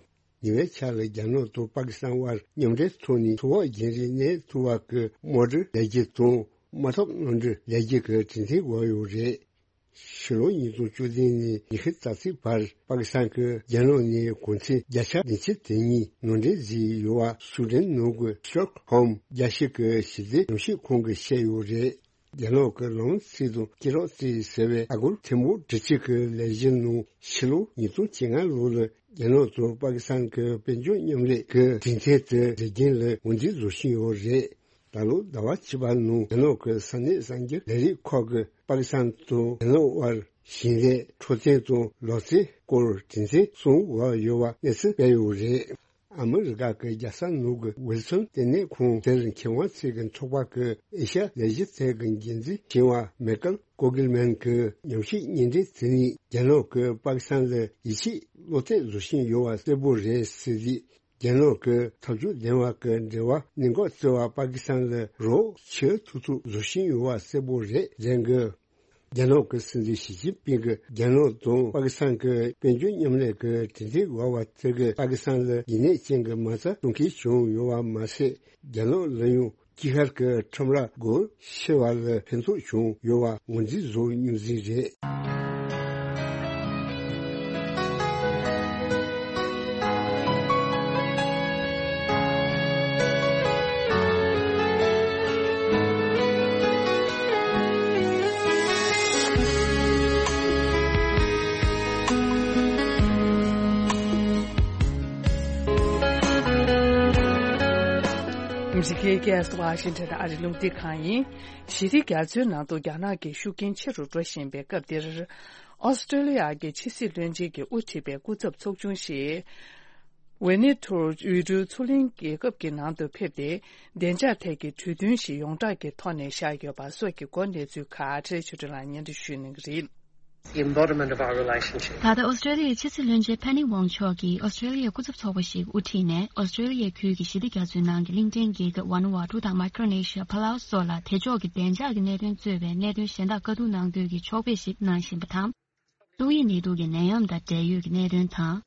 ཉེ་བའི་ཆར་ལ་རྒྱ་ནག་དང་པ་ཀི་སི་ཐན་དབར་མཉམ་འབྲེལ་ཐོག་ནས་ཚོར་བ་རྒྱུན་རིང་གནས་ཐུབ་པ་གི་དམག་གྲུ་ལས་འགུལ་དང་དམག་འཐབ་གནམ་གྲུ་ལས་འགུལ་གྱི་གྲུ་གཟིངས་བརྒྱབ་ཡོད་རེད། ཕྱི་ལོ་ཉིས་སྟོང་བཅུ་བདུན་ནས་ཉི་ཤུ་རྩ་གཅིག་བར་པ་ཀི་སི་ཐན་གྱིས་རྒྱ་ནག་ནས་གོང་ཚད་བརྒྱ་ཆ་བདུན་ཅུ་དོན་གཉིས་ནང་འདྲེན་བཟོས་ཡོད་པ་སུའེ་ཌེན་ནང་གི་སྟོག་ཧོམ་རྒྱལ་སྤྱི་གི་ཞི་བདེ་ཉམས་ཞིབ་ཁང་གིས་བཤད་ཡོད་རེད། རྒྱ་ནག་གི་ལམ་སྲོལ་དང་སྐེད་རགས་རྩིས་ཟེར་བའི་ཨ་སྒོར་ཐེར་འབུམ་དྲུག་ཅུ་གི་ལས་གཞི་ནང་ཕྱི་ལོ་ཉིས་སྟོང་བཅོ་ལྔ་ལོ་ལ་ རྒྱ་ནག་དང་པ་ཀི་སི་ཐན་གྱི་དཔལ་འབྱོར་མཉམ་ལས་ཀྱི་གྲོས་མཐུན་དེ་མཛད་རྒྱུན་ལ་ངོས་འཛིན་བཟོ་བཞིན་ཡོད་རེད། ད་ལོ་ཟླ་བ་བཅུ་པ་ནང་རྒྱ་ནག་གི་ས་གནས་གསར་འགྱུར་ལས་རིགས་ཁག་གིས་པ་ཀི་སི་ཐན་དང་རྒྱ་ནག་དབར་ཞིང་ལས། འཕྲོད་བསྟེན་དང་ལག་རྩལ་སྐོར་གྲོས་མཐུན་གསུམ་བཞག་ཡོད་པ་གནས་ཚུལ་སྤེལ་ཡོད་རེད། ཨ་མི་རི་ཀ་གི་རྒྱལ་ས་ནང་གི་ཝིལ་སོན་ལྟེ་གནས་ཁང་དེར་མཁས་དབང་ཚོས་ཀྱི་ཚོགས་པ་གི་ཨེ་ཤ་ཡ་ལས་གཞི་ཐད་ཀྱི་འགན་འཛིན་ཆེ་བ་མེ་ཀལ་ཀོ་གིལ་མན་གྱི་ཉམས་ཞིབ་སྙན་འགྲེལ་དེ་ནི་རྒྱ་ནག་གིས་པ་ཀི་སི་ཐན་ལ་ཡིད་ཆེས་བློ་གཏད་བཟོ་བཞིན་ཡོད་པ་གསལ་པོ་རེད་ཟེར་རྗེས། རྒྱ་ནག་གིས་ཐབས་ཇུས་ལྡན་པ་གི་འབྲེལ་བ་གནད་འགག་བརྩི་བར་པ་ཀི་སི་ཐན་ལ་རོགས་བྱེད་ཐུབ་ཐུབ་བཟོ་བཞིན་ཡོད་པ་གསལ་པོ་རེད་ལན་གི། རྒྱ་ནག་གི་སྲིད་འཛིན་ཞི་ཅིན་ཕིང་གིས་རྒྱ་ནག་དང་པ་ཀི་སི་ཐན་གྱི་དཔལ་འབྱོར་མཉམ་ལས་ཀྱི་གྲོས་མཐུན་བཞག་པ་དེ་གིས་པ་ཀི་སི་ཐན་ལ་ཡིན་གནས་ཅན་གྱི་མ་རྩ་གཏོང་མཁན་བྱུང་ཡོད་པ་མ་ཟད། རྒྱ་ནག་ལ་ཡང་དཀྱིལ་ཤར་གྱི་ཁྲོམ་ར་སྒོ་ཕྱེ་བ་ལ་ཕན་ཐོགས་བྱུང་ཡོད་པ་ངོས་འཛིན་བཟོ་རྒྱུ་ཟིག་རེད། ཨ་མི་རི་ཀའི་རྒྱལ་ས་ཝ་ཤིང་ཊོན་ཨ་རིའི་རླུང་འཕྲིན་ཁང་ཡིན། ཞི་བདེ་རྒྱ་མཚོའི་ནང་དུ་རྒྱ་ནག་གི་ཤུགས་རྐྱེན་ཆེ་རུ་འགྲོ་བཞིན་པའི་སྐབས་འདིར། ཨོ་སི་ཀྲོ་ལི་ཡ་གི་ཕྱི་སྲིད་བློན་ཆེན་གྱིས་དབུ་ཁྲིད་པའི་སྐུ་ཚབ་ཚོགས་ཆུང་ཞིག་ཝེ་ནི་ཐུར་ཡུལ་གྲུའི་མཚོ་གླིང་རྒྱལ་ཁབ་ཀྱི་ནང་དུ་ཕེབས་ཏེ། བདེ་འཇགས་ཐད་ཀྱི་གྲོས་མཐུན་ཞིག་ཡོངས་གྲགས་ཀྱི་ཐོག་ནས་བཞག་ཡོད་པ་སོགས་ཀྱི་སྐོར་གནས་ཚུལ་ཁག་ཕྲན་ཆོས་སྒྲོན་ལགས་སྙན་སྒྲོན་ཞུ་གནང་གི་རེད། The embodiment of our relationship. ད་ལྟ་ཨོ་སི་ཀྲོ་ལི་ཡའི་ཕྱི་སྲིད་བློན་ཆེན་ཕེ་ནི་ཝོང་མཆོག་གིས་ཨོ་སི་ཀྲོ་ལི་ཡའི་སྐུ་ཚབ་ཚོགས་པ་ཞིག་དབུ་ཁྲིད་ནས་ཨོ་སི་ཀྲོ་ལི་ཡའི་ཁུལ་གྱི་ཞི་བདེ་རྒྱ་མཚོའི་ནང་གི་གླིང་ཕྲན་རྒྱལ་ཁབ་ཝཱ་ནུ་ཝཱ་ཊུ་དང་མའི་ཀྲོ་ནེ་ཤི་ཡ། ཕ་ལའུ་སོགས་ལ་དེ་ཕྱོགས་ཀྱི་བདེ་འཇགས་ཀྱི་གནད་དོན་གཙོས་པའི་གནད་དོན་གཞན་དག་བཀའ་བསྡུར་གནང་འདོད་ཀྱི་ཕྱོགས་ཕེབས་ཤིག་གནང་བཞིན་པ་དང་། ཏོག་དབྱིབས་ནད་དུག་གི་ནད་ཡམས་དང་འབྲེལ་ཡོད་ཀྱི་གནད་དོན་དང་།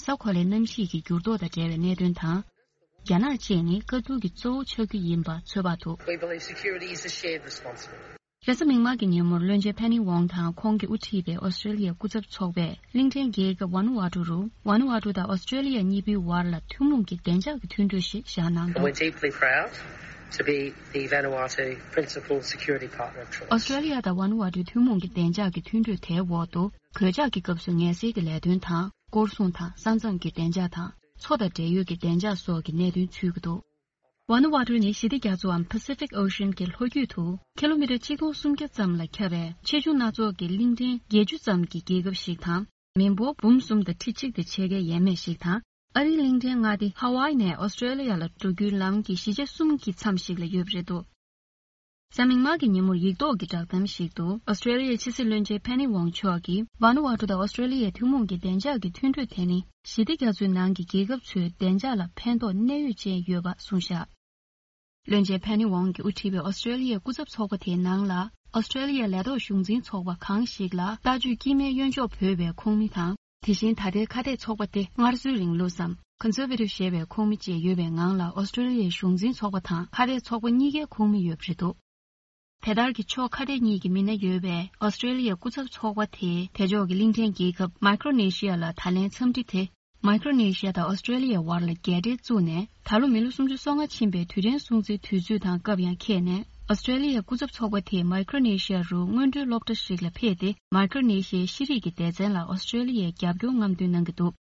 ས་གོ་ལའི་གནམ་གཤིས་ཀྱི་འགྱུར་ལྡོག་དང་འབྲེལ་བའི་གནད་དོན་དང་། རྒྱ་ནག་བཅས་ནི་བཀའ་བསྡུར་གྱི་གཙོ་བོ་ཆགས་རྒྱུ་ཡིན་པ་ཚོད་དཔག་ཐུབ། We believe security is a shared responsibility. རེས་གཟའ་མིག་དམར་གྱི་ཉིན་མོར་བློན་ཆེན་ཕེ་ནི་ཝོང་དང་ཁོང་གིས་དབུ་ཁྲིད་པའི་ཨོ་སི་ཀྲོ་ལི་ཡའི་སྐུ་ཚབ་ཚོགས་པས་གླིང་ཕྲན་རྒྱལ་ཁབ་ཝཱ་ནུ་ཝཱ་ཊུ་རུ། ཝཱ་ནུ་ཝཱ་ཊུ་དང་ཨོ་སི་ཀྲོ་ལི་ཡ་གཉིས་པོའི་བར་ལ་ཐུན་མོང་གི་བདེ་འཇགས་ཀྱི་མཐུན་གྲོས་ཤིག་བཞག་གནང་འདུག། And we're deeply proud to be the Vanuatu principal security partner of choice. ཨོ་སི་ཀྲོ་ལི་ཡ་དང་ཝཱ་ནུ་ཝཱ་ཊུའི་ཐུན་མོང་གི་བདེ་འཇགས་ཀྱི་མཐུན་གྲོས་དེའི་འོག་ཏུ། གོད་ཆག་གི་སྐབས་སུ་ངལ་སེལ་གྱི་ལས་དོན་དང་། སྐོར་སྲུང་དང་ས་མཚམས་ཀྱི་བདེ་འཇགས་དང་། མཚོ་དང་འབྲེལ་ཡོད་ཀྱི་བདེ་འཇགས་སོགས་ཀྱི་གནད་དོན་ཚུད་ཀྱི་འདུག། ཝཱ་ནུ་ཝཱ་ཊུ་ནི་ཞི་བདེ་རྒྱ་མཚོའམ་Pacific Ocean གྱི་ལྷོ་རྒྱུད་དུ་ཀི་ལོ་མི་ཊར་ཆིག་སྟོང་སུམ་བརྒྱ་ཙམ་ལ་ཁྱབ་པའི་ཆེ་ཆུང་སྣ་ཚོགས་ཀྱི་གླིང་ཕྲན་བརྒྱད་ཅུ་ཙམ་གྱི་རྒྱལ་ཁབ་ཞིག་དང་། མི་འབོར་འབུམ་གསུམ་དང་ཁྲི་གཅིག་དང་ཕྱེད་ཀའི་ཡས་མས་ཤིག་དང་། ཨ་རིའི་གླིང་ཕྲན་མངའ་སྡེ་ཧ་ཝཱི་ནས་ཨོ་སི་ཀྲོ་ལི་ཡ་ལ་འགྲོ་རྒྱུའི་ལམ་གྱི་བཞི་ཆ་གསུམ་གྱི་མཚམས་ཤིག་ལ་ཡོད་པ་རེད་འདུག། གཟའ་མིག་དམར་གྱི་ཉིན་མོར་ཡིག་ཐོག་གི་བསྒྲགས་གཏམ་ཞིག་ཏུ། ཨོ་སི་ཀྲོ་ལི་ཡའི་ཕྱི་སྲིད་བློན་ཆེན་ཕེ་ནི་ཝོང་མཆོག་གིས། ཝཱ་ནུ་ཝཱ་ཊུ་དང་ཨོ་སི་ཀྲོ་ལི་ཡའི་ཐུན་མོང་གི་བདེ་འཇགས་ཀྱི་མཐུན་གྲོས་དེ་ནི། ཞི་བདེ་རྒྱ་མཚོའི་ནང་གི་རྒྱལ་ཁབ་ཚོའི་བདེ་འཇགས་ལ་ཕན་ཐོགས་གནད་ཡོད་ཅན་ཡོད་པ་གསུངས་བཞག། བློན་ཆེན་ཕེ་ནི་ཝོང་གིས་དབུ་ཁྲིད་པའི་ཨོ་སི་ཀྲོ་ལི་ཡའི་སྐུ་ཚབ་ཚོགས་པ་དེའི་ནང་ལ། ཨོ་སི་ཀྲོ་ལི་ཡའི་ལས་ཐོག་གཞུང་འཛིན་ཚོགས་པ་གང་ཞིག་ལ་ལྟ་སྤྱོད་དཀྱུས་མའི་གཡོན་ཕྱོགས་བོད་པའི་ཁོངས་མི་དང་། དེ་བཞིན་ད་ལྟའི་ཁ་གཏད་ཚོགས་པ་སྟེ་སྔར་སྲོལ་རིང་ལུགས་སམ། Conservative ཞེས་པའི་ཁོངས་མི་བཅས་ཡོད་པའི་ངང་ལ་ཨོ་སི་ཀྲོ་ལི་ཡའི་གཞུང་འཛིན་ཚོགས་པ་དང་ཁ་གཏད་ཚོགས་པ་གཉིས་ཀའི་ཁོངས་མི་ཡོད་པ་རེད་འདུག། དེ་ལྟར་གྱི་ཕྱོགས་ཁ་གཏད་གཉིས་ཀྱི་མི་སྣ་ཡོད་པའི་ཨོ་སི་ཀྲོ་ལི་ཡའི་སྐུ་ཚབ་ཚོགས་པ་དེས་དེ་ཕྱོགས་ཀྱི་གླིང་ཕྲན་རྒྱལ་ཁབ་མའི་ཀྲོ་ནེ་ཤི་ཡ་ལ་ད་ལན་འཚམས་འདྲི་དེ། མའི་ཀྲོ་ནེ་ཤི་ཡ་དང་ཨོ་སི་ཀྲོ་ལི་ཡའི་བར་ལ་རྒྱལ་འབྲེལ་བཙུགས་ནས་ད་ལོ་མི་ལོ་སུམ་ཅུ་སོ་ལྔ་ཕྱིན་པའི་དུས་དྲན་སྲུང་བརྩིའི་དུས་ཚོད་དང་སྐབས་ཡང་འཁེལ་ནས། ཨོ་སི་ཀྲོ་ལི་ཡའི་སྐུ་ཚབ་ཚོགས་པ་དེས་མའི་ཀྲོ་ནེ་ཤི་ཡ་རུ་སྔོན་འགྲོའི་སློབ་གྲྭ་ཞིག་ལ་ཕེབས་ཏེ། མའི་ཀྲོ་ནེ་ཤི་ཡའི་ཤེས་རིག་གི་སྡེ་ཚན་ལ་ཨོ་སི་ཀྲོ་ལི་ཡའི་རྒྱབ་སྐྱོར་རྔམ་སྟོན་གནང་གི་འདུག།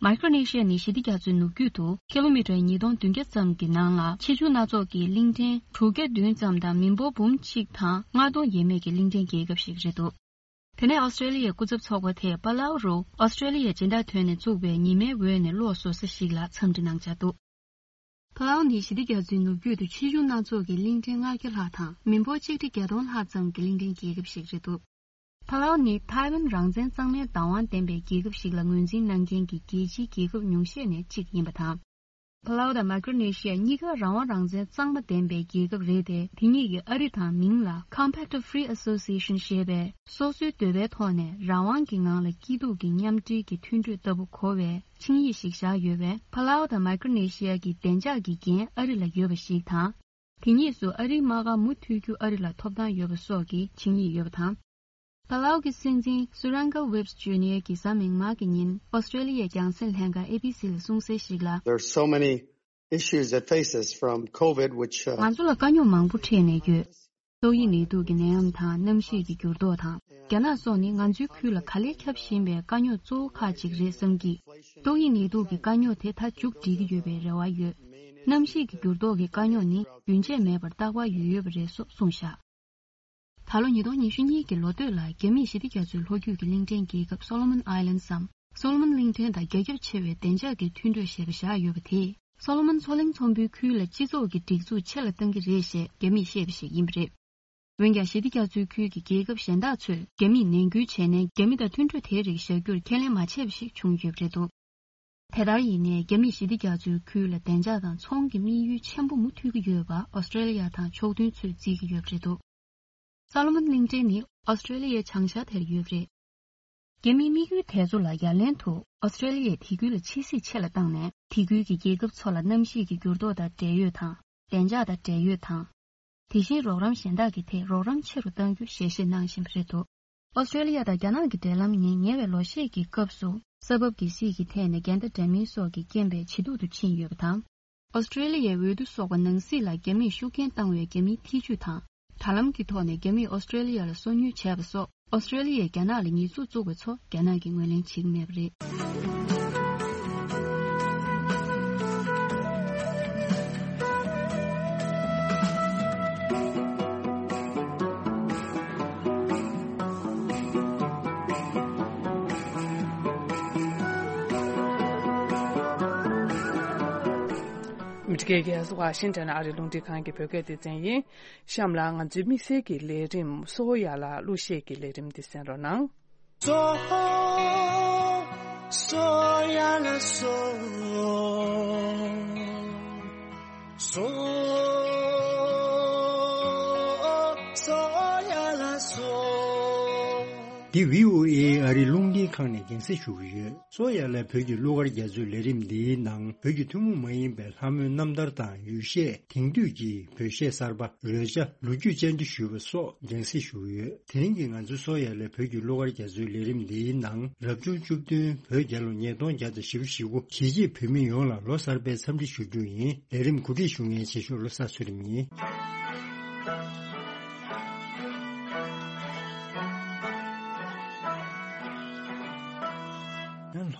མའི་ཀྲོ་ནེ་ཤི་ཡ་ནི་ཞི་བདེ་རྒྱ་མཚོའི་ནུབ་རྒྱུད་དུ་ཀི་ལོ་མི་ཊར་ཉིས་སྟོང་བདུན་བརྒྱ་ཙམ་གྱི་ནང་ལ་ཆེ་ཆུང་སྣ་ཚོགས་ཀྱི་གླིང་ཕྲན་དྲུག་བརྒྱ་བདུན་ཙམ་དང་མི་འབོར་འབུམ་གཅིག་དང་ལྔ་སྟོང་ཡས་མས་ཀྱི་གླིང་ཕྲན་རྒྱལ་ཁབ་ཞིག་རེད་འདུག། དེ་ནས་ཨོ་སི་ཀྲོ་ལི་ཡའི་སྐུ་ཚབ་ཚོགས་པ་དེས་པ་ལའུ་རུ་ཨོ་སི་ཀྲོ་ལི་ཡའི་སྦྱིན་བདག་དོན་ནས་བཙུགས་པའི་ཉི་མའི་འོད་ནས་གློག་བཟོ་ས་ཞིག་ལ་འཚམས་འདྲི་གནང་འཆར་འདུག། པ་ལའུ་ནི་ཞི་བདེ་རྒྱ་མཚོའི་ནུབ་རྒྱུད་དུ་ཆེ་ཆུང་སྣ་ཚོགས་ཀྱི་གླིང་ཕྲན་ལྔ་བརྒྱ་ལྷག་དང་མི་འབོར་ཆིག་ཁྲི་བརྒྱད་སྟོང་ལྷག་ཙམ་གྱི་གླིང་ཕྲན་རྒྱལ་ཁབ་ཞིག་རེད་འདུག། པ་ལའུ་ནི་ཐའེ་ཝན་རང་བཙན་གཙང་མའི་བདག་དབང་ལྡན་པའི་རྒྱལ་ཁབ་ཞིག་ལ་ངོས་འཛིན་གནང་མཁན་གྱི་རྒྱལ་སྤྱིའི་རྒྱལ་ཁབ་ཉུང་ཤས་ནས་གཅིག་ཡིན་པ་དང་། པ་ལའུ་དང་མའི་ཀྲོ་ནེ་ཤི་ཡ་གཉིས་ཀ་རང་དབང་རང་བཙན་གཙང་མ་ལྡན་པའི་རྒྱལ་ཁབ་རེད་དེ། དེ་གཉིས་ཀྱིས་ཨ་རི་དང་མིང་ལ་Compact of Free Association ཞེས་པའི་སོ་སོའི་འདོད་པའི་ཐོག་ནས་རང་དབང་གི་ངང་ལ་སྐྱིད་སྡུག་གི་མཉམ་འབྲེལ་གྱི་མཐུན་གྲོས་ལྟ་བུ་གོ་བའི་ཆིངས་ཡིག་ཞིག་བཞག་ཡོད་པས། པ་ལའུ་དང་མའི་ཀྲོ་ནེ་ཤི་ཡ་གི་བདེ་འཇགས་ཀྱི་འགན་ཨ་རི་ལ་ཡོད་པ་ཞིག་དང་། དེ་གཉིས་སུ་ཨ་རིའི་དམག་སྒར་མུ་མཐུད་རྒྱུ་ཨ་རི་ལ་ཐོབ་ཐང་ཡོད་པ་སོགས་ཀྱི་ཆིངས་ཡིག་ཡོད་པ་དང་། པ་ལའུ་གི་སྲིད་འཛིན་སུ་རན་གལ་ཝེབ་ཇུ་ནི་ཡར་གྱིས་གཟའ་མིག་དམར་གྱི་ཉིན་ཨོ་སི་ཀྲོ་ལི་ཡའི་རྒྱང་སྲིང་ལྷན་ཁང་ཨེ་བི་སི་ལ་གསུངས་གསལ་ཞིག་ལ། There are so many issues that face us, from COVID, which, uh, ང་ཚོ་ལ་དཀའ་རྙོག་མང་པོ་འཕྲད་ནས་ཡོད། ཏོག་དབྱིབས་ནད་དུག་གི་ནད་ཡམས་དང་གནམ་གཤིས་ཀྱི་འགྱུར་ལྡོག་དང་། རྒྱ་ནག་སོགས་ནི་ང་ཚོའི་ཁུལ་ལ་ག་ལེར་ཁྱབ་བཞིན་པའི་དཀའ་རྙོག་གཙོ་བོ་ཁག་ཅིག་རེད་བསམ་གྱི། ཏོག་དབྱིབས་ནད་དུག་གི་དཀའ་རྙོག་དེ་ད་མཇུག་སྒྲིལ་གྱི་ཡོད་པའི་རེ་བ་ཡོད། གནམ་གཤིས་ཀྱི་འགྱུར་ལྡོག་གི་དཀའ་རྙོག་ནི་རྒྱུན་ཆད་མེད་པར་རྟག་པར་ཡོད་ཡོད་པ་རེད་སོགས་གསུངས་བཞག། ད་ལོ་ཉིས་སྟོང་ཉི་ཤུ་གཉིས་ཀྱི་ལོ་སྟོད་ལ་རྒྱ་མིས་ཞི་བདེ་རྒྱ་མཚོའི་ལྷོ་རྒྱུད་ཀྱི་གླིང་ཕྲན་རྒྱལ་ཁབ་Solomon Islands སམ། སོ་ལོ་མོན་གླིང་ཕྲན་དང་རྒྱ་ཁྱབ་ཆེ་བའི་བདེ་འཇགས་ཀྱི་མཐུན་གྲོས་ཞེས་པ་བཞག་ཡོད་པ་དེས། སོ་ལོ་མོན་མཚོ་གླིང་ཚོང་དཔོན་ཁུལ་ལ་སྤྱི་ཚོགས་ཀྱི་སྒྲིག་འཛུགས་ཆེ་ལ་གཏང་གི་རེད་ཞེས་རྒྱ་མིས་བཤད་པ་ཞིག་ཡིན་པ་རེད། འོན་ཀྱང་ཞི་བདེ་རྒྱ་མཚོའི་ཁུལ་གྱི་རྒྱལ་ཁབ་གཞན་དག་ཚོས་རྒྱ་མིས་ནན་སྐུལ་བྱས་ནས་རྒྱ་མི་དང་མཐུན་གྲོས་དེའི་རིགས་བཞག་རྒྱུར་ཁས་ལེན་མ་བྱས་པ་ཞིག་བྱུང་ཡོད་པ་རེད་འདུག། དེ་ལྟར་ཡིན་ནའི་རྒྱ་མིས་ཞི་བདེ་རྒྱ་མཚོའི་ཁུལ་ལ་བདེ་འཇགས་དང་ཚོང་གི་དམིགས་ཡུལ་ཆེན་པོ་མུ་མཐུད་ཀྱི་ཡོད་པ་ཨོ་སི་ཀྲེ་ལི་ཡ་དང་ཕྱོགས་མཐུན་ཚོས་བརྩི་གི་ཡོད་པ་རེད་འདུག། སོ་ལོ་མོན་གླིང་ཕྲན་ནི་ཨོ་སི་ཀྲེ་ལི་ཡའི་བྱང་ཤར་དེར་ཡོད་པ་རེད། རྒྱ་མིའི་དམིགས་ཡུལ་དེ་ཚོ་ལ་ཡ་ལན་དུ་ཨོ་སི་ཀྲེ་ལི་ཡས་དེ་ཁུལ་ལ་ཕྱི་སྲིད་ཆེ་ལ་བཏང་ནས་དེ་ཁུལ་གྱི་རྒྱལ་ཁབ་ཚོ་ལ་གནམ་གཤིས་ཀྱི་འགྱུར་ལྡོག་དང་འབྲེལ་ཡོད་དང་། བདེ་འཇགས་དང་འབྲེལ་ཡོད་དང་། དེ་བཞིན་རོགས་རམ་གཞན་དག་གི་ཐད་རོགས་རམ་ཆེ་རུ་གཏང་རྒྱུ་ཞལ་བཞེས་གནང་བཞིན་པ་རེད་འདུག། ཨོ་སི་ཀྲེ་ལི་ཡ་དང་རྒྱ་ནག་གི་འབྲེལ་ལམ་ནི་ཉེ་བའི་ལོ་ཤས་ཀྱི་སྐབས་སུ་ས་བབ་ཀྱི་སྲིད་ཀྱི་ཐད་ནས་འགལ་ཟླ་འདྲ་མིན་སོགས་ཀྱི་རྐྱེན་པས་ཇེ་སྡུག་ཏུ་ཕྱིན་ཡོད་པ་དང་། ཨོ་སི་ཀྲེ་ལི་ཡའི་འོས་བསྡུ་སོགས་པ་ནང་སྲིད་ལ་རྒྱ་མིས་ཤུགས་རྐྱེན་བཏང་བའི་རྒྱ་མིའི་ཐེ་ཇུས་དང་། དྲ་ལམ་གྱི་ཐོག་ནས་རྒྱ་མིས་ཨོ་སི་ཀྲེ་ལི་ཡ་ལ་སོ་ཉུལ་བྱས་པ་སོགས་ཨོ་སི་ཀྲེ་ལི་ཡའི་རྒྱ་ནག་ལ་ཉེས་འཛུགས་བཙུགས་པ་ཚོ་རྒྱ་ནག་གིས་ངོས་ལེན་བྱེད་ཀྱི་མེད་པ་རེད། མི་ཊི་ཀེ་གེ་ཨེས་ཝ་ཤིང་ཊོན་ཨ་རིའི་རླུང་འཕྲིན་ཁང་གི་བོད་སྐད་སྡེ་ཚན་ཡིན། གཤམ་ལ་ང་ཚོའི་དམིགས་བསལ་གྱི་ལས་རིམ་སོ་ཡ་ལ་གླུ་གཞས་ཀྱི་ལས་རིམ་འདི་གསན་རོགས་གནང་། སོ་སོ་ཡ་ལ་སོ། སོ་སོ་ཡ་ལ་སོ། འདི་བྷི་ཨོ་ཨེ་ཨ་རིའི་རླུང་འཕྲིན་ཁང་ནས་རྒྱང་སྲིང་ཞུ་གི་ཡོད། སོ་ཡ་ལ་བོད་ཀྱི་གླུ་གར་རྒྱ་མཚོའི་ལས་རིམ་འདིའི་ནང་བོད་ཀྱི་ཐུན་མོང་མ་ཡིན་པའི་ལྷ་མོའི་རྣམ་ཐར་དང་ཡུལ་གཞས། དེང་དུས་ཀྱི་བོད་གཞས་གསར་པ། རོལ་ཆ། ལོ་རྒྱུས་བཅར་འདྲི་ཞུས་པ་སོགས་རྒྱང་སྲིང་ཞུ་གི་ཡོད། དེ་རིང་གི་ང་ཚོའི་སོ་ཡ་ལ་བོད་ཀྱི་གླུ་གར་རྒྱ་མཚོའི་ལས་རིམ་འདིའི་ནང་རབ་བྱུང་བཅུ་བདུན་བོད་རྒྱལ་ལོ་ཉིས་སྟོང་བརྒྱ་དང་བཞི་བཅུ་ཞེ་དགུ་གཞིས་བྱེས་བོད་མི་ཡོངས་ལ་ལོ་གསར་པའི་འཚམས་འདྲི་ཞུ་རྒྱུ་ཡིན། ལས་རིམ་གོ་སྒྲིག་ཞུ་མཁན་ཆེ་ཤོས་བློ་བཟང་ཚུལ་ཁྲིམས་ཡིན།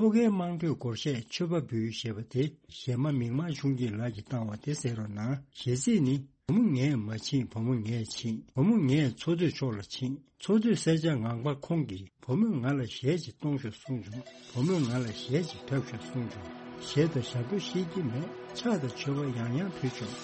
ལྷོ་ཁའི་དམངས་ཁྲོད་སྒོར་གཞས་མཆོད་པ་འབུལ་ཞེས་པ་དེ་གཞས་མ་མིག་དམར་ཆུང་སྐྱིད་ལགས་ཀྱིས་བཏང་བ་དེ་གསན་རོགས་གནང་། གཞས་ཚིག་ནི། བུ་མོ་ངས་མ་ཕྱིན། བུ་མོ་ངས་ཕྱིན། བུ་མོ་ངས་འཚོ་སྡོད་ཕྱོགས་ལ་ཕྱིན། འཚོ་སྡོད་སེར་སྐྱ་ངང་པ་ཁོང་གིས། བུ་མོས་ང་ལ་གཞས་ཅིག་གཏོང་ཤོག་གསུངས་བྱུང་། བུ་མོས་ང་ལ་གཞས་ཅིག་འཁྲབ་ཤོག་གསུངས་བྱུང་། གཞས་དང་ཞབས་བྲོ་ཤེས་ཀྱི་མེད། ཕྱག་དང་མཆོད་པ་ཡང་ཡང་ཕུལ་ཆོག།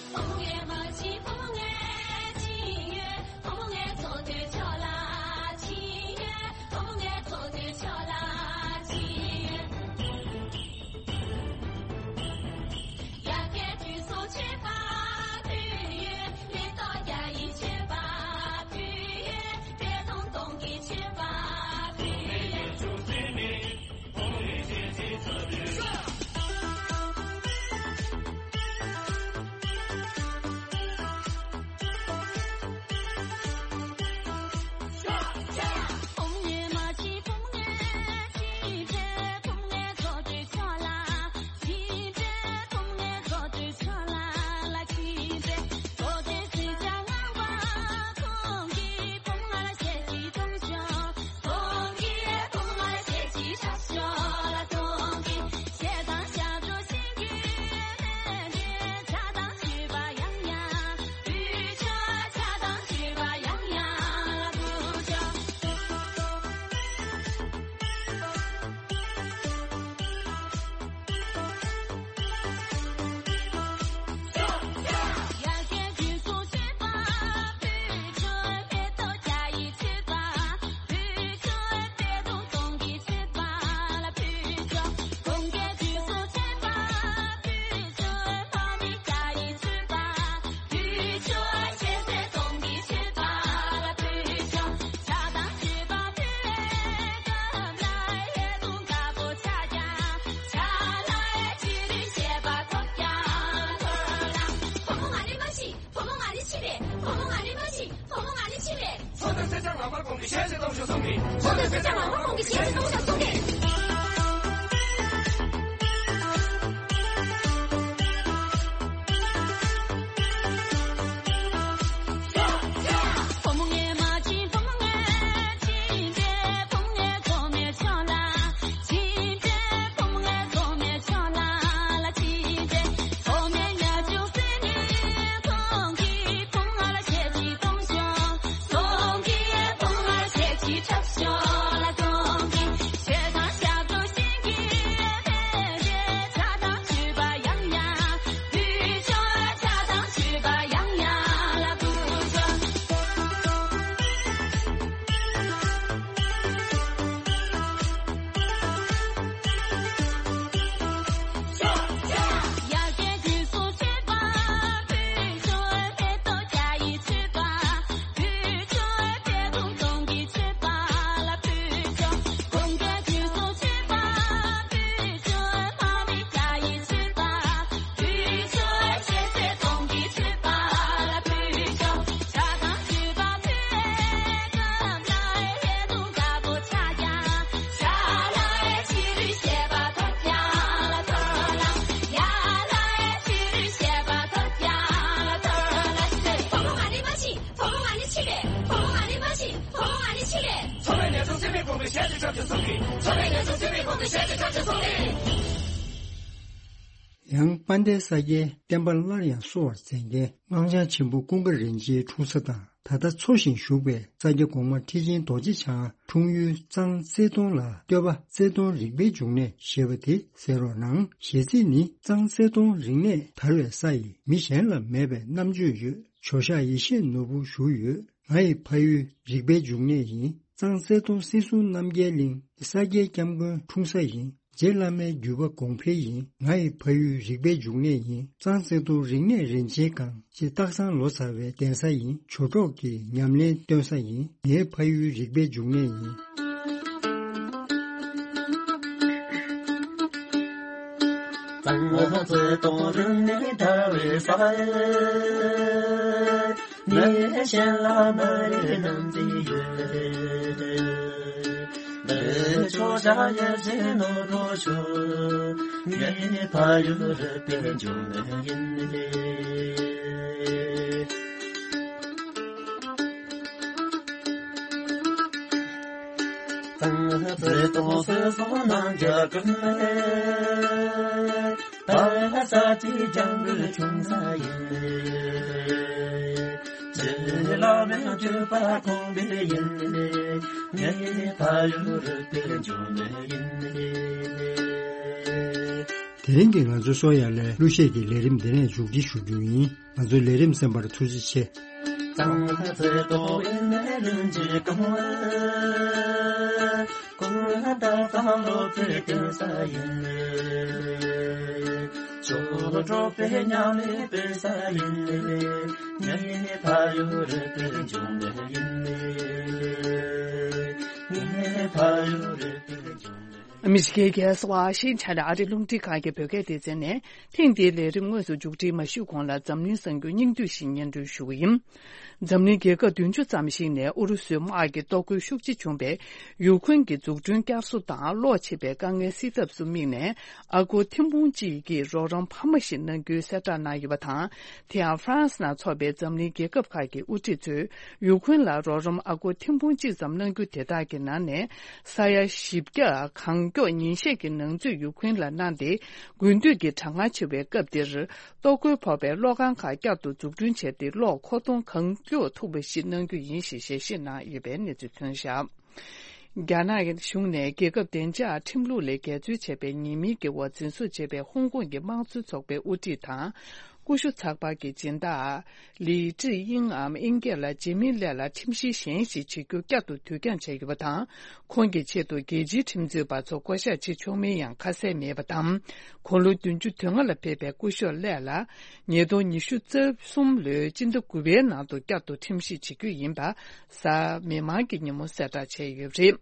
ཡང་དཔལ་ལྡན་ས་སྐྱའི་བསྟན་པ་སླར་ཡང་གསོ་བར་མཛད་མཁན་སྔགས་འཆང་ཆེན་པོ་ཀུན་དགའ་རིན་ཆེན་འཁྲུངས་ས་དང་། ད་ལྟ་འཚོ་ཞིང་བཞུགས་པའི་ས་སྐྱ་གོང་མ་ཁྲི་ཆེན་རྡོ་རྗེ་འཆང་འཁྲུངས་ཡུལ་གཙང་རྩེ་གདོང་ལ་སྟོད་པ་རྩེ་གདོང་རིག་པའི་འབྱུང་གནས་ཞེས་པ་དེ་གསན་རོགས་གནང་། གཞས་ཚིག་ནི། གཙང་རྩེ་གདོང་རིག་གནས་དར་བའི་ས་ཡིན། མི་གཞན་ལ་མེད་པའི་རྣམ་དཔྱོད་ཡོད། ཇོ་ཤཱཀ་ཡེ་ཤེས་ནོར་བུ་བཞུགས་ཡོད། ང་ཡི་ཕ་ཡུལ་རིག་པའི་འབྱུང་གནས་ཡིན། གཙང་རྩེ་གདོང་སྲིད་སྲུང་རྣམ་རྒྱལ་གླིང་། ས་སྐྱའི་སྐྱབས་མགོན་འཁྲུངས་ས་ཡིན། རྗེ་བླ་མའི་བརྒྱུད་པ་གོང་འཕེལ་ཡིན། ང་ཡི་ཕ་ཡུལ་རིག་པའི་འབྱུང་གནས་ཡིན། གཙང་རྩེ་གདོང་རིག་གནས་རིན་ཆེན་སྒང་། ཅེས་སྟག་ཚང་ལོ་ཙཱ་བའི་གདན་ས་ཡིན། ཇོ་གྲོགས་ཀྱི་ཉམས་ལེན་སྟོན་ས་ཡིན། ངའི་ཕ་ཡུལ་རིག་པའི་འབྱུང་གནས་ཡིན། གཙང་རྩེ་གདོང་རིག་གནས་དར་བའི་ས། ངས་གཞན་ལ་མ་རེ་རྣམ་དཔྱོད་ཡོད། མི་ཆོག་བྱ་ཡ་བྱེད་ནོ་རོ་ཆོ། ངའི་ཕ་ཡུལ་རིག་པའི་འབྱུང་གནས་ཡིན། གཙང་རྩེ་གདོང་སྲིད་སྲུང་རྣམ་རྒྱལ་ཀུན། ད་ས་ཅི་ལྗང་གུ་ཆུང་ས་ཡིན། རྗེ་བླ་མའི་བརྒྱུད་པ་གོང་འཕེལ་ཡིན། ངའི་ཕ་ཡུལ་རིག་པའི་འབྱུང་གནས་ཡིན། དེ་རིང་གི་ང་ཚོའི་སོ་ཡ་ལའི་གླུ་གཞས་ཀྱི་ལས་རིམ་འདི་ནས་མཇུག་སྒྲིལ་ཞུ་རྒྱུ་ཡིན། ང་ཚོའི་ལས་རིམ་གསན་པར་ཐུགས་རྗེ་ཆེ། གཙང་རྩེ་གདོང་ཡིན་ནས་རིན་ཆེན་གང་། ཀུན་ད་གཙང་ལོ་ཙཱའི་གདན་ས་ཡིན། ཇོ་གྲོགས་པའི་ཉམས་ལེན་སྤེལ་ས་ཡིན། ངའི་ཕ་ཡུལ་རིག་པའི་འབྱུང་གནས་ཡིན། ངའི་ཕ་ཡུལ་རིག་པའི་འབྱུང་གནས། ཨ་མི་རི་ཀའི་རྒྱལ་ས་ཝ་ཤིང་ཊོན་ཨ་རིའི་རླུང་འཕྲིན་ཁང་གི་བོད་སྐད་སྡེ་ཚན་ནས་ཐེངས་འདིའི་ལས་རིམ་དངོས་སུ་མཇུག་སྒྲིལ་མ་ཞུས་གོང་ལ་འཛམ་གླིང་གསར་འགྱུར་སྙིང་བསྡུས་ཤིག་སྙན་སྒྲོན་ཞུ་གི་ཡིན། འཛམ་གླིང་རྒྱལ་ཁབ་བདུན་ཅུ་ཙམ་ཞིག་ནས་ཨུ་རུ་སུའི་དམག་གི་གཏོར་རྒོལ་ཤུགས་ཆེ་བྱུང་བས། ཡུ་ཁུན་གྱི་འཛུགས་སྐྲུན་བསྐྱར་གསོ་དང་གློག་ཆད་པའི་དཀའ་ངལ་སེལ་ཐབས་སུ་དམིགས་ནས། ཨ་སྒོར་ཐེར་འབུམ་གཅིག་གི་རོགས་རམ་འཕར་མ་ཞིག་གནང་རྒྱུའི་གསལ་བསྒྲགས་གནང་ཡོད་པ་དང་། དེ་ཡང་ཧྥ་རན་སི་ནང་འཚོགས་པའི་འཛམ་གླིང་རྒྱལ་ཁབ་ཁག་གི་དབུ་ཁྲིད་ཚོས་ཡུ་ཁུན་ལ་རོགས་རམ་ཨ་སྒོར་ཐེར་འབུམ་གཅིག་ཙམ་གནང་རྒྱུ་དེ་དག་གི་ནང་ནས་ས་ཡ་བཞི་བརྒྱ་གང་མགྱོགས་ཉིན་ཤས་ཀྱི་ནང་ཚུད་ཡུ་ཁུན་ལ་གནང་སྟེ། དགུན་དུས་ཀྱི་གྲང་ངར་ཆེ་བའི་སྐབས་འདིར། གཏོར་རྒོལ་ཕོག་པའི་གློག་ཁང་ཁག་བསྐྱར་དུ་འཛུགས་སྐྲུན་བྱས་ཏེ། གློག་མཁོ་གཏོང་གང་མགྱོགས་ཐུབ་པ་ཞིག་གནང་རྒྱུ་ཡིན་ཞེས་ཞལ་བཞེས་གནང་ཡོད་པའི་གནས་ཚུལ་ཐོན་བཞག་རྒྱ་ནག་གཞུང་ནས་རྒྱལ་ཁབ་བདེ་འཇགས་ཁྲིམས་ལུགས་ལས་འགལ་འཛོལ་བྱས་པའི་ཉེས་མིང་གི་འོག་འཛིན་བཟུང་བྱས་པའི་ཧོང་ཀོང་གི་དམངས་གཙོའི་ཚོགས་པའི་དབུ་ཁྲིད་དང་། ཀུ་ཤུ་ཚགས་པར་གྱི་སྦྱིན་བདག་ལི་ཀྲི་དབྱིང་ངམ་དབྱིན་སྐད་ལ་ཇེ་མི་ལེ་ལ་ཁྲིམས་གཞི་གཞན་ཞིག་བྱེད་རྒྱུ་བསྐྱར་དུ་དུས་འགྱངས་བྱས་ཡོད་པ་དང་། ཁོང་གི་ཆེད་དུ་རྒྱལ་སྤྱིའི་ཁྲིམས་རྩོད་པ་ཚོ་བསྐོ་གཞག་བྱེད་ཆོག་མིན་ཡང་ཁ་གསལ་མེད་པ་དང་། དགུང་ལོ་བདུན་ཅུ་དོན་ལྔ་ལ་ཕེབས་པའི་སྐུ་ཞབས་ལེ་ལ། ཉིས་སྟོང་ཉི་ཤུ་རྩ་གསུམ་ལོའི་སྤྱི་ཟླ་དགུ་པའི་ནང་དུ་བསྐྱར་དུ་ཁྲིམས་ཞིབ་བྱེད་རྒྱུ་ཡིན་པ། གཟའ་མིག་དམར་གྱི་ཉིན་མོ་གསལ་བསྒྲགས་བྱས་ཡོད་པ་རེད།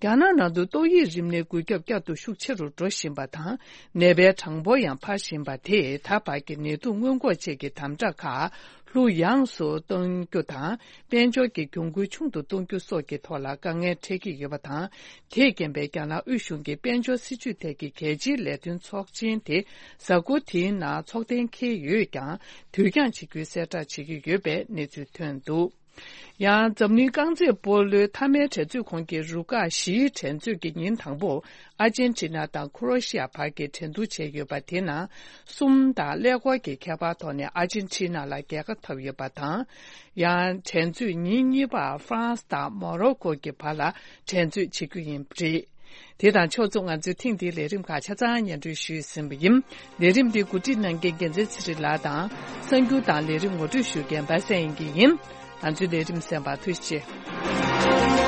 རྒྱ་ནག་ནང་དུ་ཏོག་དབྱིབས་རིམས་ནད་འགོས་ཁྱབ་བསྐྱར་དུ་ཤུགས་ཆེ་རུ་འགྲོ་བཞིན་པ་དང་། ནད་པའི་གྲངས་འབོར་ཡང་འཕར་བཞིན་པ་དེས་ད་བར་གྱི་ནད་དུག་སྔོན་འགོག་ཆེད་ཀྱི་དམ་དྲག་ཁག་ལྷུག་ཡངས་སུ་གཏོང་རྒྱུ་དང་། དཔལ་འབྱོར་གྱི་གྱོང་གུན་ཆུང་དུ་གཏོང་རྒྱུ་སོགས་ཀྱི་ཐོག་ལ་དཀའ་ངལ་འཕྲད་ཀྱི་ཡོད་པ་དང་། དེས་རྐྱེན་པས་རྒྱ་ནག་དབུས་གཞུང་གི་དཔལ་འབྱོར་སྲིད་ཇུས་ཐད་ཀྱི་གལ་ཆེའི་ལས་དོན་ཚོགས་ཆེན་དེ་གཟའ་འཁོར་དེའི་ནང་ཚོགས་གཏན་འཁེལ་ཡོད་ཀྱང་། དུས་འགྱངས་བྱེད་རྒྱུའི་གསལ་བསྒྲགས་བྱེད་ཀྱི་ཡོད་པའི་གནས་ཚུལ་ཐོན་འདུག་ཡང་འཛམ་གླིང་རྐང་རྩེད་སྤོ་ལོའི་མཐའ་མའི་འགྲན་རྩོད་ཁོངས་ཀྱི་རུ་ཁག་བཞིའི་འགྲན་རྩོད་ཀྱི་ཉིན་དང་པོར་ཨར་ཇེན་ཊི་ན་དང་ཁུ་རོ་ཤི་ཡ་བར་གྱི་འགྲན་བསྡུར་བྱས་ཡོད་པ་དེ་ནང་གསུམ་དང་ཀླད་ཀོར་གྱི་ཁྱད་པར་ཐོག་ནས་ཨར་ཇེན་ཊི་ན་ལ་རྒྱལ་ཁ་ཐོབ་ཡོད་པ་དང་། ཡང་འགྲན་རྩོད་ཉིན་གཉིས་པར་ཧྥ་རན་སི་དང་མོ་རོ་ཀོ་གྱི་བར་ལ་འགྲན་རྩོད་བྱེད་རྒྱུ་ཡིན་པ་རེད། དེ་དང་ཕྱོགས་མཚུངས་ང་ཚོས་ཐེངས་འདིའི་ལས་རིམ་ཁག་ཆ་ཚང་སྙན་སྒྲོན་ཞུས་ཟིན་པ་ཡིན། ལས་རིམ་འདི་གོ་སྒྲིག་གནང་མཁན་རྒྱལ་མཚན་ཚེ་རིང་ལགས་དང་། གསར་འགྱུར་དང་ལས་རིམ་ངོ་སྤྲོད་ཞུ་མཁན་པ་སངས་དབྱངས་སྐྱིད་ཡིན། ང་ཚོའི་ལས་རིམ་གསན་པར་ཐུགས་རྗེ་ཆེ།